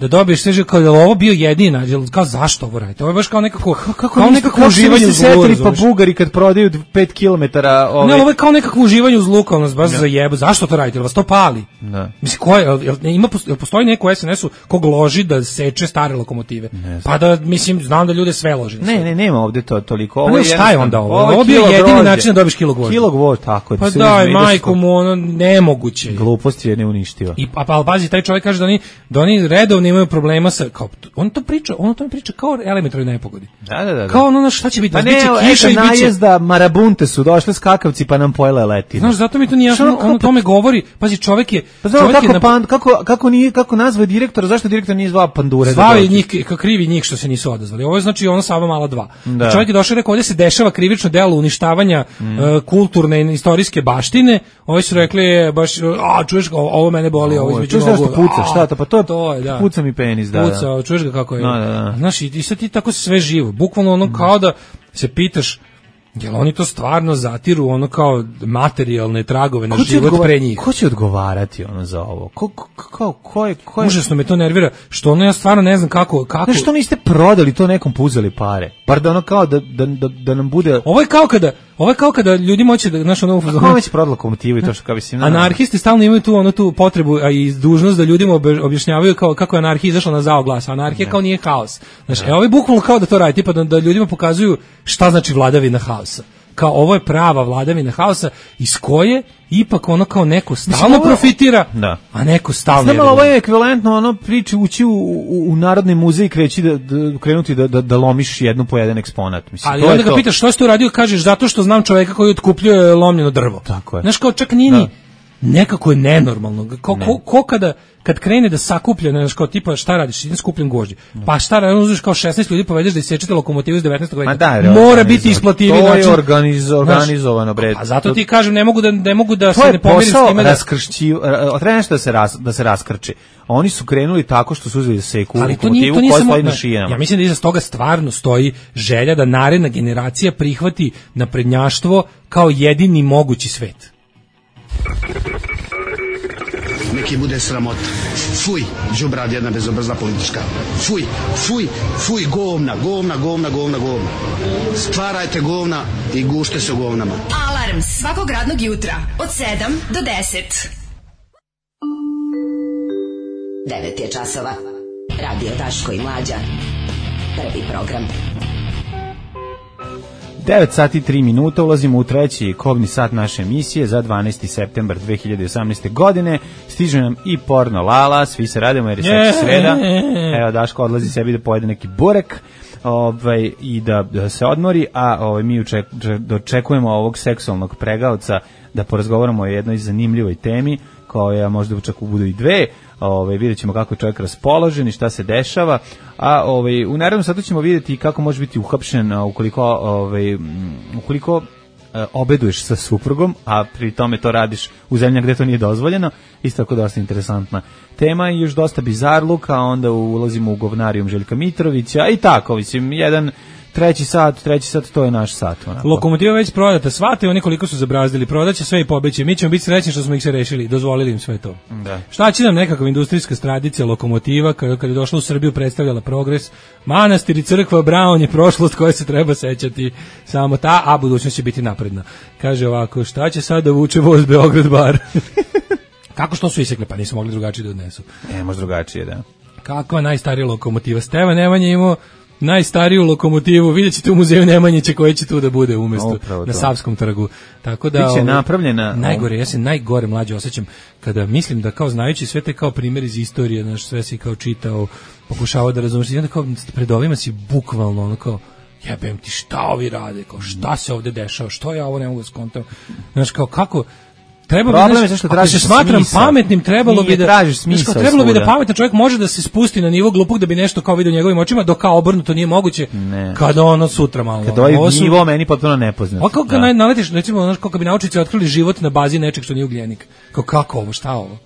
da dobiješ sve kao da ovo bio jedina, kao zašto ovo radite? Ovo je baš kao nekako kako kao nekako uživanje u zlu. Pa Bugari kad prodaju pet kilometara, ove... Ne, ovo je kao nekako uživanje u zlu, kao nas baš za jebo. Zašto to radite? Vas to pali? Da. Mislim, ko je, jel, ima, jel postoji neko u es en esu kog loži da seče stare lokomotive? Pa da, mislim, znam da ljude sve loži. Ne, ne, nema ovde to toliko. Ovo je šta je onda ovo? Ovo bio jedini način da dobiješ kilo gvožđa. Kilo gvožđa, tako je. Pa daj, majko mu, ono, nemoguće. Glupost je neuništiva. I, pa, pa, pazi, taj čovjek kaže da oni, da oni redovno imaju problema sa, kao, on to priča, on to priča kao elementarnoj nepogodi. Da, da, da. Kao ono, šta će biti? Pa ne, kiša i biće najezda, marabunte su došle skakavci pa nam pojele letine. Znaš, zato mi to nije jasno, on o tome govori. Pazi, čovjek je, pa znamo, kako, na... pan, kako, kako, nije, kako nazva direktora, zašto direktor nije zvao pandure? Zvao je njih, krivi njih što se nisu odazvali. Ovo je znači ono Sava mala dva. Da. Čovjek je došao i rekao, ovdje se dešava krivično delo uništavanja mm. uh, kulturne i istorijske baštine. Ovi su rekli, baš, a čuješ, ovo mene boli, ovo između nogu. Čuješ puca, šta to? Pa to je, to je da. Puca mi penis, da. Puca, da. Čuješ ga kako je. No, da, da. Znaš, i, i sad ti tako sve živo. Bukvalno ono kao da se pitaš, jel oni to stvarno zatiru ono kao materijalne tragove na život odgovar, pre njih? Ko će odgovarati ono za ovo? Ko, ko, ko, ko je... Ko je... Užasno me to nervira, što ono ja stvarno ne znam kako... kako... Znaš, što niste prodali to nekom, puzeli pare? Bar da ono kao da, da, da, da nam bude... Ovo je kao kada... Ovo je kao kada ljudi moće da, znaš, ono... A ko već prodala lokomotivu i to što kao mislim... Anarhisti stalno imaju tu, ono, tu potrebu, a i dužnost da ljudima objašnjavaju kao, kako je anarhija izašla na zao glas. Anarhija ne. Kao nije haos. Znaš, e, ovo je bukvalno kao da to radi, tipa da, da ljudima pokazuju šta znači vladavina haosa. Kao ovo je prava vladavina haosa iz koje ipak ono kao neko stalno Mislim, profitira, da. A neko stalno... Znam, ovo je ekvivalentno ono priči ući u, u, u Narodni muzej i kreći da, da, krenuti da, da, da lomiš jednu po jedan eksponat. Mislim, ali to onda ga pitaš što si to radio, kažeš zato što znam čoveka koji otkupljuje lomljeno drvo. Tako je. Znaš, kao čak nije ni... Nekako je nenormalno. Ko, ne. ko, ko kada kad krene da sakuplja, znaš, kao tipa šta radiš, idem skupljam gvožđe. Pa šta radiš, uzmeš kao šesnaest ljudi povedeš da isečete lokomotivu iz devetnaestog veka. Da, mora biti isplativiji način. To je organiz, organizovano, bre. A zato ti kažem, ne mogu da ne mogu da se ne pomirim s time da raskršći, treba nešto da se ras, da se raskrči. Oni su krenuli tako što su uzeli seku ali lokomotivu to nije, to koja stoji na šijama. Ja mislim da iza toga stvarno stoji želja da naredna generacija prihvati naprednjaštvo kao jedini mogući svet. Neki bude sramota. Fuj, đubrad jedna bezobrazna politička. Fuj, fuj, fuj, govna, govna, govna, govna, govna. Stvarajte govna i gušte se u govnama. Alarm svakog radnog jutra od sedam do deset. devet je časova. Radio Daško i Mlađa. Prvi program. devet sati i tri minuta, ulazimo u treći kobni sat naše emisije za dvanaesti septembar dve hiljade osamnaeste. godine. Stiže nam i porno Lala, svi se radimo jer je yeah. sad sreda. Evo, Daško odlazi sebi da pojede neki burek ovaj, i da, da se odmori, a ovaj, mi uček, dočekujemo ovog seksualnog pregaoca da porazgovaramo o jednoj zanimljivoj temi, koja možda čak budu i dve. Ovaj, vidjet ćemo kako je čovjek raspoložen i šta se dešava, a ovaj, u narednom satu ćemo vidjeti kako može biti uhapšen ukoliko, ovaj, ukoliko e, obeduješ sa suprugom, a pri tome to radiš u zemljama gde to nije dozvoljeno. Isto tako dosta interesantna tema i još dosta bizarluka, a onda ulazimo u govnarijum Željka Mitrovića i tako, mislim, jedan treći sat, treći sat, to je naš sat. Onako. Lokomotiva već prodata, svate oni koliko su zabrazdili, prodaće sve i pobeće. Mi ćemo biti srećni što smo ih se rešili, dozvolili im sve to. Da. Šta će nam nekakva industrijska tradicija lokomotiva, kada, kada je došla u Srbiju predstavljala progres, manastir i crkva Braun je prošlost koja se treba sećati samo ta, a budućnost će biti napredna. Kaže ovako, šta će sad da vuče voz Beograd bar? Kako što su isekle, pa nisu mogli drugačije da odnesu. Ne, može drugačije, da. Kakva najstarija lokomotiva? Stevan Nemanja imao najstariju lokomotivu, vidjet ćete u muzeju Nemanjića koji će tu da bude umjesto na Savskom trgu. Tako da biće napravljena. Najgore, ja se najgore mlađe osjećam kada mislim da kao znajući sve te kao primjer iz istorije, znaš, sve si kao čitao, pokušavao da razumiješ, i onda kao pred ovima si bukvalno ono kao jebem ti šta ovi rade, kao šta se ovde dešava, što ja ovo ne mogu skontam. Znaš, kao kako treba problem bi, je što tražiš se smatram smisla. Pametnim, trebalo Nije, bi da tražiš smisla. Trebalo bi da pametan čovjek može da se spusti na nivo glupog da bi nešto kao vidio njegovim očima, dok kao obrnuto nije moguće. Ne. Kada ono sutra malo. Kada ovaj su... nivo meni potpuno nepoznat. A kako da. naletiš, recimo, znaš, kako bi naučnici otkrili život na bazi nečeg što nije ugljenik. Kao kako ovo, šta ovo?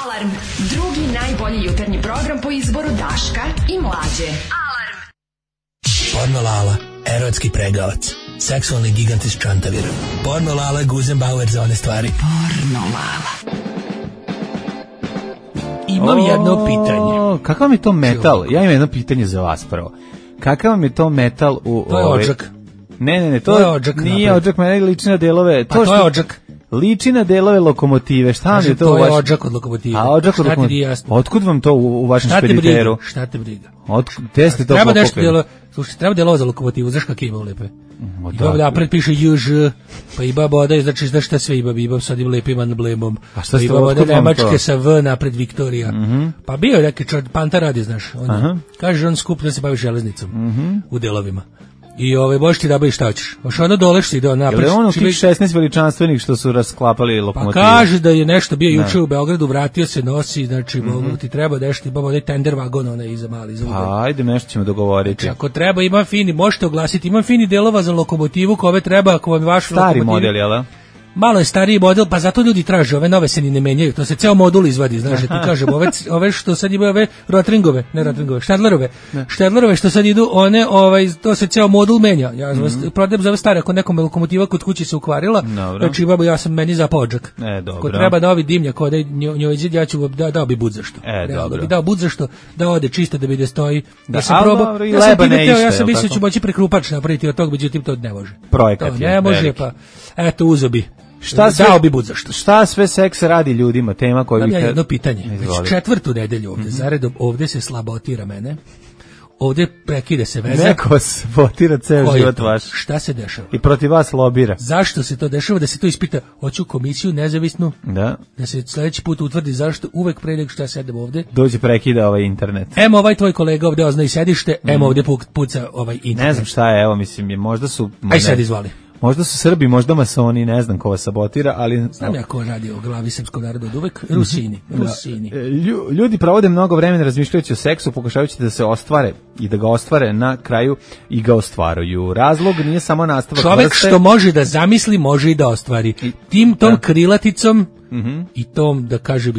Alarm, drugi najbolji jutarnji program po izboru Daška i Mlađe. Alarm. Porno Lala, erotski pregavac. Seksualni gigant iz Čantavira. Porno Lala, Guzenbauer za one stvari. Porno Lala. imam o, jedno pitanje. Kakav je to metal? Ja imam jedno pitanje za vas prvo. Kakav je to metal u... To je ove... odžak. Ne, ne, ne, to, to je odžak. Nije napred. Odžak, mene liči na delove... Pa to, to je odžak. Liči na delove lokomotive. Šta vam je to? To je vaš... odžak od lokomotive. A odžak od lokomotive. Otkud vam to u, u vašem špediteru? Šta te briga? Otkud, te ste to treba pokupili? Nešto delo, slušaj, treba delova za lokomotivu, znaš kak ima lepe. O, I baba napred piše J Ž, pa i baba odaje, znači znaš šta sve ima, imam sad im lepim emblemom. A šta ste odaje Nemačke sa V napred Viktorija. Mm -hmm. Pa bio je neki čar, Panta radi, znaš. On, kaže, on skup da se bavi železnicom mm -hmm. u delovima. I ove možeš ti da baviš šta hoćeš. Hoš ono dole što ide on napred. Je li ono tih šesnaest veličanstvenih što su rasklapali lokomotive? Pa kaže da je nešto bio juče u Beogradu, vratio se, nosi, znači mm -hmm. ti treba nešto, imamo onaj tender vagon, onaj iza mali. Za pa ajde, nešto ćemo dogovoriti. Znači, ako treba, ima fini, možete oglasiti, ima fini delova za lokomotivu, kome treba, ako vam je vaš stari model, jel da? Malo je stariji model, pa zato ljudi traže, ove nove se ni ne menjaju, to se ceo modul izvadi, znaš, ti kažem, ove, ove što sad imaju ove Rotringove, ne Rotringove, Štedlerove, Štedlerove što sad idu, one, ovaj, to se ceo modul menja, ja mm -hmm. prodajem za ove stare, ako nekom lokomotiva kod kuće se ukvarila, znači babo, ja sam meni za podžak, e, dobro. Ko treba novi dimnjak, ode njoj izid, ja ću da, dao bi bud zašto, e, da bi dao bud zašto, da ode čisto da bi da stoji, da, ja sam probao, ja sam time teo, ja sam mislio ću moći prekrupač napraviti od tog, međutim to ne može. Projekat to ne može, pa, eto, uzo bi. Šta sve, dao bi bud zašto. Šta sve seks radi ljudima, tema koju bih... Ja jedno pitanje, već četvrtu nedelju ovde, mm -hmm. zaredom, ovde se slabotira mene, ovde prekide se veza. Neko sabotira ceo život vaš. Šta se dešava? I protiv vas lobira. Zašto se to dešava? Da se to ispita, hoću komisiju nezavisnu, da, da se sledeći put utvrdi zašto uvek pre nego što ja sedem ovde. Dođe prekida ovaj internet. Emo ovaj tvoj kolega ovde ozna i sedište, mm. emo ovde puca ovaj internet. Ne znam šta je, evo mislim, je, možda su... Aj sad izvali. Možda su Srbi, možda masoni, ne znam ko vas sabotira, ali... Znam ja ko radi o glavi srpskog naroda od uvek, Rusini, Rusini. Lju, ljudi provode mnogo vremena razmišljajući o seksu, pokušavajući da se ostvare i da ga ostvare na kraju i ga ostvaruju. Razlog nije samo nastavak vrste. Čovek što može da zamisli, može i da ostvari. Tim tom da. krilaticom mm -hmm. i tom, da kažem,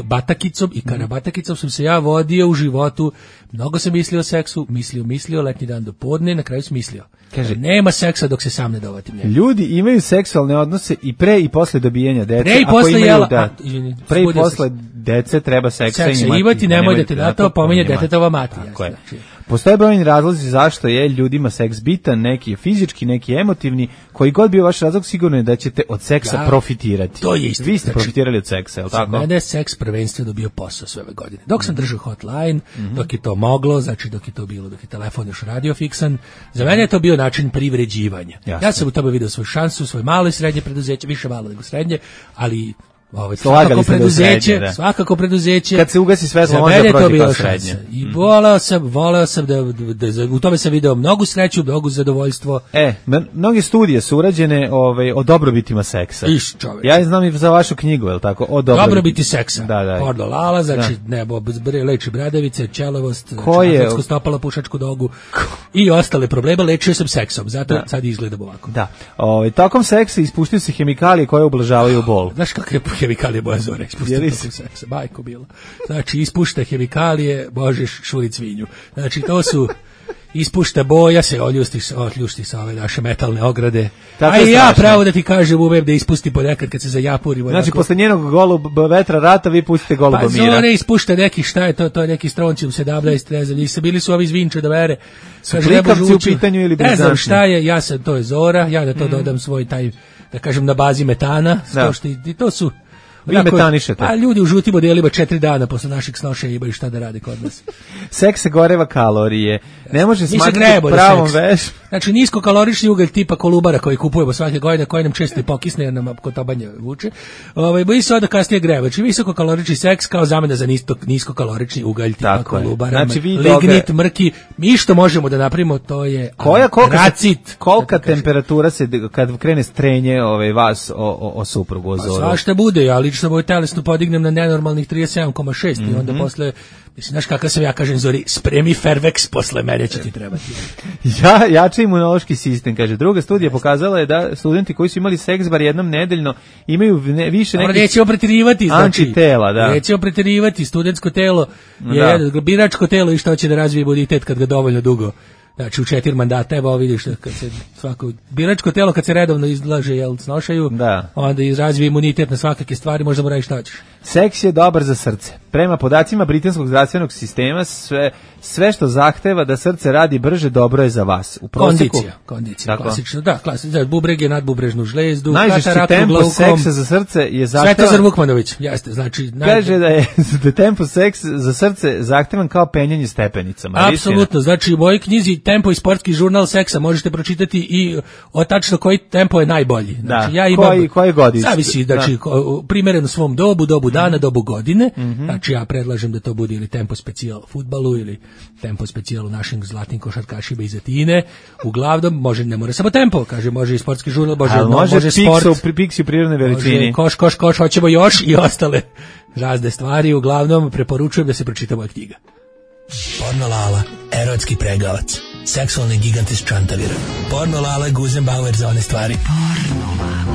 batakicom i karabatakicom sam se ja vodio u životu. Mnogo sam mislio o seksu, mislio, mislio, letnji dan do podne, na kraju sam mislio. Kaže, nema seksa dok se sam ne dovatim njega. Ljudi imaju seksualne odnose i pre i posle dobijanja dece. Pre i posle imaju, jela. Da, a, izvini, pre i posle dece treba seksa, seksa imati. imati, nemoj da te da to pominje detetova mati. Znači. Postoje brojni razlozi zašto je ljudima seks bitan, neki je fizički, neki je emotivni, koji god bio vaš razlog, sigurno je da ćete od seksa da, profitirati. To je isto. Vi ste znači, profitirali od seksa, je li tako? Mene je seks prvenstveno dobio posao sve ove godine. Dok sam držao hotline, mm -hmm. dok je to moglo, znači dok je to bilo, dok je telefon još radio fiksan, za mene je to bio način privređivanja. Jasne. Ja sam u tome video svoju šansu, svoje malo i srednje preduzeće, više malo nego srednje, ali ovaj svakako preduzeće, srednje, da. svakako preduzeće. Kad se ugasi svetlo, može proći kao srednje. I voleo sam, voleo sam da, da, da, da u tome sam video mnogu sreću, mnogo zadovoljstvo. E, mnoge studije su urađene ovaj, o dobrobitima seksa. Iš, čovječ. Ja znam i za vašu knjigu, je li tako? O dobrobiti, dobrobiti seksa. Da, da. Porno lala, znači da. nebo, leči bradavice, ćelavost, atletsko stopala, pušačku nogu i ostale probleme, lečio sam seksom, zato da. sad izgledam ovako. Da. Ovaj, tokom seksa ispuštaju se hemikalije koje ublažavaju bol. Znaš kakve hemikalije boja zore ispušta tokom seksa, bajko bilo. Znači, ispušta hemikalije, možeš šurit svinju. Znači, to su ispušta boja, se oljusti, oljušti sa ove naše metalne ograde. Tako a i ja pravo da ti kažem umem da ispusti ponekad kad se zajapurimo. Znači, onako, posle njenog goluba vetra rata vi pustite goluba pa mira. Pa zore ispušta neki, šta je to, to je neki stroncium sedamnaest, ne znam, nisu bili su ovi iz Vinče da vere. Su klikavci u pitanju ili ne znam šta je, ja sam, to je Zora, ja da to mm. dodam svoj taj, da kažem, na bazi metana, da. To što i to su vi metanišete. A ljudi u žutim modelima četiri dana posle našeg snošenja imaju šta da rade kod nas. Seks se goreva kalorije. Ne može smatrati pravom veš. Znači niskokalorični ugalj tipa Kolubara koji kupujemo svake godine, koji nam često i pokisne jer nam kod tabanja vuče. Ovaj boji se onda kasnije greva. Znači visokokalorični seks kao zamena za nisko niskokalorični ugalj tipa tako Kolubara. Znači, lignit, toga... mrki, mi što možemo da napravimo to je koja kolika racit. Kolika temperatura se kad krene strenje ovaj vas o, o, o suprugu o Zoru. Svašta bude, ali lično moj telesno podignem na nenormalnih trideset sedam zarez šest mm -hmm. i onda posle, mislim, znaš kakav sam ja, kažem Zori, spremi Fervex, posle mene će ti trebati. ja, jači imunološki sistem, kaže. Druga studija pokazala je da studenti koji su imali seks bar jednom nedeljno imaju ne, više nekih nećemo preterivati, znači, antitela, da. Nećemo preterivati, studentsko telo je da. biračko telo i što će da razvije imunitet kad ga dovoljno dugo Znači u četiri mandata, evo vidiš kad se svako biračko telo kad se redovno izlaže jel snošaju, da. Onda izrazvi imunitet na svakake stvari, možda mu radiš šta hoćeš. Seks je dobar za srce. Prema podacima britanskog zdravstvenog sistema, sve, sve što zahteva da srce radi brže, dobro je za vas. U prosjeku, kondicija, kondicija, klasično, da, klasično, bubrege, nadbubrežnu žlezdu, najžešći tempo glaukom, seksa za srce je zahtevan... Svetozar Vukmanović, jeste, znači... Kaže da je da tempo seks za srce zahtevan kao penjanje stepenicama. Apsolutno, znači u mojoj knjizi Tempo i sportski žurnal seksa možete pročitati i o tačno koji tempo je najbolji. Znači, da, ja imam, koji, koji godište. Zavisi, znači, da. Primereno svom dobu, dobu dana, dobu godine, mm-hmm. Znači ja predlažem da to bude ili tempo specijal u fudbalu ili tempo specijal u našim zlatnim košarkašima iz Atine. Uglavnom, može, ne mora samo tempo, kaže, može i sportski žurnal, može, no, može, može sport. Može pri piksi u prirodnoj veličini. Može koš, koš, koš, hoćemo još i ostale razne stvari. Uglavnom, preporučujem da se pročita moja knjiga. Pornolala, erotski pregavac, seksualni gigant iz Čantavira. Pornolala, Guzenbauer za one stvari. Pornolala.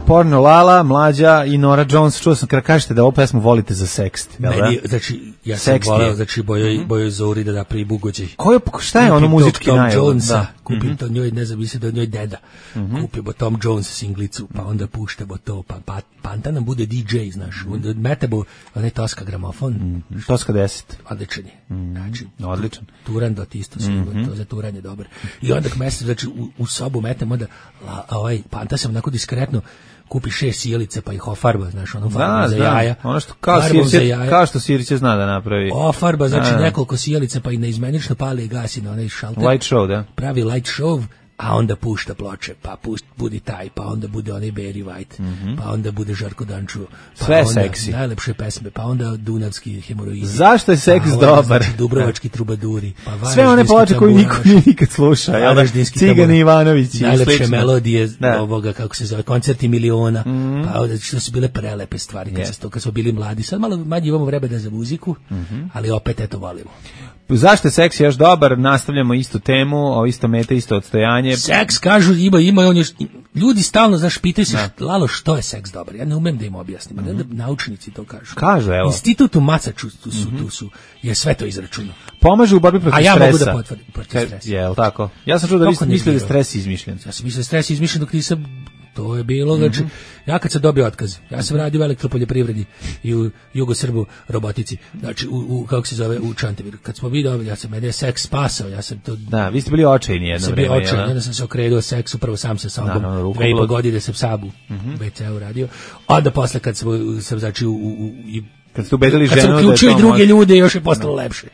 Pornolala, Mlađa i Nora Jones. Čuo sam kada kažete da ovu pesmu volite za sekst. Meni, znači, ja sam voleo, znači, Bojoj, mm-hmm. Bojoj Zori da napravi bugođaj. Koje, šta je ono muzički Tom najbolj? Jonesa, da. kupim mm-hmm. to njoj, ne znam, mislim da njoj deda. Mm-hmm. Kupimo Tom Jones singlicu, pa onda puštamo to, pa, pa Panta nam bude D J, znaš, mm-hmm. onda metemo onaj Toska gramofon. Mm-hmm. Toska deset. Odličan je. Mm-hmm. Znači, odličan. Turandot isto, mm-hmm. to za turanje dobar. I onda mesec, znači, u, u sobu metemo da, la, ovaj, Panta sam onako diskretno kupi šest sjelice pa ih ofarba, znaš, ono farbom da, za jaja. Ono što kao Siriće, kao što Siriće zna da napravi. Ofarba, znači da, nekoliko sjelice pa i neizmenično pali i gasi na onaj šalter. Light show, da. Pravi light show, a onda pušta ploče, pa pust, budi taj, pa onda bude onaj Barry White, mm-hmm. pa onda bude Žarko Danču, pa sve onda seksi. Najlepše pesme, pa onda Dunavski hemoroidi. Zašto je seks pa dobar? Znači, Dubrovački trubaduri, pa sve one ploče koje niko nije nikad sluša, jel da? Cigani Ivanović i najlepše melodije da. Ovoga, kako se zove, koncerti miliona, mm-hmm. pa onda što su bile prelepe stvari, kad, yes. to, kad smo bili mladi. Sad malo manje imamo vremena za muziku, mm-hmm. ali opet eto volimo. Zašto je seks još dobar? Nastavljamo istu temu, o isto mete, isto odstojanje. Seks, kažu, ima, ima, on je, ljudi stalno, znaš, pitaju se, što, Lalo, što je seks dobar? Ja ne umem da im objasnim, mm-hmm. da naučnici to kažu. Kažu, evo. Institut u Massachusettsu su, mm-hmm. tu su, je sve to izračunao. Pomaže u borbi protiv stresa. A ja stresa. Mogu da potvrdim protiv stresa. Je, li tako? Ja sam čuo da vi mislili da je stres izmišljen. Ja sam mislio da je stres izmišljen dok nisam... To je bilo, znači, mm-hmm. ja kad sam dobio otkaz, ja sam radio u elektropoljoprivredi i u Jugosrbu robotici, znači, u, u kako se zove, u Čantaviru. Kad smo mi dobili, ja sam, mene je seks spasao, ja sam to... Da, vi ste bili očajni jedno vreme, jel? Očajni, onda sam se okrenuo seksu, prvo sam sa sobom, da, no, dve i po godine sam Sabu, mm-hmm. ve ce u radio, onda posle kad sam, sam znači, u... u, u kad ste ubedili ženu da je to... Kad sam uključio i druge ljude, još je postalo no. lepše.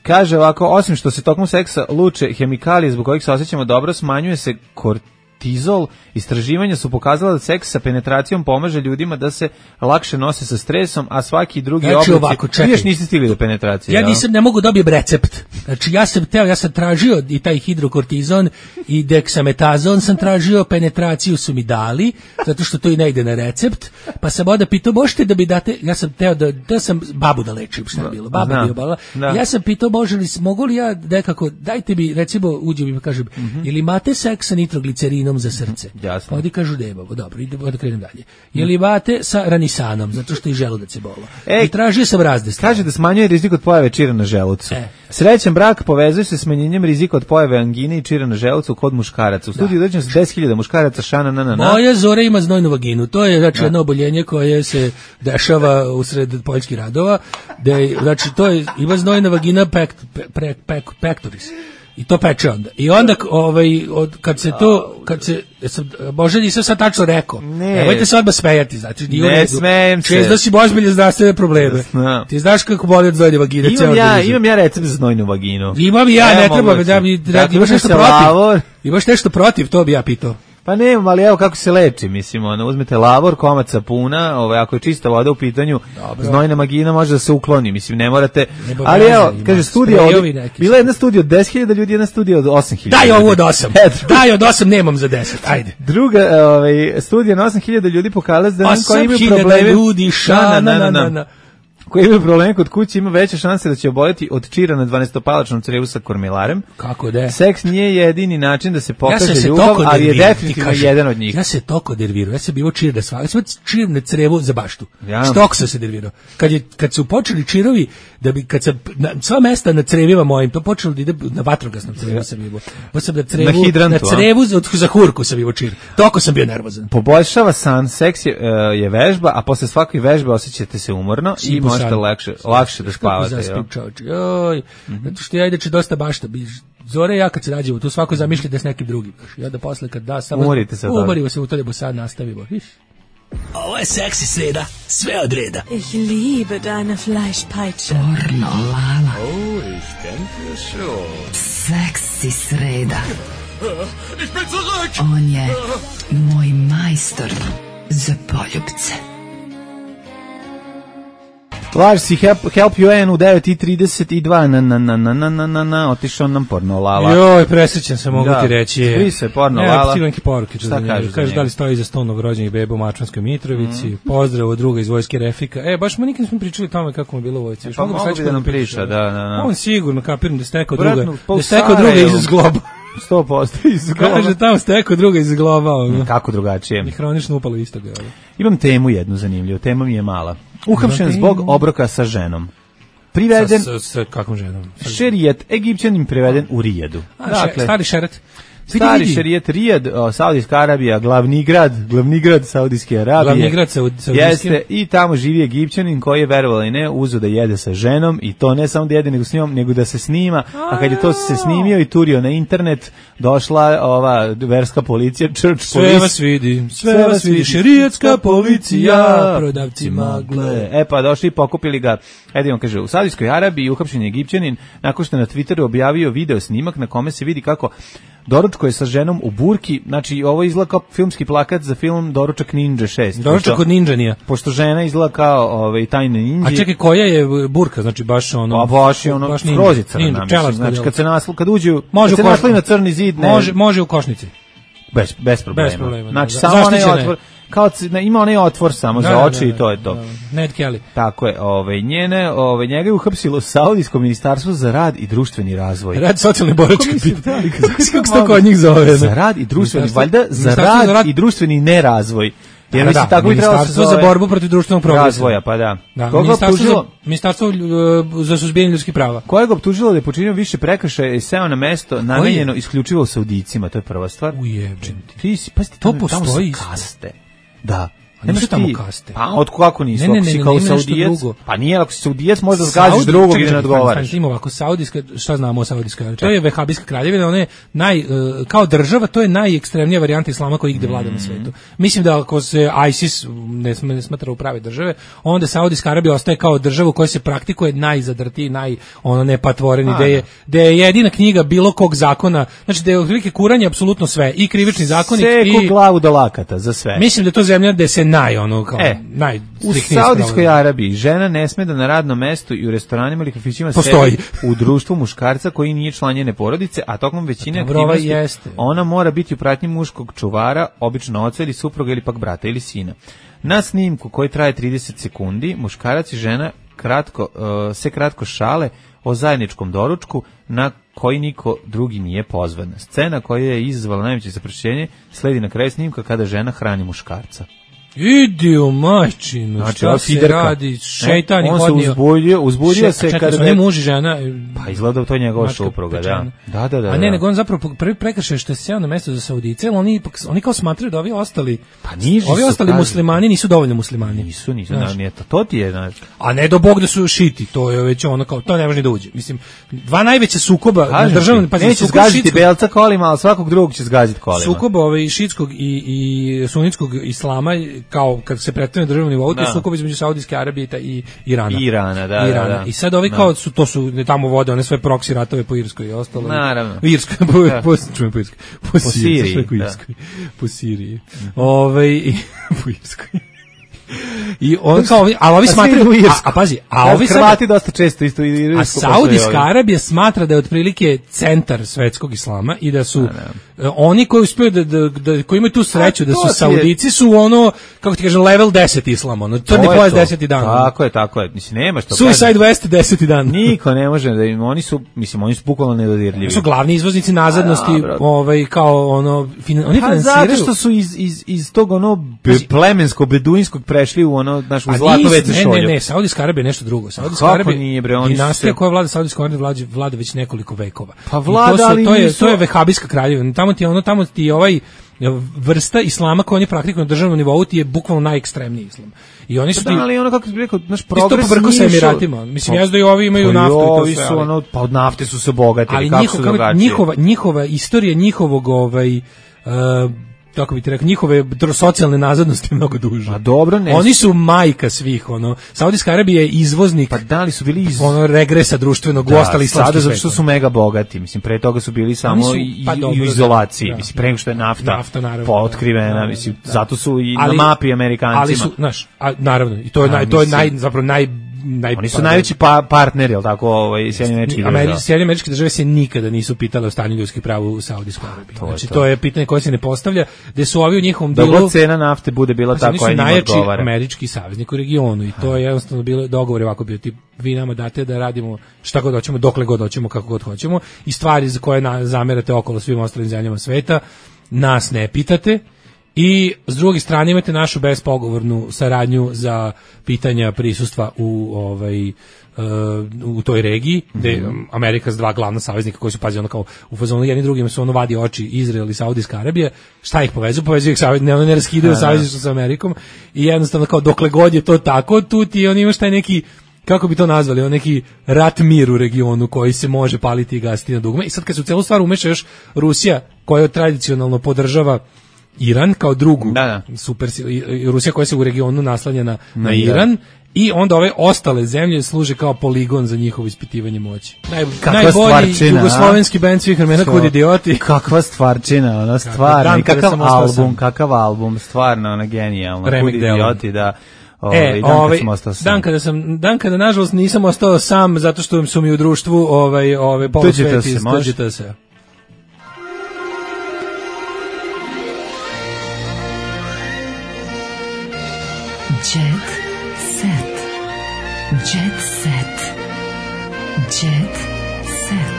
Kaže ovako, osim što se tokom seksa luče hemikalije zbog kojih se osjećamo dobro, smanjuje se kortizol. Tizol, istraživanja su pokazala da seks sa penetracijom pomaže ljudima da se lakše nose sa stresom, a svaki drugi znači, oblik... Ovako, čekaj. Vi još niste stigli do penetracije. Ja nisam, ne mogu dobijem recept. Znači, ja sam teo, ja sam tražio i taj hidrokortizon i deksametazon sam tražio, penetraciju su mi dali, zato što to i ne ide na recept, pa sam onda pitao, možete da mi date, ja sam teo da, da sam babu da lečim, šta je bilo, baba bio bala. Ja sam pitao, može li, mogu li ja nekako, dajte mi, recimo, uđem i mi kažem, mm-hmm. ili imate seks sa nitroglicerinom za srce. Jasno. Pa ovdje kažu da imamo. Dobro, idemo da krenemo dalje. Je li imate sa ranisanom, zato što i želudac se bolo. E, I tražio sam razne stvari. Kaže da smanjuje rizik od pojave čira na želucu. E. Srećan brak povezuje se smanjenjem rizika od pojave angine i čira na želucu kod muškaraca. U studiju dođe se deset hiljada muškaraca, šana, na, na, na. Moja Zora ima znojnu vaginu. To je, znači, jedno oboljenje koje se dešava usred poljskih radova. Da je, znači, to je, ima znojna vagina pekt, pe, pe, pektoris. I to peče onda. I onda ovaj od kad se to kad se sam, možda nisam sad tačno rekao. Ne. Nemojte se odmah smejati, znači nije u redu. Ne smejem se. Često si ozbiljne zdravstvene probleme. No. Ti znaš kako boli od znojne vagine. Imam ja, imam ja recept za znojnu vaginu. Imam ja, ne, ne treba da mi dakle, imaš nešto protiv. Lavor. Imaš nešto protiv, to bi ja pitao. Pa nemam, ali evo kako se leči, mislim, ono, uzmete lavor, komad sapuna, ovaj, ako je čista voda u pitanju, dobro. Znojna vagina može da se ukloni, mislim, ne morate, ne ali evo, kaže, studija, od, bila je jedna studija od deset hiljada ljudi, jedna studija od osam hiljada. Daj ovo od osam, daj od osam, nemam za deset, ajde. Druga ovaj, studija na osam hiljada ljudi pokazala da koji imaju probleme. osam hiljada ljudi, ša, na, na, na, na, na. koji ima probleme kod kuće ima veće šanse da će oboljeti od čira na dvanestopalačnom crevu sa kormilarem. Kako da? Seks nije jedini način da se pokaže ja se ljubav, ali je definitivno jedan od njih. Ja se toko dervirao, ja sam bio čir da sva, ja sam čir na crevu za baštu. Ja. Štok sam se dervirao. Kad, je, kad su počeli čirovi, da bi, kad sam, na, sva mesta na crevima mojim, to počelo da ide na vatrogasnom crevu sam bio. Pa sam na crevu, na, hidrantu, na crevu za, za hurku sam bio čir. Toko sam bio nervozan. Poboljšava san, seks je, uh, je vežba, a posle svake vežbe osjećate se umorno i možete lakše, lakše da spavate. Joj, mm-hmm. Zato što ja ideći dosta bašta. Zore ja kad se rađemo, tu svako zamišlja da s nekim drugim. Ja da posle kad da, samo umorite se. Umorimo se u to da bo sad nastavimo. Iš. Ovo je seksi sreda, sve od reda. Ich liebe deine Fleischpeitsche. Pornolala. Oh, ich denke schon. Seksi sreda. Ich bin zurück! On je moj majstor za poljubce. Laž si help, help you N u devet i trideset dva na na na na na na na na otišao nam Pornolala. Joj, presrećan sam, mogu da, ti reći. Svi se Pornolala. Ne, stilenki poruke. Šta kaže? Kaže da li stoji za sto novorođenih beba u Mačvanskoj Mitrovici. Mm. Pozdrav od druga iz vojske Refika. E, baš mi nikad nismo pričali o tome kako mu je bilo u vojci. Pa mogu bi da nam priča, da, da, da. On sigurno kapiram da stekao druga. Da stekao druga iz Globa. sto posto iz Globa. Kaže tamo stekao druga iz Globa. Kako drugačije? I hronično upalo isto ga. Imam temu jednu zanimljivu, tema mi je mala. Uhapšen zbog obroka sa ženom. Priveden sa, sa, sa kakvom ženom? Šerijet, Egipćanin priveden u Rijadu. A, dakle, stari šeret. Stari šerijet Rijad, Saudijska Arabija, glavni grad, glavni grad Saudijske Arabije. Glavni grad Saudijske. Jeste, i tamo živi Egipćanin koji je, verovali ne, uzeo da jede sa ženom i to ne samo da jede nego s njom, nego da se snima, a kad je to se snimio i turio na internet, došla ova verska policija, church sve police. Vas vidi, sve, sve vas vidi, šerijetska policija, prodavci magle. E pa došli i pokupili ga. Ajde on kaže, u Saudijskoj Arabiji uhapšen je Egipćanin nakon što na Twitteru objavio video snimak na kome se vidi kako doručko je sa ženom u burki, znači ovo izgleda kao filmski plakat za film Doručak Ninja šest. Doručak od Ninjanija. Pošto žena izgleda kao ovaj, tajne ninji. A čekaj, koja je burka, znači baš ono... Pa baš je ono, skrozica na mislim. Znači kad se naslu, kad uđu, može kad se nasli na crni zid, ne... Može, može u košnici. Bez, bez problema. Bez problema. Znači da. samo onaj otvor, kao ima onaj otvor samo da, za oči da, da, i to je to. Da, da. Ned Kelly. Tako je, ovaj njene, ovaj njega je uhapsilo Saudijsko ministarstvo za rad i društveni razvoj. Rad socijalne boračke pitanje. Kako se to kod njih zove? Za rad i društveni, valjda za rad, rad i društveni nerazvoj. Jer mislim tako bi trebalo se zove za borbu protiv društvenog progresa. Razvoja, pa da. da Koga optužilo? Ministarstvo za suzbijanje ljudskih prava. Koje ga optužilo da je počinio više prekršaja i seo na mesto namenjeno isključivo Saudijcima, to je prva stvar. Ujebem ti. Ti pa to postoji kaste. Da. Nemaš tamo kaste. Pa od kako nisu? Ne, ne, ne, ako si ne, kao ne, Saudijac, pa nije ako si Saudijac možda zgaziš drugog i ne odgovaraš. Ima ovako Saudijska, šta znamo o Saudijskoj? To je vehabijska kraljevina, ona je naj uh, kao država, to je najekstremnija varijanta islama koja igde vlada mm. na svetu. Mislim da ako se ISIS ne, ne smatra u prave države, onda Saudijska Arabija ostaje kao država u kojoj se praktikuje najzadrtiji, naj ono nepatvoreni, gde je, gde je jedina knjiga bilo kog zakona, znači da je otprilike kuranje apsolutno sve, i krivični zakonik i glavu do lakata za sve. Mislim da je to zemlja gde se naj ono kao e, naj u Saudijskoj Arabiji žena ne sme da na radnom mestu i u restoranima ili kafićima sedi u društvu muškarca koji nije član njene porodice, a tokom većine aktivnosti ona mora biti u pratnji muškog čuvara, obično oca ili supruga ili pak brata ili sina. Na snimku koji traje trideset sekundi, muškarac i žena kratko, uh, se kratko šale o zajedničkom doručku na koji niko drugi nije pozvan. Scena koja je izazvala najveće zapršenje sledi na kraju snimka kada žena hrani muškarca. Idi u majčinu, znači, šta se fiderka. Radi, šeitan je on podnio. On se uzbudio, uzbudio se čekaj, kada... Čekaj, ne muž i žena... Pa izgleda to je njegova supruga, da. Da, da, da. A ne, nego on zapravo prvi prekršaj što je sjeo na mesto za Saudice, ali oni, oni kao smatraju da ovi ostali... Pa niži ovi ostali kažu. Muslimani nisu dovoljno muslimani. Nisu, nisu, znači. nije to, to ti je, znači. A ne do Bog da su šiti, to je već ono kao, to ne može ni da uđe. Mislim, dva najveća sukoba na državnom... Pa neće zgaziti belca kolima, ali svakog drugog će zgaziti kolima. Sukoba ove šitskog i, i sunitskog islama, kao kad se na državnom nivou, to je sukob između Saudijske Arabije i Irana. Irana, da, Irana. da, da. I sad ovi da. Kao su, to su, ne tamo vode, one sve proksi ratove po Irskoj i ostalo. Naravno. U Irskoj, po, da. po, čujem po Irskoj. Po, po Siriji. Siriji da. Po Siriji. Mm-hmm. Ove, po Irskoj. I on kao, a ovi smatraju, a, a pazi, a ovi Hrvati dosta često isto i a Saudijska Arabija smatra da je otprilike centar svetskog islama i da su ne, ne. oni koji uspiju da, da, da koji imaju tu sreću da su Saudici su ono, kako ti kažem, level deset islama, ono crni pojas deseti dan. Tako je, tako je. Mislim nema što. Suicide West deseti dan. Niko ne može da im, oni su, mislim, oni su bukvalno nedodirljivi. Su glavni izvoznici nazadnosti, a, ovaj kao ono fin, oni pa finansiraju. Zato što su iz iz iz tog ono be, plemenskog beduinskog prešli u ono našu zlatnu vecu šolju. Ne, ne, ne, Saudijska Arabija je nešto drugo. Saudijska Arabija nije bre, oni dinastija koja vlada Saudijska Arabija vlada, vlada već nekoliko vekova. Pa vlada, to, su, ali to je nisu... to je vehabijska kraljevina. Tamo ti je ono, tamo ti je ovaj vrsta islama koju oni praktikuju na državnom nivou ti je bukvalno najekstremniji islam. I oni su pa da, ali ono kako bih rekao, naš progres isto pobrko sa Emiratima. Mislim, ja da i ovi imaju pa naftu i to sve. Su ono, pa od nafte su se bogatili, ali kako njihov, su drugačije. Njihova, njihova istorija njihovog ovaj, uh, tako bi ti rekao, njihove socijalne nazadnosti je mnogo duže. A dobro, ne. Oni su majka svih, ono. Saudijska Arabija je izvoznik. Pa da li su bili iz ono regresa društvenog da, u ostali islamski svet. Zato što su mega bogati, mislim, pre toga su bili samo su, pa, i, dobro, i u izolaciji, da, mislim, pre nego što je nafta, nafta potkrivena, da, mislim, da. Zato su i ali, na mapi Amerikancima. Ali su, znaš, a, naravno, i to je, a, naj, to je naj, zapravo naj Naj, oni su najveći pa, partneri, jel tako, ovaj, Sjedinjene američke države. Sjedinjene američke države se nikada nisu pitale o stanju ljudskih prava u Saudijskoj Arabiji. To znači, to. to je pitanje koje se ne postavlja, gde su ovi u njihovom dilu... Dok cena nafte bude bila ta koja njima odgovara. Oni su najjači američki saveznik u regionu i to je jednostavno bilo dogovor ovako bio, tip, vi nama date da radimo šta god hoćemo, dokle god hoćemo, kako god hoćemo i stvari za koje na, zamerate okolo svim ostalim zemljama sveta, nas ne pitate. I s druge strane imate našu bespogovornu saradnju za pitanja prisustva u ovaj uh, u toj regiji, gde mm-hmm. Amerika s dva glavna saveznika koji su pazi ono kao u fazonu jedni drugima su ono vadi oči Izrael i Saudijska Arabija, šta ih povezuje? Povezuju ih savez, ne, ne raskidaju savezništvo sa Amerikom i jednostavno kao dokle god je to tako, tu ti on imaš taj neki, kako bi to nazvali, on neki rat mir u regionu koji se može paliti i gasiti na dugme. I sad kad se u celu stvar umeša još Rusija, koja tradicionalno podržava Iran kao drugu da, da. super Rusija koja se u regionu naslanja na, na Iran i onda ove ostale zemlje služe kao poligon za njihovo ispitivanje moći. Naj, najbolji jugoslovenski bend svih vremena Kud idioti. Kakva stvarčina, ona stvarno, kakav album, sam. kakav album, stvarno, ona genijalna. Kud idioti, da. Ove, e, dan, ovaj, kad dan kada sam dan kada nažalost nisam ostao sam zato što su mi u društvu ovaj ove polusveti iz tuđite se. Jet set. Jet set. Jet set.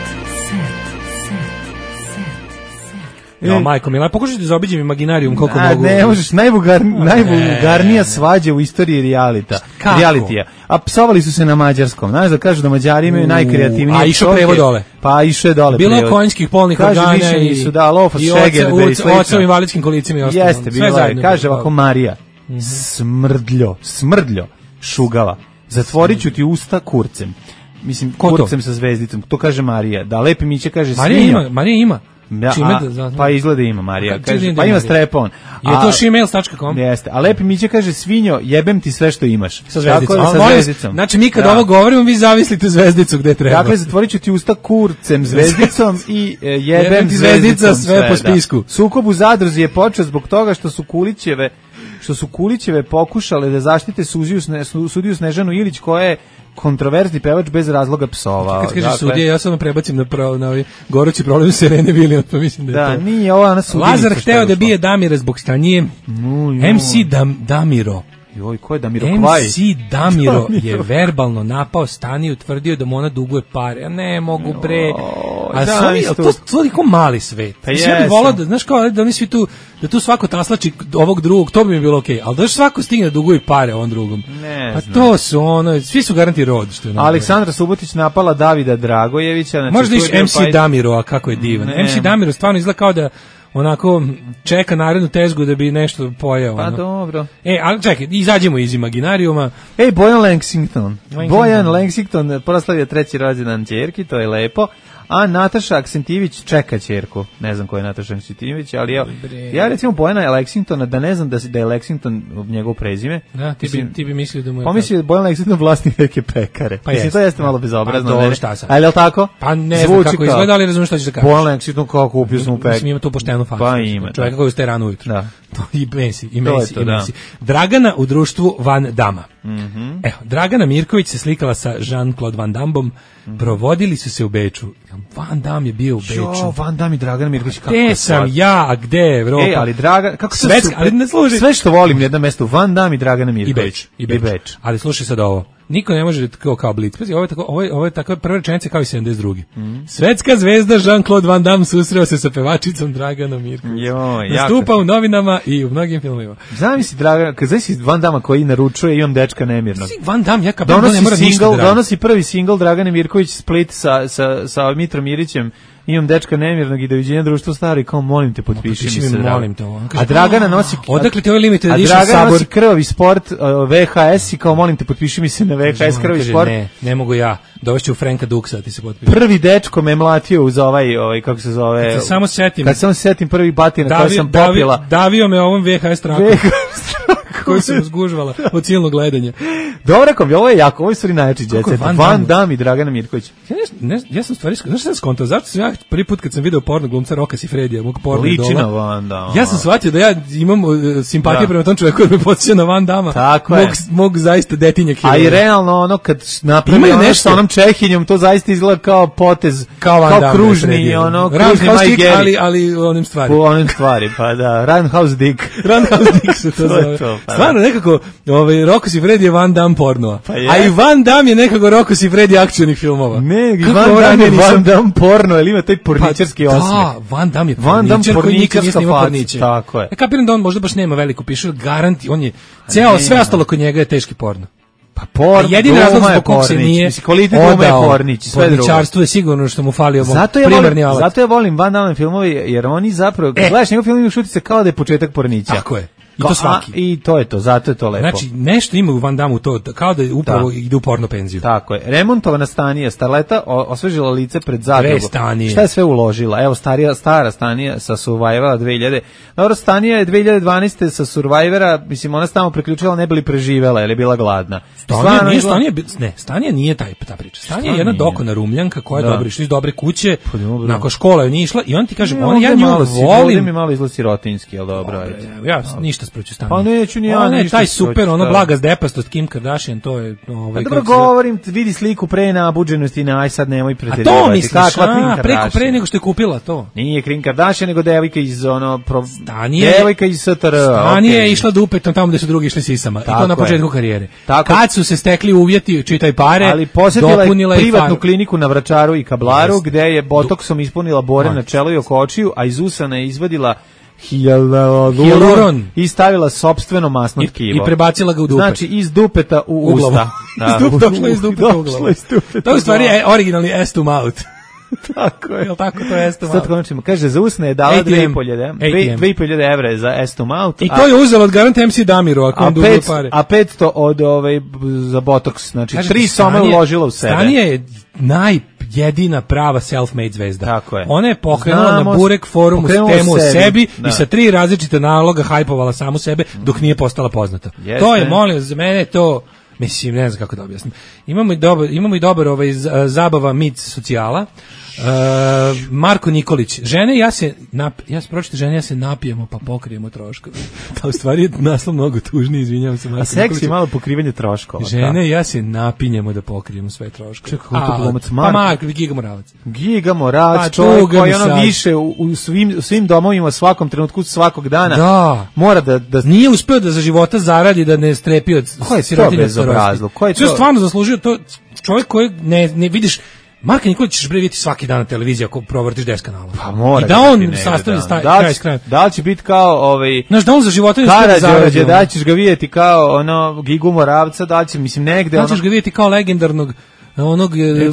Set. Set. Set. No, majko mila, pokušajte da zaobiđem Imaginarijum koliko A, mogu. Ne, možeš, najvulgar, najvulgarnija svađa u istoriji realita. Realitija. A psovali su se na mađarskom. Znaš da kažu da Mađari imaju najkreativnije. A išao prevod dole. Pa išao je dole bilo prevod. Konjskih polnih organa i su da lofa šeger i oca u invalidskim kolicima i ostalo. Jeste, bilo je. Kaže ovako Marija. Mm-hmm. Smrdljo, smrdljo, šugava. Zatvorit ću ti usta kurcem. Mislim, ko kurcem to? Sa zvezdicom. To kaže Marija. Da Lepi Miće kaže Marija svinjo. Ima, Marija ima. Ja, a, da, pa izgleda ima Marija. Kaže, pa ima strepon. Je to shemales tačka com? Jeste. A Lepi Miće kaže svinjo, jebem ti sve što imaš. Sa zvezdicom. Tako, sa zvezdicom. Znači mi kad da. ovo govorimo, vi zavislite zvezdicu gde treba. Dakle, zatvorit ću ti usta kurcem, zvezdicom i e, jebem, jebem ti zvezdica sve, sve po spisku. Da. Sukob u Zadruzi je počeo zbog toga što su Kulićeve što su Kulićeve pokušale da zaštite sudiju, sudiju Snežanu Ilić koja je kontroverzni pevač bez razloga psovao. Kad kažeš dakle, sudije, ja samo prebacim na, pravo, na ovaj gorući problem Serene Williams, pa mislim da je da, to. Nije ova na sudiju. Lazar hteo da bije Damira zbog stanije. No, em ce Dam, Damiro. Joj, ko je Damiro Kvaj? em ce Damiro je verbalno napao Staniju, utvrdio da mu ona duguje pare. Ja ne mogu bre. A da, sami, to je toliko mali svet. Pa ja bih volao da, znaš kao, da oni svi tu, da tu svako taslači ovog drugog, to bi mi bilo okej. Okay. Ali da svako stigne da duguje pare on drugom. Ne pa znam. To su ono, svi su garanti rod. Što je Aleksandra Subotić napala Davida Dragojevića. Znači možda iš em ce Damiro, a kako je divan. Ne. em ce Damiro stvarno izgleda kao da onako čeka narednu tezgu da bi nešto pojeo. Pa ono. dobro. E, ali čekaj, izađemo iz Imaginarijuma. Ej, Bojan Lexington. Bojan Lexington proslavio treći rođendan ćerki, to je lepo. a Nataša Aksentijević čeka ćerku. Ne znam ko je Nataša Aksentijević, ali ja, ja recimo Bojana Lexingtona, da ne znam da, da je Lexington njegov prezime. Da, ti, bi, ti bi mislio da mu je... Pomislio da Bojan Lexington vlasnik neke pekare. Pa mislim, to jeste malo bezobrazno. Pa dobro, šta sam? A je li tako? Pa ne znam kako izgleda, ali razumiješ šta ćeš da kažeš. Bojan Lexington kako kupio sam u pekare. Mislim, ima tu poštenu faksu. Pa ima. Čovjeka koji ustaje rano ujutro. Da. To i Messi, i Messi, to, i da. Messi. Dragana u društvu Van Dama. Mm-hmm. Evo, Dragana Mirković se slikala sa Jean-Claude Van Dammom, mm-hmm. provodili su se u Beču. Van Damme je bio u Beču. Jo, Van Damme i Dragana Mirković. Gde sam ja, a gde je Evropa? E, ali Draga, kako se Svetska, ali ne služi. Sve što volim na jednom mestu, Van Damme i Dragana Mirković. I Beč, i Beč. I Beč. Ali slušaj sad ovo. Niko ne može kao kao Blitz. Ovo je tako, ovo je, ovo je takva prva rečenica kao i sedamdeset druge. Mm. Svetska zvezda Jean-Claude Van Damme susreo se sa pevačicom Draganom Mirković. Joj, nastupa jako u novinama i u mnogim filmovima. Zamisli Dragana, kad zamisli Van Damme koji naručuje Imam dečka nemirnog. Van Damme ja kao donosi ne mora ništa da donosi prvi singl Dragane Mirković Split sa sa sa Mitrom Mirićem. Imam dečka nemirnog i doviđenja društvo stari, kao molim te potpiši mi se. Molim te ovo. A Dragana nosi... Odakle ti ovaj limited edition sabor? A Dragana sabor? nosi krvavi sport, uh, V H S i kao molim te potpiši mi se na V H S krvavi kaže, sport. Ne, ne mogu ja. Dovešću Franka Duksa ti se potpiši. Prvi dečko me mlatio uz ovaj, ovaj kako se zove... Kad se samo setim. Kad samo setim prvi batina Davi, koji sam Davi, popila. Davio me ovom V H S trakom. Koji sam uzgužvala od silnog gledanja. Dobro kom, ovo je jako, ovo je stvari najjači djece. Van, Van Damme i Dragana Mirković. Ja, ne, ne, ja sam stvari, znaš šta sam skontao, zašto sam ja prvi put kad sam video porno glumca Roka Sifredija, mog porno liči idola, na Van Damme. Ja sam shvatio da ja imam uh, simpatiju da. prema tom čovjeku koji me podsjeća na Van Damme. Tako mog, je. Mog zaista detinja heroja. A i realno ono kad napravi ono sa onom Čehinjom, to zaista izgleda kao potez, kao, Van kao Damme, kružni, ono, kružni Mike Gary. Ali, ali onim stvari. U onim stvari, pa da, Roundhouse Dick. Roundhouse Dick se to zove. To, pa stvarno nekako, ovaj, Rocco Siffredi je Van Damme pornova. Pa a i Van Damme je nekako Rocco Siffredi akcionih filmova. Ne, Van Damme je Van Damme porno, jer ima taj porničarski pa, osmeh. Da, Van Damme je porničar koji nikad nije snimao porniče. Tako je. Ja kapiram da on možda baš nema veliku pišu, garanti, on je, ceo, sve ostalo kod njega je teški porno. Pa porno, jedini razlog zbog kog se nije odao porničarstvo je sigurno što mu falio zato ja primarni alat. Zato ja volim Van Damme filmove, jer oni zapravo, kad e. gledaš njegov film, imaš utisak kao da je početak pornića. Tako je. I to svaki. A, I to je to, zato je to lepo. Znači, nešto ima u Van Damme to, kao da upravo da. ide u porno penziju. Tako je. Remontovana Stanija, Starleta osvežila lice pred zadrugu. Stanije. Šta je sve uložila? Evo, starija, stara Stanija sa Survivora dve hiljade. Dobro, Stanija je dve hiljade dvanaeste sa Survivora, mislim, ona se tamo preključila, ne bi li preživela, jer je bila gladna. Stanija nije, izgleda... Stanija, ne, Stanija nije taj, ta priča. Stanija je jedna dokona Rumljanka koja je da. dobra, išla iz dobre kuće, pa, nakon škola je nije išla i on ti kaže, on, ja nju volim. Mi malo izgleda sirotinski, al dobro, ajde. Ja ništa protiv Stanije. Pa neću ni ja. Ona je taj super, ono blaga zdepastost Kim Kardashian, to je ovaj. Dobro govorim, vidi sliku pre na buđenosti, na aj sad nemoj preterivati. A to misliš, a, preko pre nego što je kupila to. Nije Kim Kardashian, nego devojka iz ono devojka iz S T R. Stanija je išla dupetom tamo gde su drugi išli sisama. I to na početku karijere. Kad su se stekli uvjeti, čitaj pare, ali posjetila je privatnu kliniku na Vračaru i Kablaru, gde je botoksom ispunila bore na čelo i oko očiju, a iz usana je izvadila hijaluron i stavila sopstveno masno tkivo. I prebacila ga u dupet. Znači iz dupeta u usta. Da, došla iz dupeta u glavu. To je u stvari originalni ass to mouth. Tako je. Jel tako to je ass to mouth? Sad konačimo. Kaže, za usne je dala dve i po hiljade evra za ass to mouth. I to je uzela od garant M C Damiru, ako on dugo pare. A petsto od ove za botoks. Znači, tri soma uložila u sebe. Stanija je naj jedina prava self-made zvezda. Tako je. Ona je pokrenula Znamo, na Burek forumu temu o sebi, sebi i sa tri različite naloga hajpovala samu sebe dok nije postala poznata. Jeste. To je, molim, za mene to, mislim, ne znam kako da objasnim. Imamo i dobar, imamo i dobar ovaj zabava mit socijala. Uh, Marko Nikolić, žene ja se nap, ja se pročite žene ja se napijemo pa pokrijemo troškove. Ta u stvari je naslov mnogo tužniji, izvinjavam se Marko. A seks je malo pokrivanje troškova. Žene ja se napinjemo da pokrijemo sve troškove. Čekaj, kako to glumac Marko? Pa Marko, Giga Moravac. Giga Moravac, pa, čovjek koji ono više u, u svim, u svim domovima svakom trenutku svakog dana da. mora da, da... Nije uspeo da za života zaradi da ne strepi od sirotinje starosti. Ko je to? To je stvarno zaslužio, to čovjek koji ne, ne vidiš. Marka Nikolić ćeš bre vidjeti svaki dan na televiziji ako provrtiš deset kanala. Pa mora. I da on sastavi da. kraj s krajem. Da li će biti kao ovaj Znaš da on za života ne uspije zarađuje, da ćeš ga vidjeti kao ono Gigu Moravca, da će mislim negde ono. Da ćeš ga vidjeti kao legendarnog onog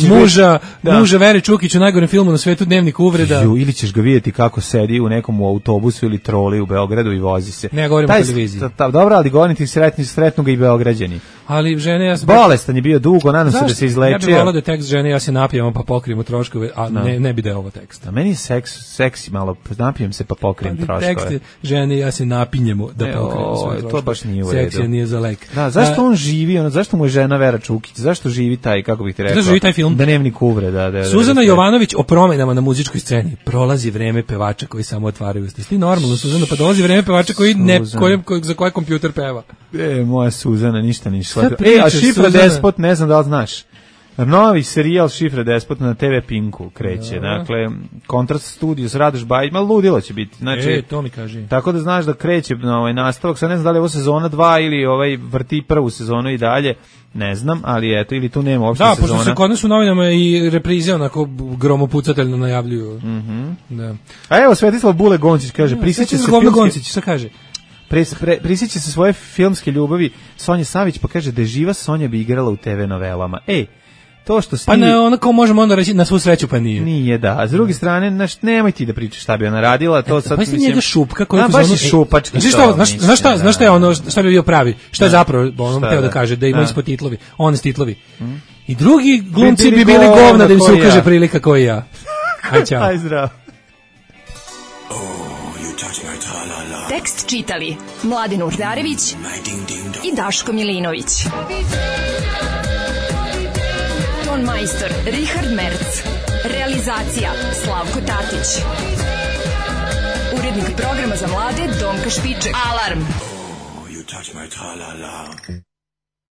muža, da. muža Vere Čukić u najgorem filmu na svetu, Dnevnik uvreda. Ju, ili ćeš ga vidjeti kako sedi u nekom u autobusu ili troli u Beogradu i vozi se. Ne, govorim o televiziji. Dobro, ali govorim ti sretni, sretnu ga i Beograđani. Ali žene ja sam bolestan je bio dugo, nadam se da se izlečio. Ja bih volao da tekst žene ja se napijem pa pokrijemo troškove, a no. ne ne bi da je ovo tekst. A meni je seks seksi malo napijem se pa pokrijem pa, troškove. Tekst žene ja se napinjemo da e, pokrijemo svoje troškove. To baš nije u redu. Seks nije za lek. Da, zašto a, on živi, ono zašto mu je žena Vera Čukić? Zašto živi taj, kako bih ti rekao? Zašto živi taj film? Dnevnik uvre, da, da. Suzana da, Jovanović o promenama na muzičkoj sceni. Prolazi vreme pevača koji samo otvaraju usta. Ti normalno Suzana, pa dolazi vreme pevača koji ne kojem za koji kompjuter peva. E, moja Suzana ništa nije shvatila. E, a Šifra Despot, ne znam da li znaš. Novi serijal Šifra Despot na te ve Pinku kreće. Ja. Dakle, Kontrast Studios, Radoš Bajić, malo ludilo će biti. Znači, e, to mi kaži. Tako da znaš da kreće na ovaj nastavak. Sad ne znam da li je ovo sezona dva ili ovaj vrti prvu sezonu i dalje. Ne znam, ali eto, ili tu nema uopšte da, sezona. Da, pošto se kod nas u novinama i reprize onako gromopucateljno najavljuju. Mm-hmm. Da. A evo, Svetislav Bule Goncić kaže, prisjeća se filmski... Goncić, šta kaže? Pre, pre, prisjeća se svoje filmske ljubavi Sonje Savić, pa kaže da je živa Sonja bi igrala u te ve novelama. Ej, to što si... Pa ne, ona kao možemo onda reći na svu sreću, pa nije. Nije, da. A s druge strane, naš, nemoj ti da pričaš šta bi ona radila, to sad... Pa si njega Šupka koji... Da, baš je šupački. Znaš šta, znaš, znaš šta, znaš šta je ono, šta bi bio pravi? Šta je zapravo, ono teo da kaže, da ima ispod titlovi, one titlovi. I drugi glumci bi bili govna da im se ukaže prilika kao i ja. Aj, čao. Aj, zdravo. Tekst čitali Mladen Urdarević i Daško Milinović. Ton majstor Richard Merc. Realizacija Slavko Tatić. Urednik programa za mlade Donka Špiček. Alarm! Oh, you touch my tra-la-la.